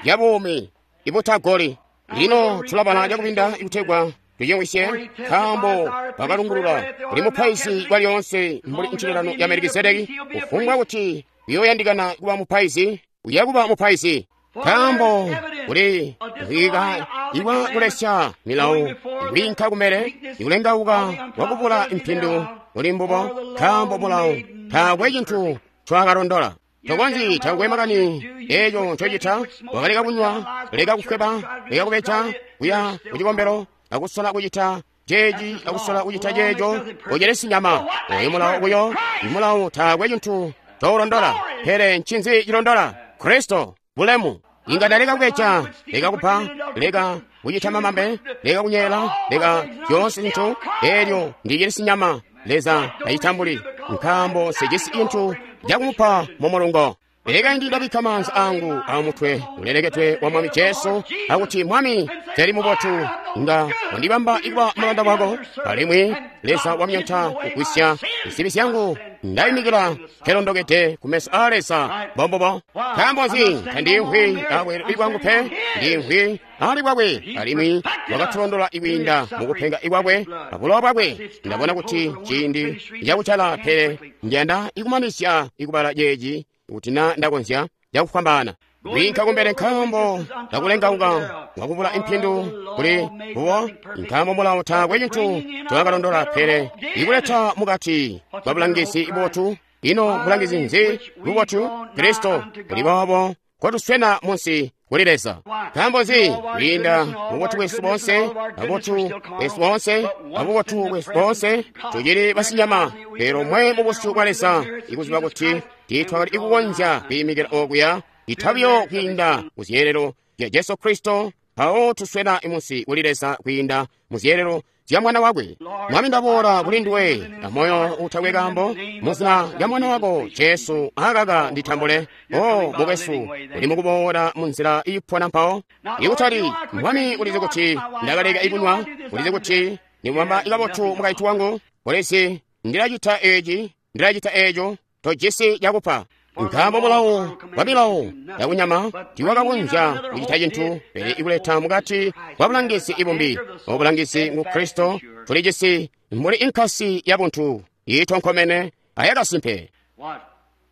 Speaker 1: yabuumi ibutagoli. Lino tulabala cakubinda ikutegwa tucimwisye, nkaambo bakalungulula kuli mupaizi kwalyoonse mbuli ncililano ya Melikisedeki. Kufumbwa kuti uyoyandikana kuba mupaizi, uya kuba mupaizi. Nkaambo kuli kuhika iwa kulesya milawo ikwiinka kumele, ikulengauka kwakubula impindu kuli mbubo. Nkaambo mulawo taakwe cintu ncwaakalondola. Tokonzyi, takwe makani eeco ncocita. Wakaleka kunywa, leka kufweba, leka kubeja, kuya kucikombelo akusola kucita ceeci akusola kucita ceeco, ucelesi nyama. Oyo mulawo buyo, imulawo taakwe cintu coulondola. Pele ncinzi cilondola? Kristo, bulemu. Inga ndaleka kubeja, leka kupa, leka kucita mamambe, leka kunyeela, leka zyoonse zintu, elyo ndicilisi nyama. Leza tacitambuli, nkaambo sijisi cintu cakumupa mu mulungo. Pele kaindi ndabikka maanza angu amutwe uleleketwe wa Mwami Jesu, akuti, Mwami, teli mubotu, nga wandibamba ikuba mulanda wako, alimwi Leza wamyonta kugwisya zibi zyangu, ndayimikila nkelondokede kumeso a Leza. Mbombubo. Nkaambo nzi tandimvwi abweelo bwangu pe, ndimvwi ali bwakwe, alimwi wakatulondola ikwiinda mukupenga ikwakwe abulowa bwakwe. Ndabona kuti ciindi cakucala, pele njanda ikumanizya ikubala ceeci kuti na ndakonzya cakufwambaana kwiinka kumbele, nkaambo kakulengauka kwakubula impindu kuli mbubo. Nkaambo mulawo taakwe cintu ncowakalondola, pele ikuleta mukati kwa bulangizi bubotu. Ino bulangizi nzi bubotu? Kristo. Kuli boobo kotuswena munsi kuli Leza. Nkaambo nzi? Kwiinda mububotu bwesu boonse, abubotu bwesu boonse, abubotu bwesu boonse, tucili basinyama, pele mwe mubusyu bwa Leza, ikuziba kuti tiitwakali ikukonzya kwiimikila okuya, itabiyo kwiinda mu zyeelelo zya Jesu Kristo, mpawo tuswena munsi kuli Leza kwiinda mu zyeelelo zya Mwana wakwe. Mwami, ndaboola kuli nduwe amoyo utakwe kaambo, muzina lya Mwana wako Jesu, akaka nditambule. O mukwesu, uli mukuboola munzila iipona mpawo. Ikutali, Mwami, ulizi kuti ndakaleka ikunywa, ulizi kuti nimubamba ikabotu mukaintu wangu, ulizi ndilacita eci, ndilacita eco, tojisi cakupa. Nkaambo mulawo wa milawo yakunyama tiwakakonzya kucita cintu, pele ikuleta mukati kwa bulangizi ibumbi. Obulangizi ngu Kristo, Tuli jisi mbuli inkasi yabuntu iitonkomene ayakasimpe.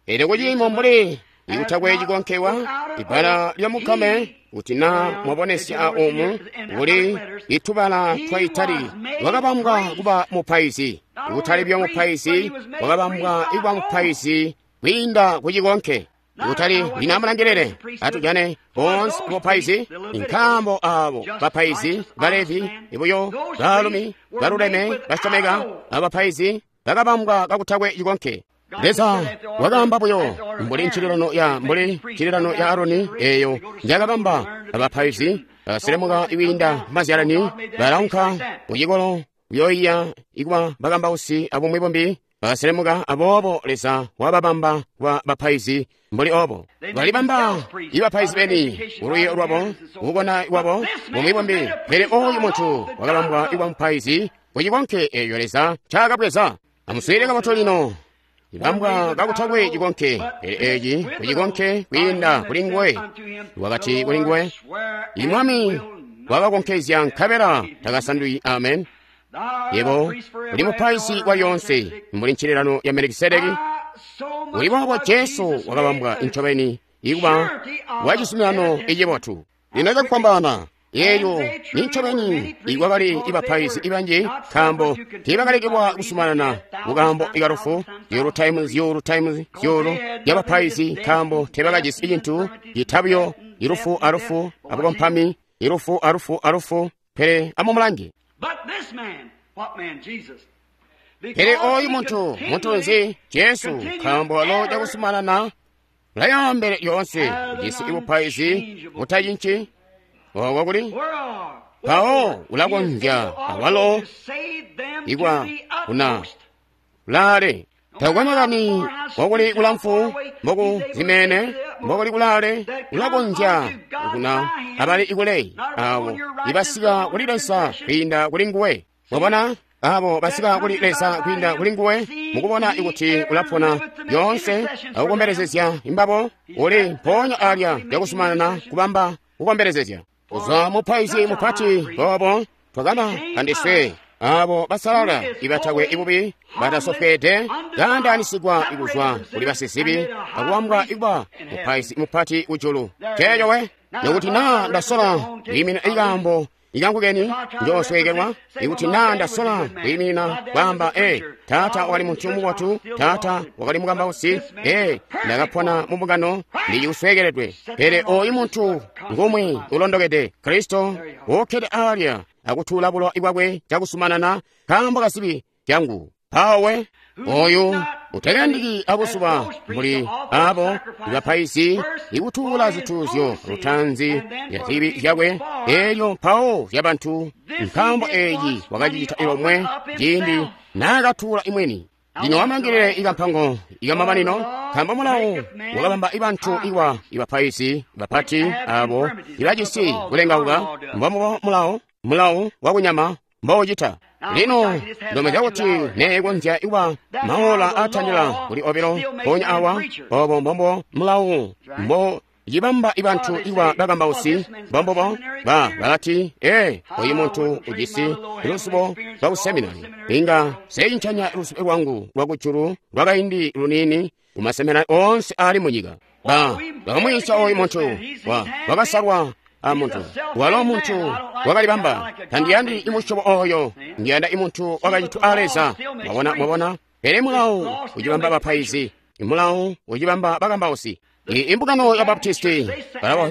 Speaker 1: Pele kuciimo mbuli ikutakwe cikonkewa ibbala lya mukame kuti na mwabonesya omu kuli itubala twa itali wakabambwa kuba mupaizi. Kutali buyo mupaizi, wakabambwa kuba mupaizi kwiinda kucikonke. Kutali lino amulangilile atujane boonse bupaizi, nkaambo abo bapaizi balevi buyo baalumi baluleme basyomeka abapaizi bakabambwa kakutakwe cikonke. Leza wakaamba buyo mbuli ncililano ya mbuli ncililano ya Aroni eyo njakabamba abapaizi baselemuka kwiinda mazyalani balaunka kucikolo kuyoiya ikuba bakambausi abumwi bumbi bakaselemuka aboobo Leza wababamba kuba bapaizi mbuli obo balibamba ibapaizi beni ulwiyo lwabo ukubona kwabo bumwi bumbi. Pele oyu muntu wakabambwa ikuba mupaizi kucikonke eyo Leza ncaakabweza. Amuswiilile kabotu lino. Ibambwa kakutakwe cikonke, pele eeci kucikonke kwiinda kuli nguwe. Wakati kuli nguwe, Imwami wakakonkezya nkabela takasandwi. Amen. Yebo uli mupaizi wa lyonse mbuli ncililano ya Melikisedeki. Uli boobo Jesu wakabambwa incobeni ikuba wa cizuminano icibotu. Lino cakufwambaana eeyo ni ncobeni ikwakali ibapaizi ibanji nkaambo tiibakalekelwa kusumanana mukaambo ikalufu zyuulu times zyuulu times zyuulu yabapaizi nkaambo teebakajisi cintu citabuyo ilufu alufu abukompami ilufu alufu alufu. Pele amumulange. Pele oyu muntu muntu nzi? Jesu, nkaambo walo cakusumanana ulayaambele lyoonse ujisi ibupaizi butacinci. Oko kuli mpawo ulakonzya awalo ikwa kuna kulaale takwe makani mbokuli kulamfu mboku zimene mbokuli kulaale ulakonzya kuna abali ikule abo ibasika kuli Leza kwiinda kuli nguwe. Mwabona abo basika kuli Leza kwiinda kuli nguwe mukubona ikuti ulapona lyoonse akukombelezezya imbabo uli mpoonya alya cakusumanana kubamba kukombelezezya. Kuzwa mupaizi mupati boobo twakaba andiswe abo basalala ibatakwe ibubi batasofweede kaandaanisigwa kuzwa kuli basizibi akubambwa ikuba mupaizi mupati kujulu. Ceeco we nokuti naa ndasola kwiimina ikaambo ikangu keni njoosweekelwa. Ikuti naa ndasola kwiimina kwaamba e taata wakali muntu mubotu, taata wakali mukambausi, e ndakapona mu mbungano ndikusweekeledwe. Pele oyu muntu ngumwi ulondokede Kristo wokkede alya akutuula bulowa bwakwe cakusumanana nkaambo kazibi zyangu. Mpawo oyu utakayandiki abuzuba mbuli abo ibapaizi ikutuula zituuzyo lutanzi lya zibi zyakwe elyo mpawo zyabantu, nkaambo eeci wakacicita ilomwe ciindi naakatuula imweni. Lino amulangilile ikampango ikamamanino, nkaambo mulawo wakabamba ibantu iwa ibapaizi bapati abo ibajisi kulengauka. Mbombubo mulawo mulawo wakunyama mboucita. Lino ndomezya kuti neekonzya ikuba maola atandila kuli obilo mpoonya awa. Obo mbombo mulawo mbo cibamba ibantu ikuba bakambausi. Mbombubo ba balati e oyu muntu ujisi luzibo lwa kuseminari, inga seincanya luzibo lwangu lwakujulu lwakaindi luniini kumaseminari oonse aali munyika. Ba bakamwiisya oyu muntu wa wakasalwa a muntu walo muntu wakalibamba. Tandiyandi imusyobo oyo, ndiyanda imuntu wakacitwa a Leza. Mwabona, mwabona. Pele mulawo ucibamba bapaizi, mulawo ucibamba bakambausi. Imbungano ya Baptisti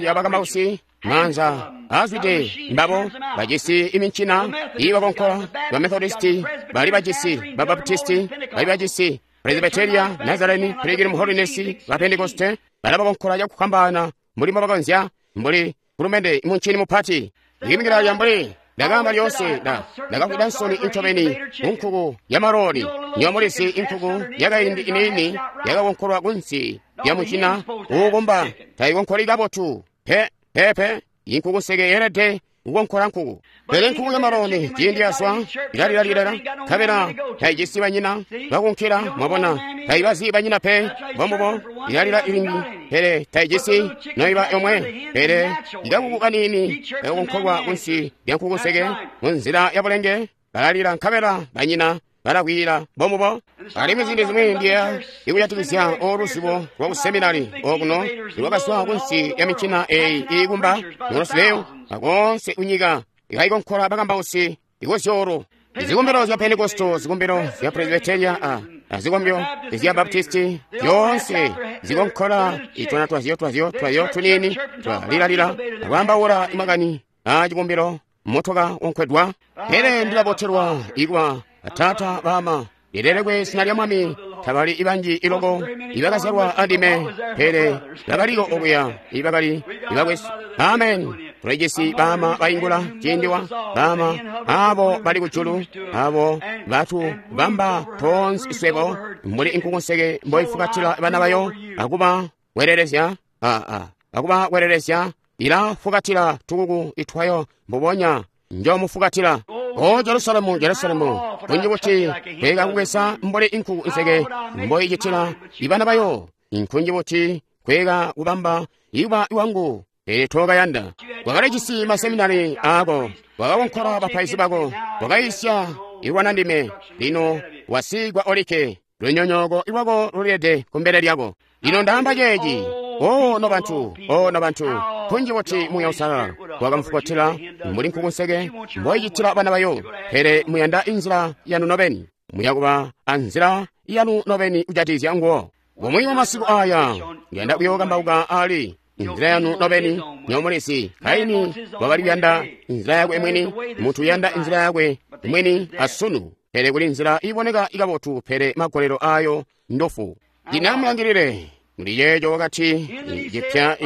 Speaker 1: ya bakambausi maanza azwide mbabo bajisi imincina ibakonkola. Ba Methodisti bali bajisi, ba Baptisti bali bajisi, Presbyteria, Nazarene, Pilgrim Holiness, ba Pentecoste balabakonkola cakufwambaana mbuli mbobakonzya, mbuli kulumende imuncini mupati. Ndikimikila lya mbuli ndakaamba lyoonse nda ndakafwida nsoni incobeni kunkuku ya maloli. Nyomulisi inkuku yakaindi iniini yakakonkolwa kunsi ya mucina uukumba tayikonkoli kabotu pe pepe. Inkuku nseke yeelede kukonkola nkuku, pele nkuku ya maloni ciindi yazwa ilalilalilala nkabela tayijisi banyina bakunkila. Mwabona, tayibazi banyina pe. Mbombubo ilalila ilingi, pele tayijisi noiba yomwe. Pele ikakuku kaniini kakonkolwa kunsi lya nkuku nseke munzila ya bulenge balalila nkabela banyina balakwiila bomubo. Alimwi ziindi zimwi ndiya ikujatikizya oluzibo lwa kuseminari okuno ilwakazwa kunsi ya mincina eyi iikumba nolosileyo akonse kunyika ikaikonkola bakambausi ikozyolo zikombelo zya Pentekosto, zikombelo zya Presbyteria, a azikombyo zya Baptisti, zyonse zikonkola itwana twazyo twazyo twazyo tunini twalilalila akwaambaula imakani a cikombelo motoka wonkwedwa. Pele ndilabotelwa ikwa atata bama lilelekwe zina lya Mwami. Tabali ibanji iloko ibakazyalwa andime, pele bakaliko okuya ibakali ibakwesu. Amen. Tulijisi bama baingula ciindiwa, bama abo bali kujulu, abo batu bamba tonse swebo mbuli inkukunseke mboifukatila bana bayo akuba welelezya aa akuba welelezya ilafukatila tukuku itwayo mbubonya njomufukatila. O Jerusalemu, Jerusalemu, kunji kuti kweka kukwesa mbuli inkuku nseke mboicitila ibana bayo, inkunji kuti kweka kubamba iba iwangu, pele tokayanda. Wakalijisi maseminari ako, wakakonkola bapaizi bako, wakaisya ilwana ndime. Lino wasigwa olike, lunyonyooko lwako lulilede kumbele lyako. Lino ndaamba ceeci, o no bantu, o no bantu, kunji kuti Muuya Uusalala wakamufukatila mbuli nkukunseke mboicitila bana bayo, pele muyanda inzila yanu nobeni, muyakuba anzila yanu nobeni kujatikizya nguwo. Bumwi bwa masiku aya ndiyanda kuyookambauka ali inzila yanu nobeni nyomulisi. Kaini wakali kuyanda inzila yakwe mwini, muntu uyanda inzila yakwe mwini asunu, pele kuli nzila iboneka ikabotu, pele magolelo ayo ndofu. Ndinamulangilile muli yeejo wakati cipya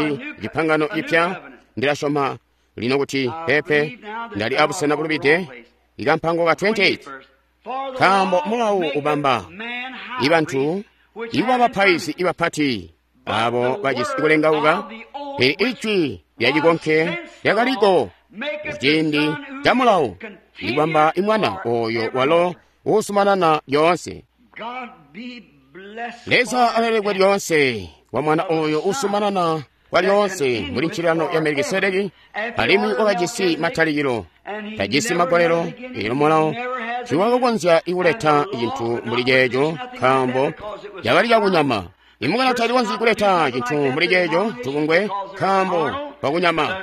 Speaker 1: cipangano cipya. Ndilasyoma lino kuti pepe ndali abusena bulubide ikampango ka twenty-eight, nkaambo mulawu ubamba ibantu iba bapaizi ibapati abo bajisi kulengauka, pele ijwi lya cikonke lyakaliko kuciindi ca mulawu ikubamba imwana oyo walo uusumanana lyoonse. Leza alelekwe lyoonse wa mwana oyo uusumanana kwa lyoonse muli ncilano ya Melikisedeki, alimwi wakajisi matalikilo, tajisi magolelo. Elo mulawo tiwakakonzya ikuleta cintu mbuli ceeco, nkaambo cakali cakunyama. Imukana talikonzyi kuleta cintu mbuli ceeco tubungwe, nkaambo kwakunyama.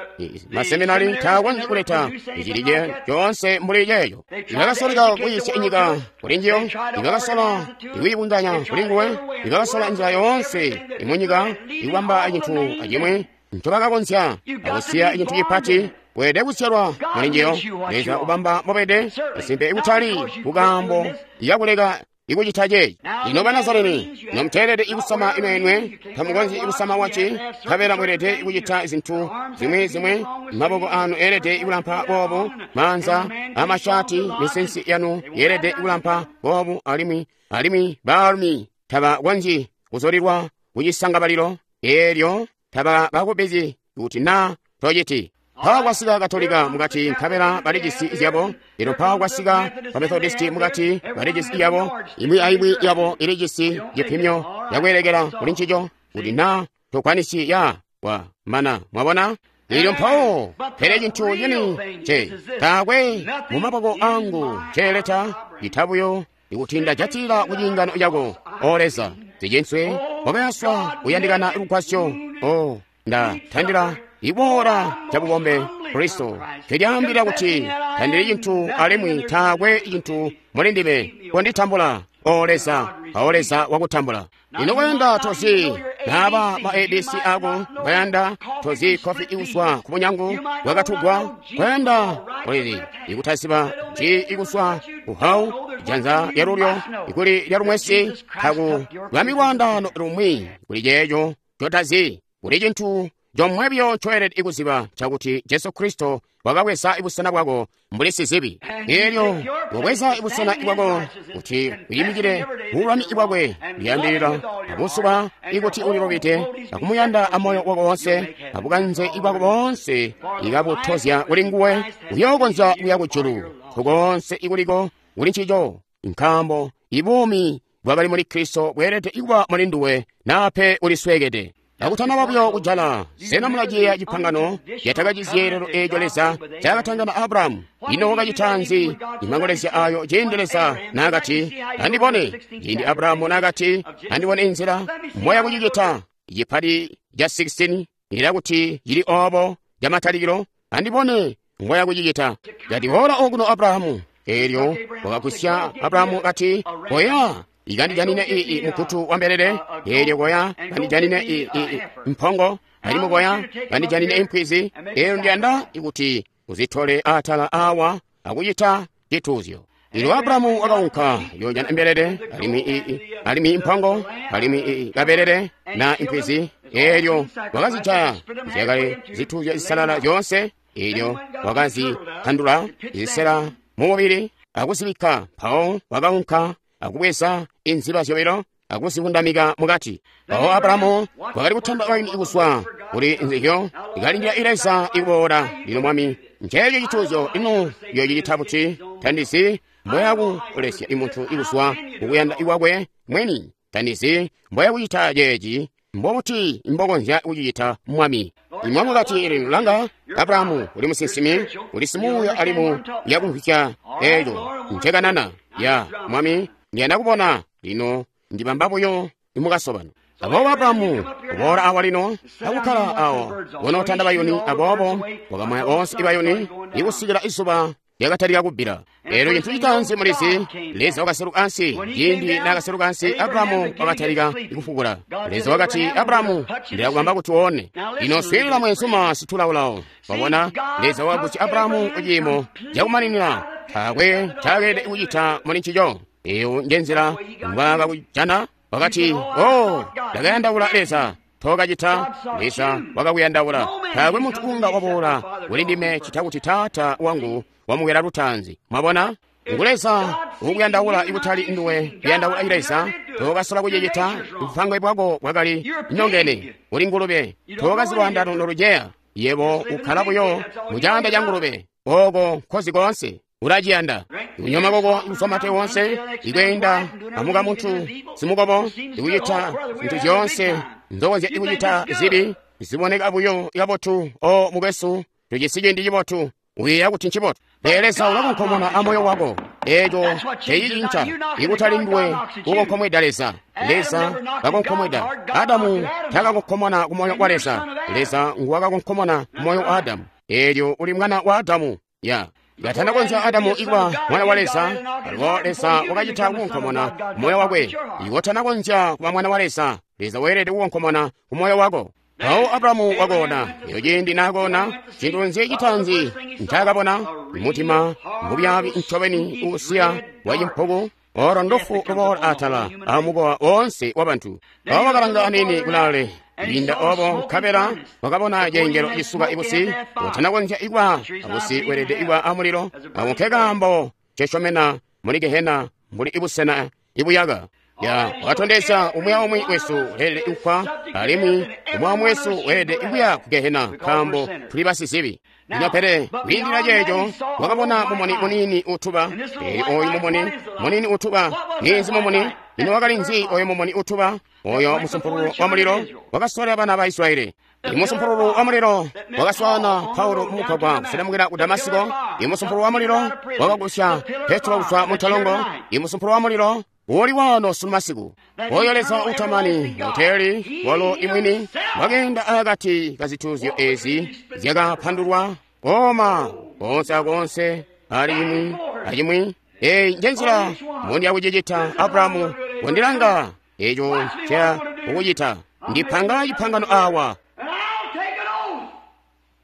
Speaker 1: Maseminari taakonzyi kuleta icili coonse mbuli ceeco. Ibakasoleka kuyiisya inyika kuli njiyo, ibakasola ikuyibunganya kuli nguwe, ibakasola nzila yoonse imunyika ikubamba cintu acimwi ncobakakonzya akusiya cintu cipati. Weelede kusyalwa muli njiyo. Leza ubamba mbobede isimpe ikutali kukaambo yakuleka ikucita ceeci. Lino Banazareni, nomuteelede ikusama imenwe, tamukonzyi ikusama waci, nkabela mweelede ikucita zintu zimwi zimwi. Maboko anu eelede ikulampa boobu, maanza amashati, misinsi yanu yeelede ikulampa boobu, alimwi alimwi baalumi tabakonzyi kuzolilwa kucisangabalilo eelyo tabakubizyi kuti naa tociti. Mpawo kwasika Katolika mukati, nkabela balijisi zyabo. Lino mpawo kwasika ba Methodisti mukati, balijisi yabo. Imwi aimwi yabo ilijisi cipimyo yakweelekela kuli ncico, kuti naa tokwanisi ya wa mana. Mwabona? Lino mpawo, pele cintu cini ce taakwe mu maboko angu ceeleta itabuyo ikuti ndajatilila ku ciingano cako, O Leza, zicinswe wakayaswa kuyandikana lugwasyo. O ndatandila iboola cabubombe Kristo kelyaambila kuti tandili cintu alimwi taakwe cintu muli ndime. Konditambula, O Leza, O Leza wakutambula. Lino kwayanda tozi naaba ma A B C ako, kwayanda tozi kofi ikuswa ku bunyangu bwakatugwa, kwayanda kulili ikutasiba ji ikuswa kuhau janza lyalulyo ikuli lyalumwesi taku lwami lwaandano lumwi kuli ceeco cotazi. Kuli cintu comwebyo coelede ikuziba cakuti Jesu Kristo wakabweza ibusena bwako mbuli sizibi. Elyo wabweza ibusena bwako kuti uyimikile bululami bwakwe, liyambilila abusuba ikuti ulilubide akumuyanda amoyo wako wonse abukanze bwako boonse ikabutozya kuli nguwe, uyookonzya kuya kujulu nkukoonse ikuliko kuli ncico, nkaambo ibuumi bwakali muli Kristo bweelede ikuba muli nduwe nape ulisweekede. Kakutanaba buyo kujala, sena mulaciyeeya cipangano cyatakacizyeelelo eeco Leza ncaakatangana Abrahamu? Ino wakacita nzi imangolezya ayo ciindi Leza naakati, "Andibone"? Ciindi Abrahamu naakati, "Andibone inzila moya kucicita," cipali ca sixteen ilakuti cili oobo camatalikilo, "Andibone ngoya kucicita." Kati, "Boola okuno Abrahamu." Eelyo wakagusya Abrahamu kati, "Koya ikandijanine ii mukutu wa mbelele." Eelyo koya kandijanine ii mpongo, alimwi koya kandijanine impwizi. Eelyo ndiyanda kuti uzitole atala awa akucita cituuzyo. Eelyo Abrahamu wakaunka yoojana mbelele, alimwi ii alimwi impongo, alimwi ii kabelele na impwizi. Eelyo wakazijaya zyakali zituuzyo zisalala zyoonse. Eelyo wakazitandula zisela mumubili akuzibikka. Mpawo wakaunka akubweza inziba zyobilo akuzivundamika mukati. Mpawo Abrahamu wakali kutamba waini kuzwa kuli nzizyo, ikalindila Leza ikuboola. Lino Mwami, nceeco cituuzyo, ino yoocicita buti? Tandizi mboyakulesya imuntu ikuzwa kukuyanda kwakwe mwini. Tandizi mboyakucita ceeci. Mbobuti mbokonzya kucicita, Mwami? Mwami wakati, "Lino langa, Abrahamu, uli musinsimi, uli simuuya alimwi yakumvwisya eeco ncekanana. Ya Mwami, ndiyanda kubona. Lino ndibamba buyo imukasobano." Aboobo Abrahamu kuboola awa lino akukkala awo wonootanda bayuni. Aboobo wakamwaya boonse ibayuni ikusikila izuba lyakatalika kubbila. Eelyo cintu citaanzi mulizi, Leza wakaseluka ansi. Ciindi naakaseluka ansi, Abrahamu wakatalika kufukula. Leza wakati, "Abrahamu, ndilakubamba kuti uone." Lino swiilila mwenzuma situlaulawo. Wabona, Leza wakagusya Abrahamu kuciimo cakumaninina. Taakwe ncaakeleede kucita muli ncico. Eyo njenzila mbwaakakujana. Wakati, "Oh, ndakayandaula Leza." Tookacita. Leza wakakuyandaula. Taakwe muntu unga waboola kuli ndime cita kuti Taata wangu wamukwela lutaanzi. Mwabona? Ngu Leza ukuyandaula, ikutali nduwe kuyandaula Leza. Tookasola kucicita. Bupangwe bwako bwakali nyongene. Uli ngulube. Tookazi lwaandano noluceya. Yebo ukkala buyo mu caanda ca ngulube. Oko nkozi koonse. Ulaciyanda kunyoma koko kuzwa mate wonse, ikweenda amuka muntu simukobo, ikucita zintu zyoonse nzokonzya ikucita zibi ziboneka buyo kabotu. O mukwesu, tujisi ciindi cibotu. Uyeeya kuti ncibotu, pele Leza ulakonkomona amoyo wako. Eeco tecicinca. Ikutali nduwe kukonkomweda Leza, Leza kakonkomweda. Adamu takakonkomona kumoyo wa Leza, Leza nguwakakonkomona kumoyo wa Adamu. Eelyo uli mwana wa Adamu. Ya katanakonzya Adamu ikuba mwana wa Leza, alubo Leza wakacita kukonkomona kumoyo wakwe. Iwo tanakonzya kuba mwana wa Leza, Leza weelede kukonkomona kumoyo wako. Mpawo Abrahamu wakoona. Eyo ciindi nakoona, cintu nzi citaanzi ncaakabona? Mutima mubyaabi ncobeni uusiya wacimpuku, olo ndufu luboola atala amukowa woonse wabantu. Mpawo wakalanga aniini kulaale kwiinda obo, nkabela wakabona cengelo cisuka ibusi. Utanakonzya ikuba abusi, weelede ikuba amulilo. Ako nkekaambo ncesyomena muli gehena mbuli ibusena ibuyaka. Ya wakatondezya umwi aumwi wesu weelede kufwa, alimwi umwi aumwi wesu weelede kuya ku gehena nkaambo tuli basizibi. Lino pele kwiindila ceeco, wakabona mumuni muniini utuba. Eelyo oyu mumuni muniini utuba ninzi mumuni? Lino wakali nzi oyo mumuni utuba? Oyo musumpululu wa mulilo wakaswalila bana ba Israyeli. Imusumpululu wa mulilo wakaswaana Paulo mumugwagwa kuselemukila ku Damasiko. Imusumpululu wa mulilo wakagusya Petro kuzwa mu ntolongo. Imusumpululu wa mulilo uli wano sunu masiku. Oyo Leza utamani uteli walo imwini wakeenda akati ka zituuzyo ezi zyakapandulwa koma konse akonse ali imwi acimwi. Eyi njenzila mundi yakucicita. Abrahamu, wandilanga eco nca kukucita. Ndipanga cipangano awa,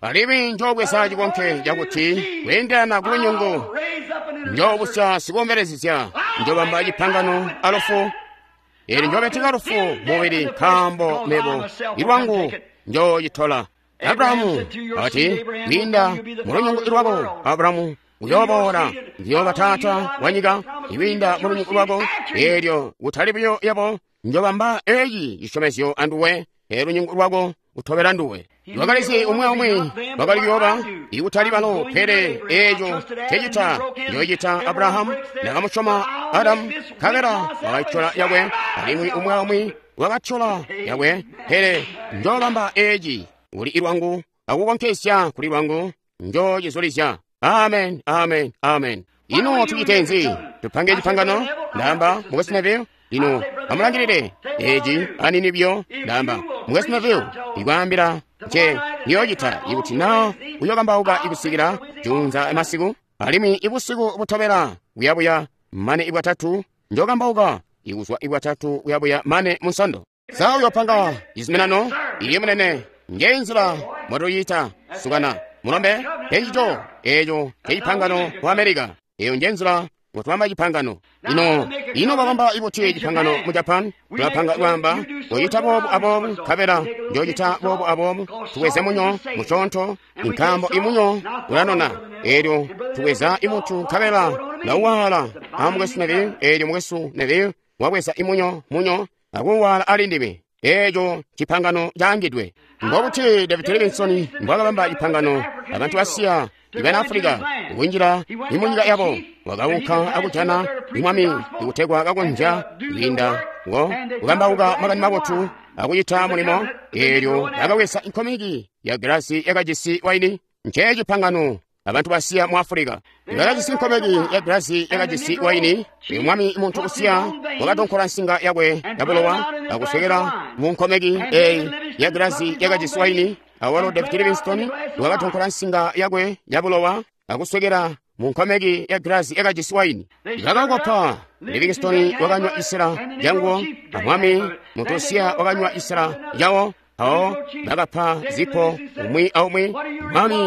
Speaker 1: alimwi njoobweza cikonke cakuti kweendelana ku lunyungu njoobusya sikuombelezezya, njoobamba cipangano alufu. Eelyo njoobeteka lufu mubili, nkaambo mebo ilwangu njoocitola. Abrahamu wakati, kwiinda mu lunyungu lwako, Abrahamu, uyooboola, ndiyooba taata wa nyika ikwiinda mu lunyungu lwako. Eelyo kutali buyo yabo, njoobamba eeci cisyomezyo anduwe, eelyo lunyungu lwako utobela nduwe. Wakalizi umwi aumwi wakali kuyooba, ikutali balo, pele eeco ncecita njoocita Abrahamu. Nakamusyoma Adamu, nkabela wakaitola yakwe, alimwi umwi aumwi wakatyola yakwe, pele njoobamba eci kuli lwangu akukonkesya kuli lwangu, njoocizulizya. Amen, amen, amen. Ino tucite nzi? Tupange cipangano? Ndamba, Mukwesu Neville, lino amulangilile eci anini buyo. Ndamba, Mukwesu Neville, ikwaambila nce niyoocita ikuti na uyokambauka ikusikila juunza masiku, alimwi ibusiku butobela kuyabuya mane ibwatatu njokambauka ikuzwa ibwatatu kuyabuya mane munsondo. Sa uyopanga cizuminano? Iye munene, nje nzila mwatuyita sukana mulombe encico eco cecipangano ku America. Eyo nje nzila mwatubamba cipangano. Ino ino babamba ibuti cipangano mu Japan? Tulapanga kwamba koyita boobu aboobu, nkabela njocita boobu aboobu. Tuweze munyo muconto, nkambo imunyo ulanona. Elyo tuweza imutu nkabela lauwala a Mukwesu Neville. Elyo Mukwesu Neville wabweza imunyo munyo akuwala ali ndime. Eco cipangano caangidwe. Mbobuti David Livingstone mbwakabamba cipangano abantu basiya ibana Africa kunjila imunyika yabo? Wakaunka akujana imwami ikutegwa kakonzya kwiinda ngo kukambauka makani mabotu akucita mulimo. Elyo akawesa inkomeki ya glasi yakajisi waini. Nce cipangano abantu basiya mu Africa bakajisi inkomeki ya glasi yakajisi waini. Mwami muntu usiya wakatonkola nsinga yakwe yabulowa akuswekela mu nkomeki eyi ya glasi yakajisi waini. Awalo David Livingstone wakatonkola nsinga yakwe yabulowa akuswekela mu nkomeki ya glasi yakajisi waini. Bakakopa. Livingstone wakanywa isila yanguwo, amwami muntu usiya wakanywa isila yawo. Awo bakapa zipo umwi aumwi. Mwami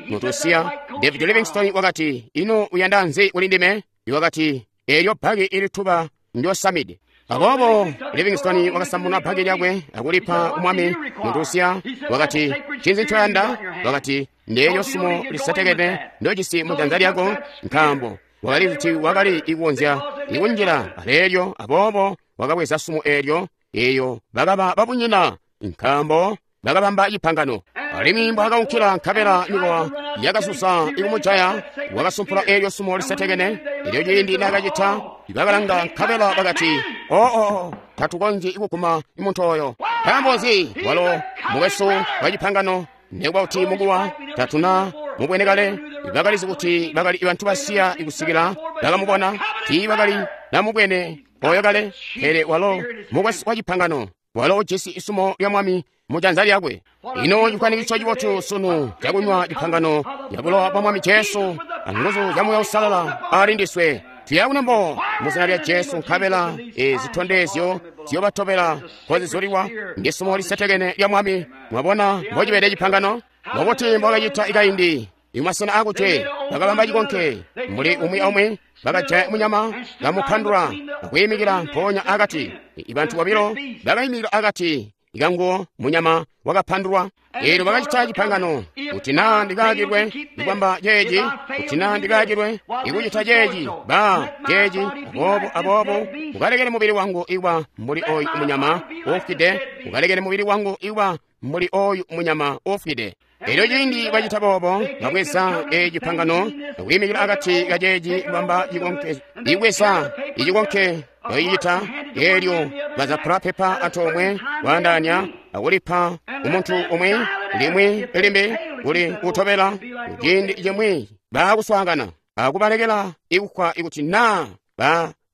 Speaker 1: muntu usiya David Livingstone wakati, ino uyanda nzi kuli ndime? Wakati, elyo bhaki ilituba ndyosamide. Aboobo Livingstone wakasambuna bhaki lyakwe akulipa umwami muntu usiya. Wakati, ncinzi ncoyanda? Wakati, ndeelyo sumo lisetekene ndojisi mu janza lyako, nkaambo wakali kuti wakali ikunzya ikunjila aleelyo. Aboobo wakabweza sumo eelyo, eyo bakaba babunyina, nkaambo bakabamba cipangano. Alimwi mbwaakaunkila nkabela mikowa yakasusa ikumujaya, wakasumpula eelyo sumo lisetekene. Elyo ciindi naakacita, bakalanga nkabela bakati, oo, tatukonzyi ikuguma muntu oyo. Nkaambo nzi? Walo mukwesu wa cipangano, nekuba kuti mukuwa tatuna mubwene kale. Bakalizi kuti bakali bantu basiya ikusikila bakamubona, tiibakali namubwene oyo kale. Pele walo mukwesu wa cipangano, walo ujisi isumo lya mwami mu janza lyakwe. Ino cikwanikitso cibotu sunu cakunywa cipangano ya bulowa bwa Mwami Jesu anguzu zya Muuya Uusalala ali ndiswe. Tuya kunembo mu zina lya Jesu, nkabela zitondezyo ziyobatobela kozizulilwa ndi sumo lisetekene lya Mwami. Mwabona mbocibede cipangano? Mbobuti mbwakacita ikaindi imasena akutwe bakabamba cikonke muli umwi aumwi, bakajaya munyama bamupandula akwiimikila mpoonya akati. Ibantu bobilo bakaimikila akati ikanguwo munyama wakapandulwa. Eelyo bakacita cipangano kuti naa ndikaakilwe ikwamba ceeci, kuti naa ndikaakilwe ikucita ceeci, ba ceeci, aboobo aboobo ukalekele mubili wangu ikuba mbuli oyu munyama uufwide, ukalekele mubili wangu ikuba mbuli oyu munyama uufwide. Elyo ciindi bacita boobo, babweza ecipangano akwiimikila akati kaceeci kubamba cikonke, ibweza icikonke bayicita. Elyo bazapula pepa antoomwe kwaandaanya akulipa umuntu umwi limwi limbi kuli kutobela. Ciindi cimwi baakuswaangana akubalekela ikufwa ikuti naa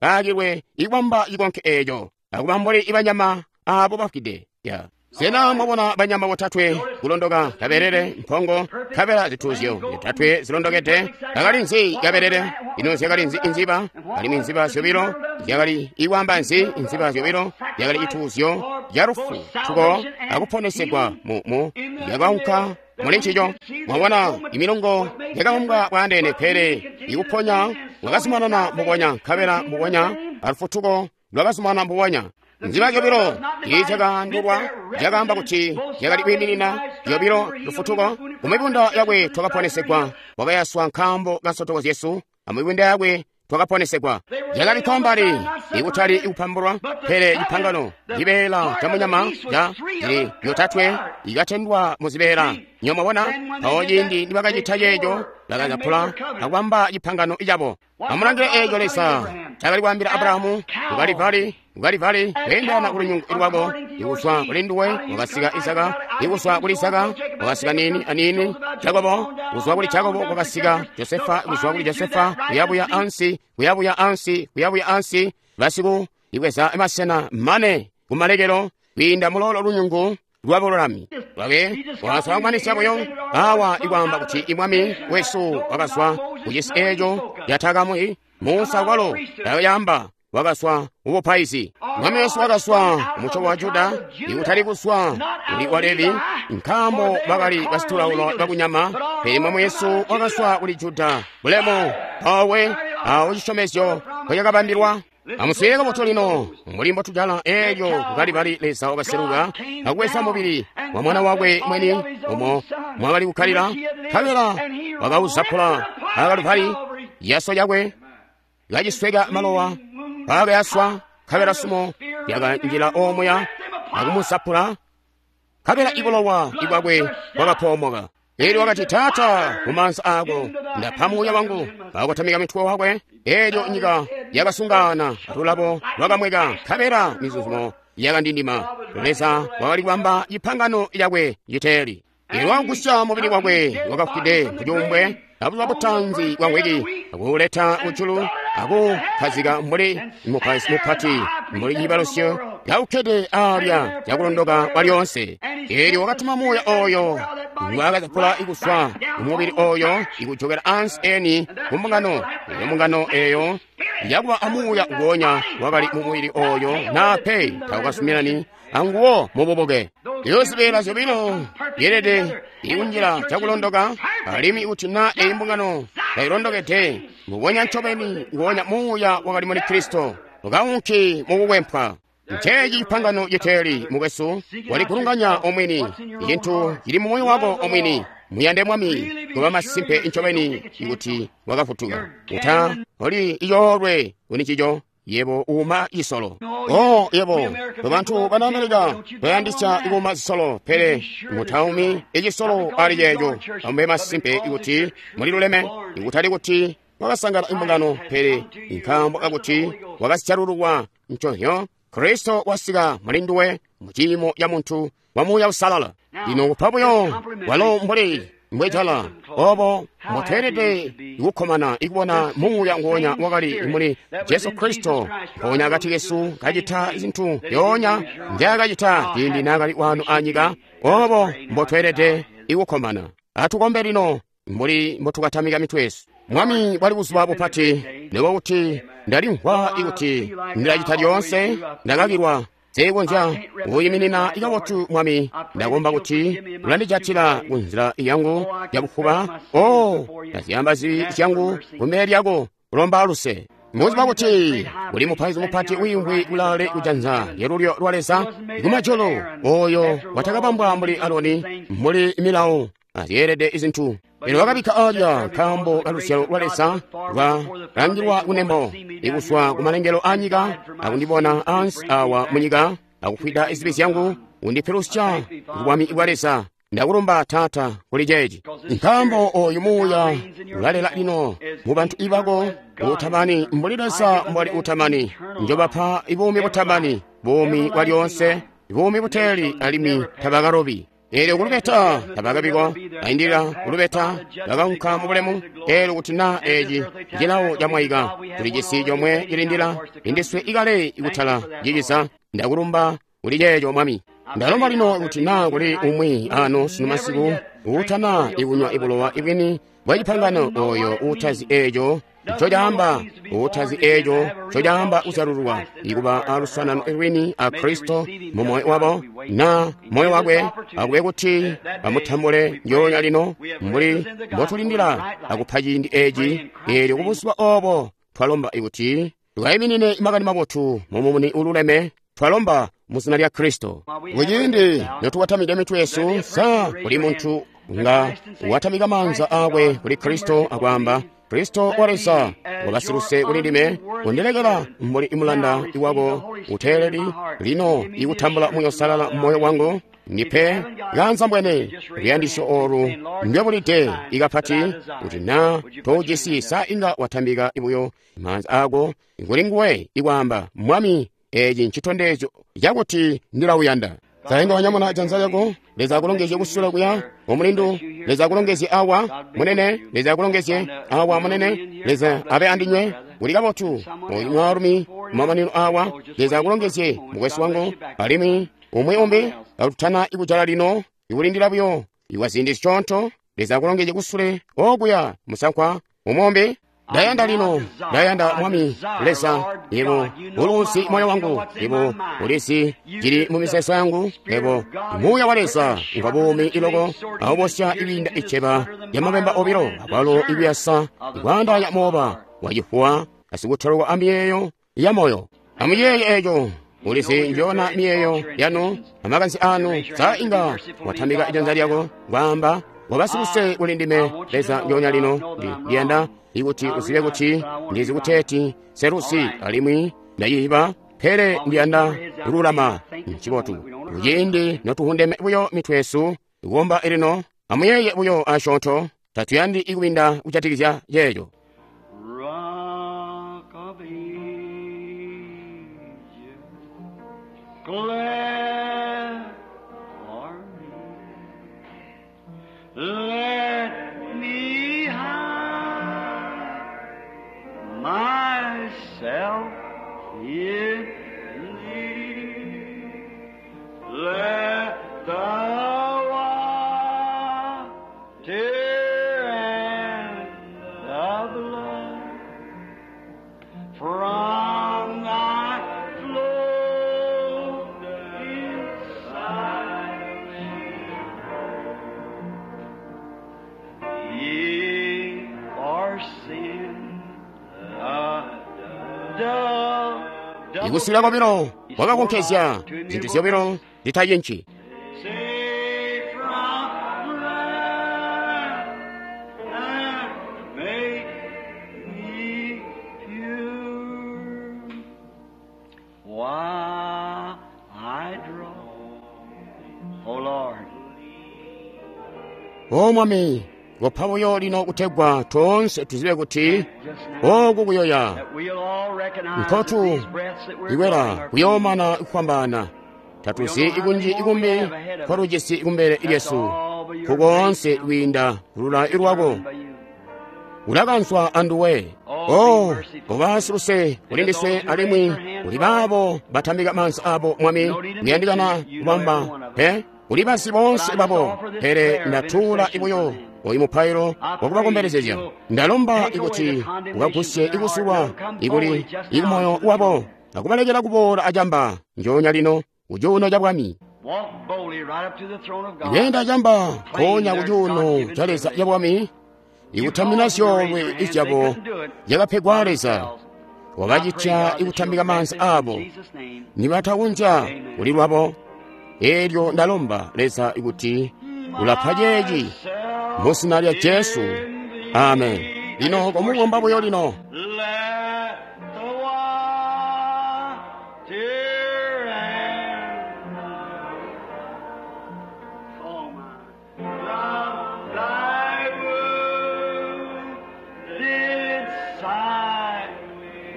Speaker 1: baakilwe ikubamba cikonke eeco akuba mbuli ibanyama aabo bafwide. Sena mwabona banyama botatwe kulondoka kabelele, mpongo, kabela zituuzyo zyotatwe zilondokede? Bakali nzi kabelele? Ino zyakali nzi inziba? Alimwi inziba zyobilo zyakali ikwamba nzi? Inziba zyobilo zyakali cituuzyo ca lufu tuko akuponesegwa mu yakaunka muli ncico. Mwabona imilongo yakaumbwa bwaandeene, pele ikuponya wakazumanana mbubonya, nkabela mbubonya alufutuko lwakazumanana mbubonya. Nziba zyobilo tiizyakaandulwa, zyakaamba kuti zyakali kwiiminina zyobilo lufutuko. Kumibunda yakwe twakaponesegwa, wakayaswa nkaambo ka nsotoko zyesu, amibunda yakwe twakaponesegwa. Zyakabikkwa mbali ikutali ikupambulwa, pele cipangano cibeela ca munyama ca zili yotatwe ikatendwa mu zibeela. Nyo mwabona mpawo ciindi nibakacita ceeco, Bakazapula akubamba cipangano cabo. Amulangile eeco Leza cakali kwaambila Abrahamu kukalivali kukalivali kweendana kulunyungu lwako ikuzwa kuli nduwe wakasika Isaka, ikuzwa kuli Isaka wakasika nini anini Jakobo, kuzwa kuli Jakobo kwakasika Josefa, kuzwa kuli Josefa kuyabuya ansi kuyabuya ansi kuyabuya ansi basiku ibweza masena mane kumalekelo kwiinda mulolo lunyungu lwabululami lwake wakaswaanganisya buyo awa ikwaamba kuti imwami wesu wakazwa kucisi eeco yatakamwi Musa kwalo yayamba wakaswa ubupaizi. Mwami wesu wakaswa mucobo wa Juda ikutali kuswa kuli wa Levi, nkaambo bakali basitulaulo bakunyama, pele mwami wesu wakaswa kuli Juda bulemu pawe awo cisyomezyo kwecakabambilwa. Amuswiilile kabotu lino mbuli mbotujala eelyo kukalibali Leza wakaseluka akubweza mubili wa mwana wakwe mweni umo mwakali kukkalila, nkabela wakauzapula akaluvali yaso yakwe kacisweka malowa paakayaswa, nkabela sumo lyakanjila omuya akumusapula, nkabela ibulowa ibwakwe bwakapoomoka. Eelyo wakati, Taata, mumaanza aako ndapa muuya wangu. Akakotamika mitwe wakwe, eelyo nyika yakasungaana, atulabo lwakamweka, nkabela mizuzumo yakandindima. Leza wakali kubamba cipangano cakwe citeeli. Eelyo wakagusya mubili wakwe wakafwide kucuumbwe abuzuba butanzi bwa mwiki, akuuleta kujulu, akukhazika mbuli mupaizi mupati mbuli ciibalusyo kaukkede alya cakulondoka kwa lyoonse. Eelyo wakatuma muuya oyo ngwaakazapula ikuswa mumubili oyo ikujokela ansi eni kumbungano. Eyo mbungano eyo yakuba amuuya nguonya wakali mumubili oyo nape taukasuminani anguwo mububuke. Eyo zibeela zyobilo yeelede ikunjila cakulondoka, alimwi kuti na eyi mbungano tailondokede mbubonya ncobeni nguonya muuya wakali muli Kristo ukaunki mukukwempwa. Nceeci cipangano citeeli mukwesu, waligulunganya omwini icintu cili mu moyo wako omwini. Muyande Mwami kuba masimpe ncobeni ikuti wakafutuka. Uta oli icoolwe kuli ncico yebo uuma cisolo. O yebo bantu bana Amerika bayandisya ikuuma zisolo, pele mutaumi icisolo ali ceeco. Amube masimpe ikuti muliluleme, ikutali kuti wakasangana imbungano, pele nkaambo kakuti wakasijalululwa nconzyo Kristo wasika muli nduwe mu ciimo ca muntu wa Muuya Uusalala. Lino kupa buyo walo mbuli mbwejala obo mboteelede kukkomana ikubona muuya nguonya wakali muli Jesu Kristo mpoonya akati kesu kacita zintu zyoonya nzyaakacita ciindi naakali wano anyika. Obo mbotweelede ikukkomana. Atukombe lino mbuli mbotukatamika mitwe yesu. Mwami bwali buzuba bupati, nikuba kuti ndalimvwa ikuti ndilacita lyoonse ndakakilwa seekonzya kuyiminina ikabotu. Mwami, ndakomba kuti ulandijatila kunzila yangu yabufuba. O ndazyamba zibi zyangu kumbele lyako kulomba luse. Muziba kuti kuli mupaizi mupati wiimvwi kulaale kujanza lyalulyo lwa Leza kumajulu, oyo watakabambwa mbuli Aloni mbuli milawo azyeelede izintu. Pele wakabikka alya nkaambo kaluzyalo lwa Leza lwalangilwa kunembo ikuswa kumalengelo anyika akundibona ansi awa munyika akufwida izibi zyangu undipilusya kubwami bwa Leza. Ndakulumba Taata kuli ceeci, nkaambo oyu muuya ulalela lino mu bantu ibako utamani mbuli Leza mbwali utamani. Njobapa ibuumi butamani, buumi bwa lyoonse, buumi buteeli, alimwi tabakalobi. Eelyo kulubeta tabakabikwa, aindilila kulubeta bakaunka mu bulemu. Eelyo kuti na eeci cilawo camwaika, tuli cisi comwe cilindila indiswe ikale ikutala ciciza. Ndakulumba kuli ceeco Mwami. Ndalomba lino kuti na kuli umwi ano sunu masiku uutana ikunywa ibulowa ibwini bwa cipangano, oyo uutazi eeco ncocaamba, uutazi eeco ncocaamba kuzyalululwa ikuba aluswanano lwini a Kristo mu moyo wabo na moyo wakwe, akube kuti bamutambule ndyoonya lino mbuli mbotulindila akupa ciindi eeci. Eelyo kubuzuba obo twalomba ikuti tukayiminine makani mabotu mumumuni ululeme. Twalomba mu zina lya Kristo. Kuciindi notukatamika mitwe yesu, sa kuli muntu nga watamika maanza akwe kuli Kristo akwaamba, Kristo wa Leza wabasiluse kuli ndime, kundilekela mbuli imulanda iwako uteeleli lino ikutambula Muuya Uusalala mmoyo wangu. Ndipe kaanzambwene luyandisyo olu ndwebulide ikapati kuti na tojisi sa inga watambika buyo maanza ako kuli nguwe ikwaamba, Mwami, eci ncitondezyo cakuti ndilawuyanda. Sa inga wanyamuna janza lyako? Leza akulongezye kusula kuya omulindu. Leza akulongezye awa munene. Leza akulongezye awa munene. Leza abe andinywe. Uli kabotu oyu mwaalumi kumamanino awa. Leza akulongezye mukwesu wangu. Alimwi umwi umbi akutana ikujala lino ikulindila buyo iwa ziindi zisyoonto. Leza akulongezye kusule okuya musankwa umwombe. Ndayanda lino, ndayanda Mwami Leza, yebo uluzi moyo wangu, yebo ulizi cili mu mizeezo yangu, yebo muuya wa Leza ngwa buumi iloko awubosya ibinda iceba lya mabemba obilo akwalo ikuyasa ikwaandaanya mooba wacifuwa asikutolwa amiyeeyo ya moyo. Amuyeeye eco. Ulizi njona miyeeyo yanu amakanzi anu. Sa inga watambika ijanza lyako kwaamba, wabasiluse kuli ndime Leza njoonya lino. Ndiyanda ikuti uzibe kuti ndizi kuteeti selusi alimwi ndayiba, pele ndiyanda kululama. Ncibotu kuciindi notuhundeme buyo mitwe yesu kuomba elino. Amuyeeye buyo asyoonto, tatuyandi ikubinda kujatikizya yeeyo.
Speaker 2: Rock of Ages, glad for me. Let me hide myself in thee. Let the water and the blood from thy flow inside me. Ye for sin, the double
Speaker 1: Ikusila kwabilo wakakonkezya zinthu zyobilo zitayinchi.
Speaker 2: Save from wrath and make me pure. While I draw, O Lord,
Speaker 1: O Mwami, kopha buyo lino kutegwa tonse tuzibe kuti
Speaker 2: just now
Speaker 1: oku kuyoya
Speaker 2: that we'll all recognize that
Speaker 1: nkotu
Speaker 2: these breaths that we're
Speaker 1: ikwera
Speaker 2: drawing are
Speaker 1: kuyoomana kufwambaana. Tatuzi ikunji ikumbi kwalujisi kumbele lyesu kukoonse kwiinda kulula ilwako
Speaker 2: by you.
Speaker 1: ulakanswa anduwe. O koba siluse kuli ndiswe alimwi kuli baabo batambika maanza abo. Mwami, kuyandikana kubamba pe kuli basi bonse babo, pele ndatuula ibuyo oyu mupailo wakubakombelezezya. Ndalomba ikuti ukagusye ikusulwa ikuli ikumoyo wabo akubalekela kuboola acamba njoonya lino kucuuno ca bwami.
Speaker 2: Walk boldly right up to the throne of God.
Speaker 1: Ikuyenda acamba nkoonya kucuuno ca Leza ca bwami, ikutamina zyoolwe izyabo zyakapegwa Leza, wakacitya ikutambika maanza abo nibatakunja kuli lwabo. Elyo ndalomba Leza ikuti ulapha ceeci mu zina lya Jesu. Amen. Lino komukomba buyo lino.
Speaker 2: Let the water and oh my, love thy wounded side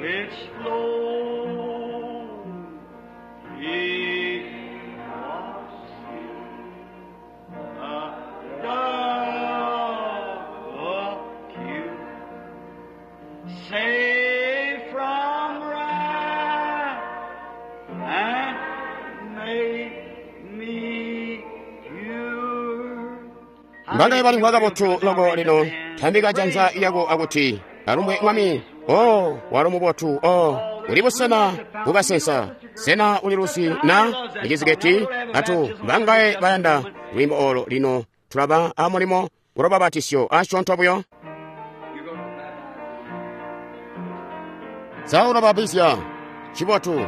Speaker 2: which flowed, he was the dove cute. Save from wrath and make me pure.
Speaker 1: Mbangaye bali kabotu loko lino, tambika janza lyako akuti, alumbwe Mwami. O walo mubotu. O uli busena bukasensa. Sena uli lusi na iciziketi atu bangaye bayanda lwimbo olo lino. Tulaba amulimo ulobabatisyo asyoonto buyo.
Speaker 2: You're going to baptize.
Speaker 1: Saulababisya chibotu.
Speaker 2: Room,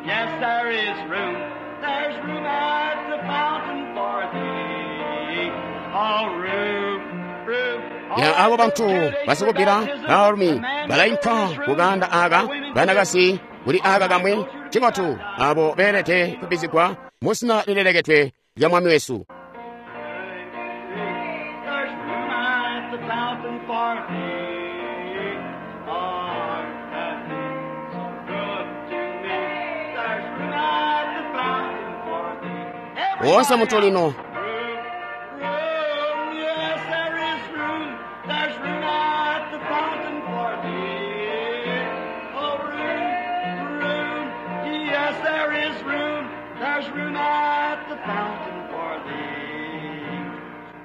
Speaker 2: yes, there is room. There's room at the fountain for thee. Oh, room, room.
Speaker 1: Ya abo bantu basikubira baalumi balainka kuganda aka banakasi kuli aka kamwe Ncibotu abo beelede kubbizigwa mu zina lilelekedwe lya Mwami wesu.
Speaker 2: There's room at the fountain for thee. Art thou so good to me? There's room at the fountain for thee.
Speaker 1: Wonse munthu lino.
Speaker 2: Room, room, yes, there is room. There's room at the fountain for thee. Oh, room, room, yes, there is room. There's room at the fountain for thee.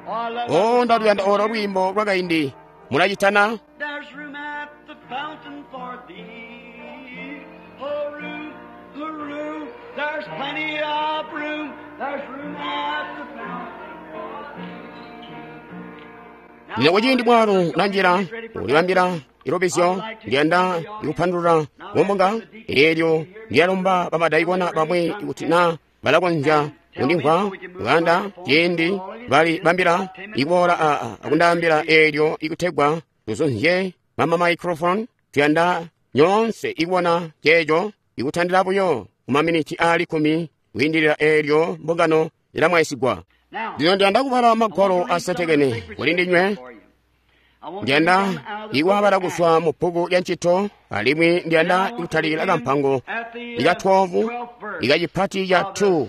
Speaker 2: Oh, I love
Speaker 1: O, ndaluyanda olo lwimbo lwakaindi. Mulacitana?
Speaker 2: There's room at the fountain for thee. Oh, room, oh, room, there's plenty of room. There's room at the fountain for thee.
Speaker 1: Lino kuciindi mwalo lanjira ulibambira ilobizyo ndiyanda ikupandulula mumbunga eelyo ndiyalomba bamadayikona bamwe kuti na balakonzya kundimvwa kuyanda ciindi bali bambira ikuboola aa akundaambila eelyo ikutegwa tuzunzye mama microphone. Tuyanda nyoonse ikubona ceeco ikutandila buyo kumaminiti aali kkumi kwiindilila eelyo mbungano ilamwaisigwa.
Speaker 2: Now,
Speaker 1: Lino ndiyanda kubala magwalo asetekene kuli ndinywe. Ndiyanda ikuwabala kuzwa mu bbuku lya ntchito, alimwi ndiyanda ikutalikila kampango ika twelve ikacipati ca two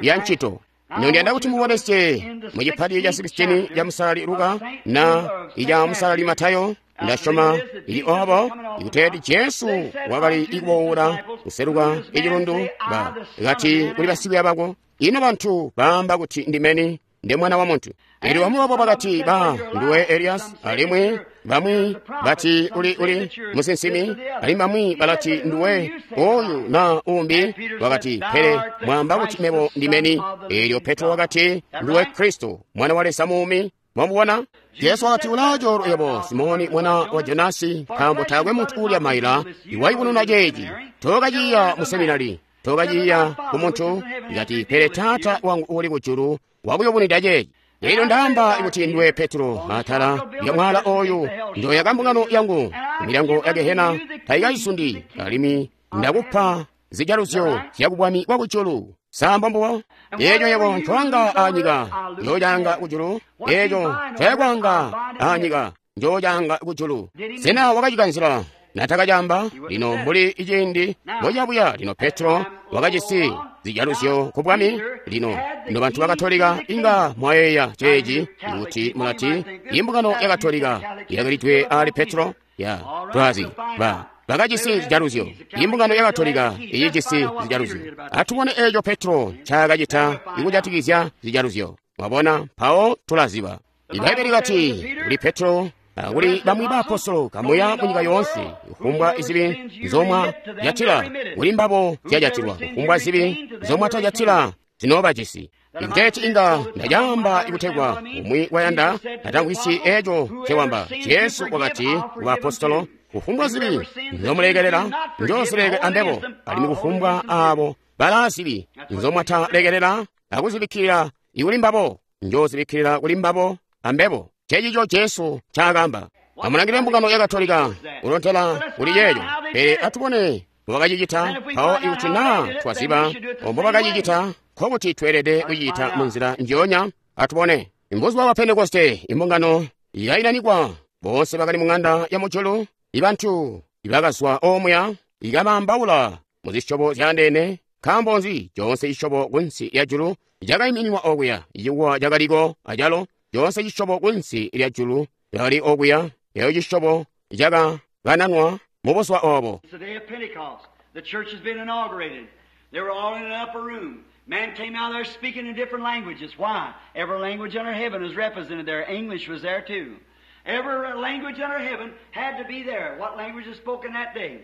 Speaker 1: ya ntchito. Lino ndiyanda kuti mubonesye mu chipati cha sixteen cha musalali Luka na icha musalali Matayo. Ndasyoma ili obo ikuteeti Jesu wakali ikuwowula kuseluka ichilundu ba kati kuli basikwiiya bako, ino bantu baamba kuti ndimeni ndi mwana wa munthu. Eelyo bamwi babo bakati ba ndiwe Elias, alimwi bamwi bati uli uli musinsimi, alimwi bamwi balati ndiwe oyu na umbi. Wakati, pele mwamba kuti mebo ndimeni. Eelyo Petro wakati, ndiwe Kristo mwana wa Leza muumi. Mwamubona? Yesu wakati, ulaacho yebo Simoni mwana wa Jonasi, nkaambo taakwe munthu ulya maila iwayibununa ceeci. Tokaciya mu seminari, tokaciya ku munthu. Ikati, pele Tata wangu uli kujulu wakuyubunwida ceeci. Lino ndaamba kuti ndiwe Petro, atala ya mwala oyu ndoyaka mbungano yangu, milyango ya gehena tayikayisundi, alimwi ndakupa zijaluzyo zya kubwami bwa kujulu. Samba mbuwa eeco yebo ncoanga anyika njoocanga kujulu, eeco ncoyakwanga anyika njoocanga kujulu. Sena wakacikanzila natakacamba? Lino mbuli iciindi mbocabuya. Lino Petro wakajisi zijaluzyo ku bwami. Lino ino bantu bakatolika inga mwayeeya ceeci kuti mulati imbungano ya Katolika yakalidwe ali Petro ya twazi ba bakajisi zijaluzyo. Imbungano ya Katolika icijisi zijaluzyo. Atubone eeco Petro ncaakacita ikujatikizya zijaluzyo. Mwabona, mpawo tulaziba. Ibaibbele likati kuli Petro kuli bamwi baapostolo, kamuya munyika yoonse, kufumbwa izibi nzomwa jatila kuli mbabo zyajatilwa, kufumbwa zibi nzomwatajatila zinoobajisi. Ikuteeti inga ndacaamba ikutegwa umwi wayanda atangwisi eeco ncewamba. Jesu wakati ku baapostolo, kufumbwa zibi nzomulekelela njoozileke ambebo, alimwi kufumbwa aabo balaa zibi nzomwatalekelela akuzibikkilira ikuli mbabo njozibikkilira kuli mbabo ambebo. Cecico Jesu ncaakamba. Amulangile mbungano ya Katolika kulontela kuli yeeyo, pele atubone mbobakacicita. Mpawo ikuti naa twaziba mbobakacicita, nkokuti tweelede kucita munzila njionya. Atubone. Mbuzuba bwa Pentekoste imbungano yainanikwa, boonse bakali mung'anda ya mujulu. Ibantu ibakazwa omuya ikabambaula muzisyobo zyaandeene. Nkaambo nzi? Coonse cisyobo kunsi lya julu cakaimininwa okuya. Icikuwa cakaliko acalo. Coonse cisyobo kunsi lya julu cakali okuya. Eyo cisyobo cakakananwa mu buzuba obo.
Speaker 2: It's the day of Pentecost. The church has been inaugurated. They were all in an upper room. Man came out there speaking in different languages. Why? Every language under heaven was represented there. English was there too. Every language under heaven had to be there. What language was spoken that day?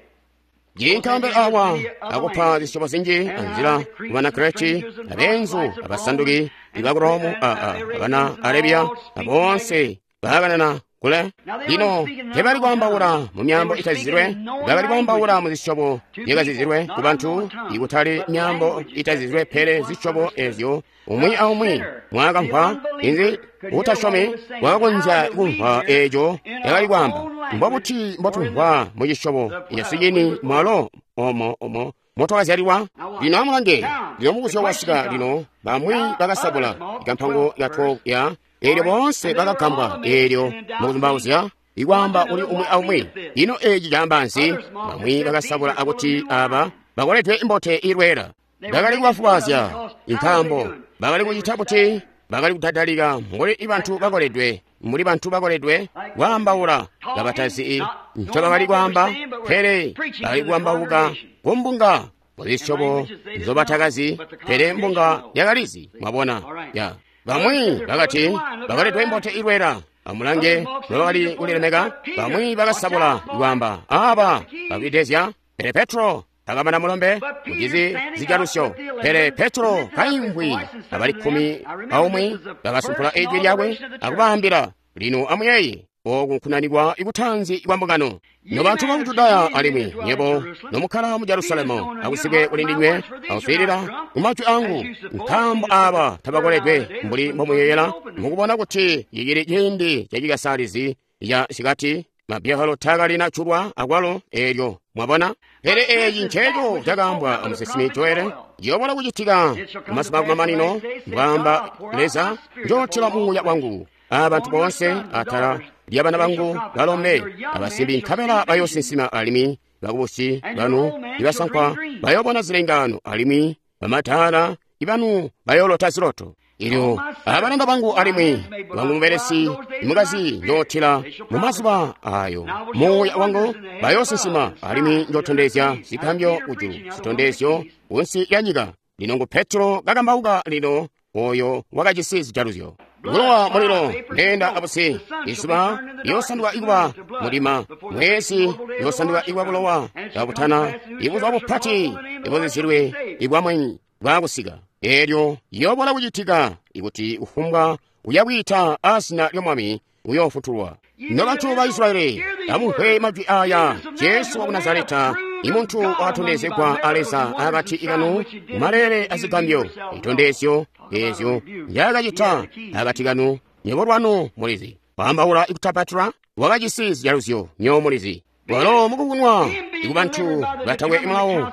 Speaker 1: Jinkambe awa akupa zisyobo zinji anzila kubana Kreti, abenzu, abasanduki, ibakuromu, aa, abana Arabia, abonse baakanana kule. Lino tebali kwaambaula mu myambo itazizilwe, bakali kwaambaula mu zisyobo zyakazizilwe ku bantu, ikutali myambo itazizilwe, pele zisyobo ezyo umwi aumwi mwakamvwa. Inzi utasyomi wakakonzya kumvwa eeco yakali kwaamba. Mbobuti mbotumvwa mu cisyobo yasicini mwalo omo omo motwakazyalilwa? Lino amulange, lino mubuzyo wasika lino, bamwi bakasabula ikampango ya twelve ya eelyo boonse bakagambwa, eelyo mukuzumbauzya ikwaamba kuli umwi aumwi, ino eeci caamba nzi? Bamwi bakasabula akuti aba bakoledwe imbote ilweela. Bakali kubafubaazya, nkaambo bakali kucita buti? Bakali kudadalika mbuli bantu bakoledwe, mbuli bantu bakoledwe kwaambaula kabatazi ncobakali kwaamba, pele bakali kwaambauka kumbunga muzisyobo nzobatakazi, pele mbunga yakalizi. Mwabona ya bamwi bakati bakoledwe imbote ilweela. Amulange nobakali kulilemeka. Bamwi bakasabula kwaamba aba bakwidezya, pele Petro takamana mulombe mucizi zijalusyo. Pele Petro kaimvwi abali kkumi aumwi bakasumpula ijwi lyakwe akubaambila, lino amuyeeye, oku nkunanikwa ikutanzi kwa mbungano. Nobantu ba Judaya alimwi nyebo nomukkala mu Jerusalemu, akusike kuli ndinywe akuswiilila kumajwi angu, nkaambo aba tabakoledwe mbuli mbomuyeyela, mukubona kuti cicili ciindi cacikasalizi ca sikati mabyalo takalina culwa akwalo eelyo. Mwabona? Pele eeci nceeco cakaambwa amusinsimi Joele, ciyobola kucitika kumazuba kumamanino, mbwaamba Leza, njootila muuya wangu abantu boonse atala lyabana bangu balombe abasimbi, nkabela bayoosinsima, alimwi bakubusi banu ibasankwa bayoobona zilengaano, alimwi bamadaala ibanu bayoolota ziloto. Ilyo abalanda bangu alimwi wangu mubelesi imukazi njootila mumazuba ayo muuya wangu, bayoosinsima, alimwi njootondezya zigambyo kujulu, zitondezyo kunsi ya nyika. Lino ngu Petro kakambauka lino, oyo wakajisi zijaluzyo. Bulowa mulilo ndenda abusi, izuba liyosanduka ikuba mudima, mwezi uyosanduka ikuba bulowa kabutana, ibuzuba bupati ibuzizilwe ibwamwenyi bwakusika. Eelyo liyobola kucitika ikuti kufumbwa uyakwiita azina ly'Omwami uyoofutulwa. Nobantu ba Israyeli, amumvwe majwi aya. Jesu waku Nazareta, imuntu wakatondezegwa a Leza akati kanu maleele azigambyo, itondezyo eezyo njaakacita akati kanu, nywebo lwanu mulizi. Kwaambaula ikutapatula wakajisi zijaluzyo, nywebo mulizi. Walo mukukunwa ikubantu batakwe mulawo,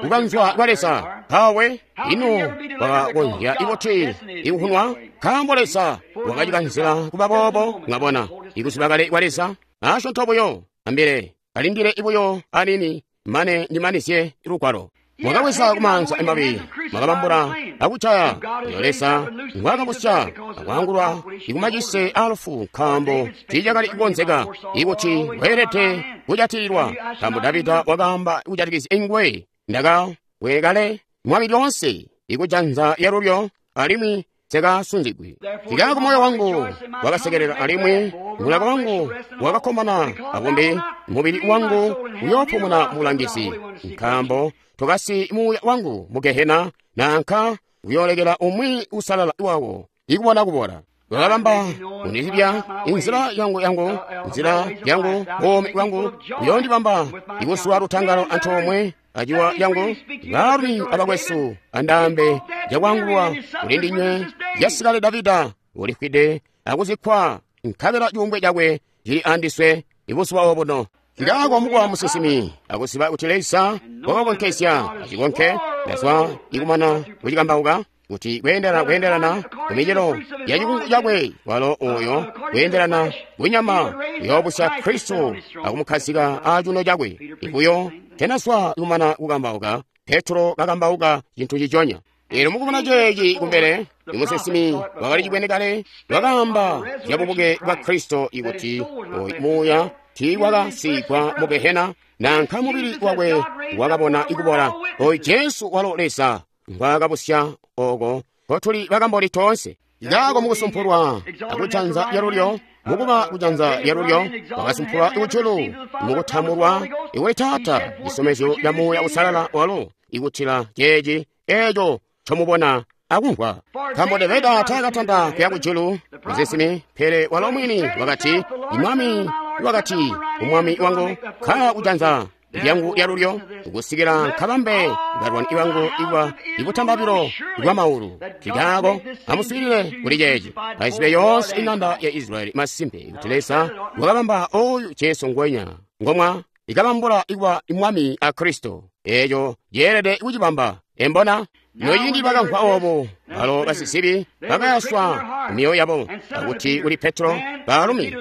Speaker 1: kukanzwa kwa Leza kawe, ino wakakonzya ikuti ikukunwa, nkaambo Leza wakacikanzila kuba boobo. Mwabona ikuziba kale kwa Leza asyoonto buyo, ambile kalindile ibuyo anini mane ndimanizye lugwalo. Mwakaweza kumanza emabi, mwakabambula akucaya iyo Leza ngwakabusya akwangulwa ikumacise alufu, nkaambo tiicakali kukonzeka ikuti weelede kujatililwa. Nkaambo Davida wakaamba kujatikizya ingwe, ndakawekale mwami lyoonse ikujanza lyalulyo, alimwi sekasunzigwi. Kikaako moyo wangu wakasekelela, alimwi mulaka wangu wakakkomana, akumbi mubili wangu uyoopumuna mubulangizi, nkaambo tokasi muuya wangu mu Gehena, nanka uyoolekela umwi usalala wawo ikubona kubola. Wakabamba kundizibya inzila yangu yangu nzila yangu buumi bwangu, uyoondibamba ikusuwa lutangalo antoomwe aciwa lyangu. Baalumi abakwesu andaambe jakwangulwa kuli ndinywe, yasikale Davida ulifwide akuzikkwa, nkabela cuumbwe cakwe cili andiswe ibuzuba obuno. Kikaako mukuwa musinsimi akuziba kuti Leza wakakonkezya acikonke, ndazwa ikumana kucikambauka kuti kweendelana kweendelana kumicelo ya cikungu cakwe, walo oyo kweendelana kunyama uyoobusya Kristo akumukhazika acuuno cakwe. Ibuyo tenazwa ikumana kukambauka, Petro kakambauka cintu ciconya. Eelyo mukubona ceeci kumbele, imusinsimi wakali cibwene kale wakaamba zya bubuke bwa Kristo ikuti oyu muuya tiiwakasigwa mu Gehena, nanka mubili wakwe wakabona ikubola. Oyu Jesu walo Leza ngwaakabusya, oko kotuli bakamboni toonse. Kikaako mukusumpulwa akujanza lyalulyo, mukuba kujanza lyalulyo wakasumpulwa kujulu, mukutambulwa ikuli Taata cisomezyo ca Muuya Usalala walo ikutila ceeci eeco ncomubona akumvwa. Nkaambo Davida taakatanta kuya kujulu, musinsimi, pele walo mwini wakati, Imwami wakati umwami wangu, kkala kujanza lyangu lyalulyo kusikila nkabambe balwani bangu iwa ibutambabilo bwa maulu. Kikaako amuswiilile kuli ceeci, azibe yoonse ing'anda ya Israyeli masimpe kuti Leza wakabamba oyu Jesu ngwenya ngomwa ikabambula ikuba Mwami a Kristo. Eeco yeelede kucibamba. Embona? Noyindi bakamvwa obo, balo basizibi bakayaswa mioyo yabo, akuti kuli Petro, baalumi,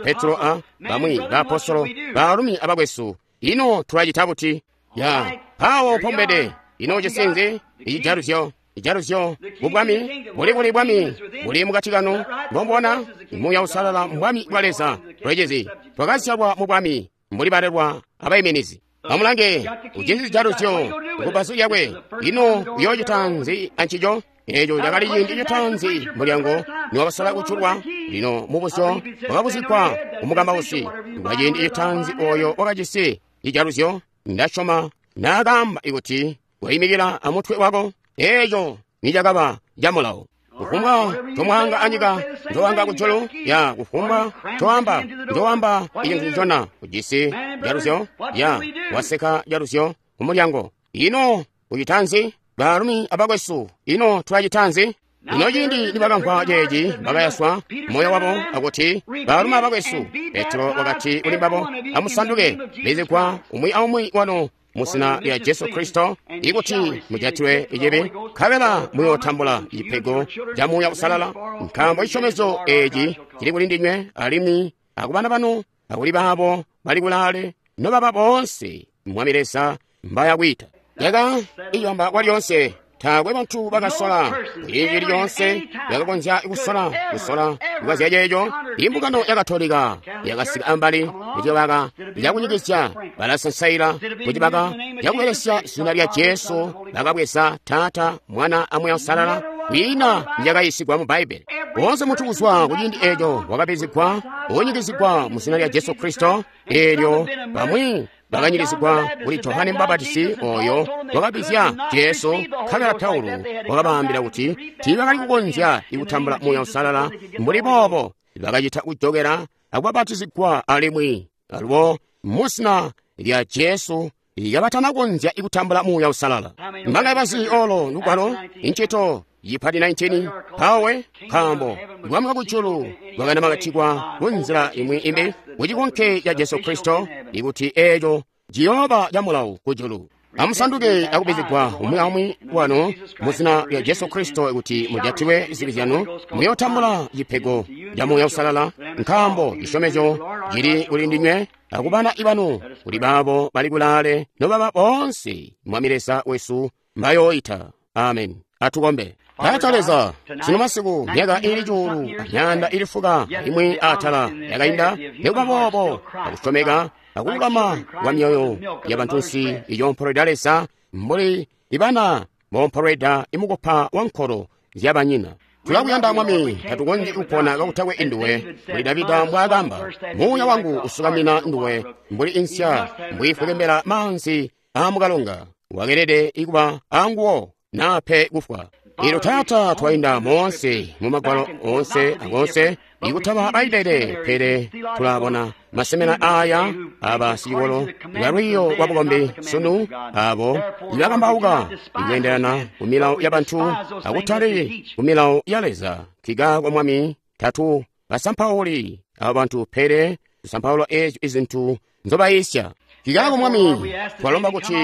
Speaker 1: Petro a bamwi baapostolo, baalumi abakwesu, ino tulacita buti? Ya, mpawo pombede, ino cisinzi, icijaluzyo, ijaluzyo, mubwami, buli kuli bwami, buli mukati kanu, ngombona, Muuya Uusalala mbwami bwa Leza, lwecezi, twakazyalwa mu bwami, mbuli balelwa abaiminizi. Amulange, ujisi cijaluzyo kubbazu lyakwe, ino uyoocita nzi ancico? Eeco cakali ciindi citaanzi mulyango niwakasola kujulwa. Lino mubuzyo wakabuzigwa kumukambausi kwa ciindi citaanzi oyo wakajisi cijaluzyo. Ndasyoma naakaamba kuti waimikila amutwe wako. Eeco nicakaba camulawo. Kufumbwa comwaanga anyika njowaanga kujulu, ya kufumbwa coamba njowaamba icintu ncona ujisi jaluzyo, ya waseka jaluzyo kumulyango. Ino ucita nzi? Baalumi abakwesu, ino tulacita nzi? Ino ciindi nibakamvwa ceeci bakayaswa moyo wabo akuti, baalumi abakwesu. Petro wakati kuli mbabo, amusanduke, bizigwa umwi aumwi wanu muzina lya Jesu Kristo, ikuti mujatilwe icibi, nkabela muyootambula cipego ca Muuya Uusalala, nkaambo cisyomezyo eeci cili kuli ndinywe alimwi akubana banu akuli baabo bali kulaale, nobaba boonse Mwami Leza mbayakwiita. Yaka iyamba kwalyonse, taakwe bantu bakasola kuciindi lyonse yakakonzya kusola kusola kukazya ceeco. Imbungano ya Katolika yakasika ambali kucibaka cakunyikizya, balasansaila kucibaka cakubelesya zina lya Jesu, bakabweza Taata, Mwana a Muuya Uusalala. Kwiina yakayisigwa mu Bbaibbele. Woonse muntu kuzwa kuciindi eeco wakabizigwa unyikizigwa mu zina lya Jesu Kristo. Eelyo bamwi bakanyikizigwa kuli Johane Mubapatisi oyo wakabizya Jesu. Nkabela Paulo wakabaambila kuti tiibakali kukonzya kutambula Muuya Uusalala mbuli boobo, bakacita kujokera akubabatizigwa alimwi alubo muzina lya Jesu kabatanakonzya kutambula Muuya Uusalala. Mbangaye bazi olo lugwalo? Incito yipati nineteen. Mpawe nkaambo bwami bwa kujulu bwakanamakatikwa kunzila imwi imbi kucikonke ca Jesu Kristo, ikuti eeco ciyooba camulawo kujulu. Amusanduke akubizigwa umwi aumwi wanu muzina lya Jesu Kristo kuti mujatilwe zibi zyanu, muyootambula cipego ca Muuya Uusalala, nkaambo cisyomezyo cili kuli ndinywe akubana ibanu, kuli baabo bali kulaale, nobaba boonse Mwami Leza wesu mbayooita. Amen. Atukombe. Taata Leza, sino masiku myaka ili cuulu amyanda ili fuka imwi atala yakainda, nikuba boobo akusyomeka akululama kwa myoyo ya bantunsi iyompolweda Leza mbuli ibana bompolweda imukopa wa nkolo zyabanyina. Tulakuyanda Mwami, tatukonzyi kupona kakutakwe induwe. Mbuli Davida mbwaakamba, muuya wangu usukamina nduwe mbuli insya mbwiifwekembela maanzi aamukalonga. Wakelede ikuba anguwo nape kufwa. Ilo Taata, twainda moonse mu magwalo onse akonse ikutaba Bbaibbele, pele tulabona masemena aya aba sicikolo lwiiyo lwa bukombi sunu, abo ibakambauka ikweendelana ku milawo ya bantu akutali ku milawo ya Leza. Kika kwa Mwami, tatu basampauli abo bantu, pele tusampaula eezyo izintu nzobayisya. Kikako Mwami, twalomba kuti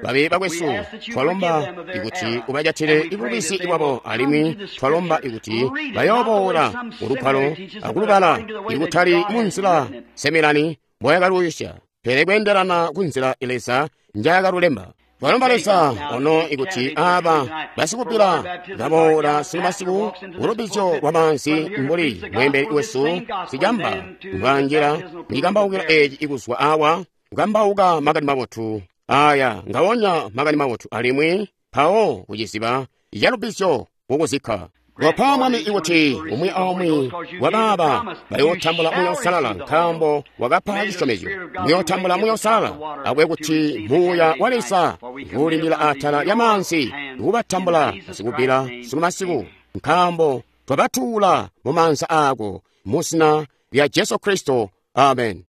Speaker 1: babe bakwesu, twalomba ikuti ubajatile ibubisi bwabo, alimwi twalomba ikuti bayooboola ulugwalo akulubala ikutali munzila semelani mboyakaluyisya, pele kweendelana kunzila Leza njayakalulemba. Twalomba Leza ono ikuti aaba basikupila baboola silumasiku kulubizyo lwa maanzi mbuli mweembeli wesu sicamba mbwanjila mucikambaukila eeci ikuzwa awa kukambauka makani mabotu aya ngawonya makani mabotu, alimwi mpawo kuciziba calubizyo kukuzikka. Kopa Mwami ikuti umwi aumwi wabaaba bayootambula Muuya Uusalala, nkaambo wakapa cisyomezyo. Muyootambula Muuya Uusalala, akwe kuti Muuya wa Leza nguulindila atala lya maanzi kubatambula basikupila silumasiku, nkaambo twabatuula mu maanza aako muzina lya Jesu Kristo. Amen.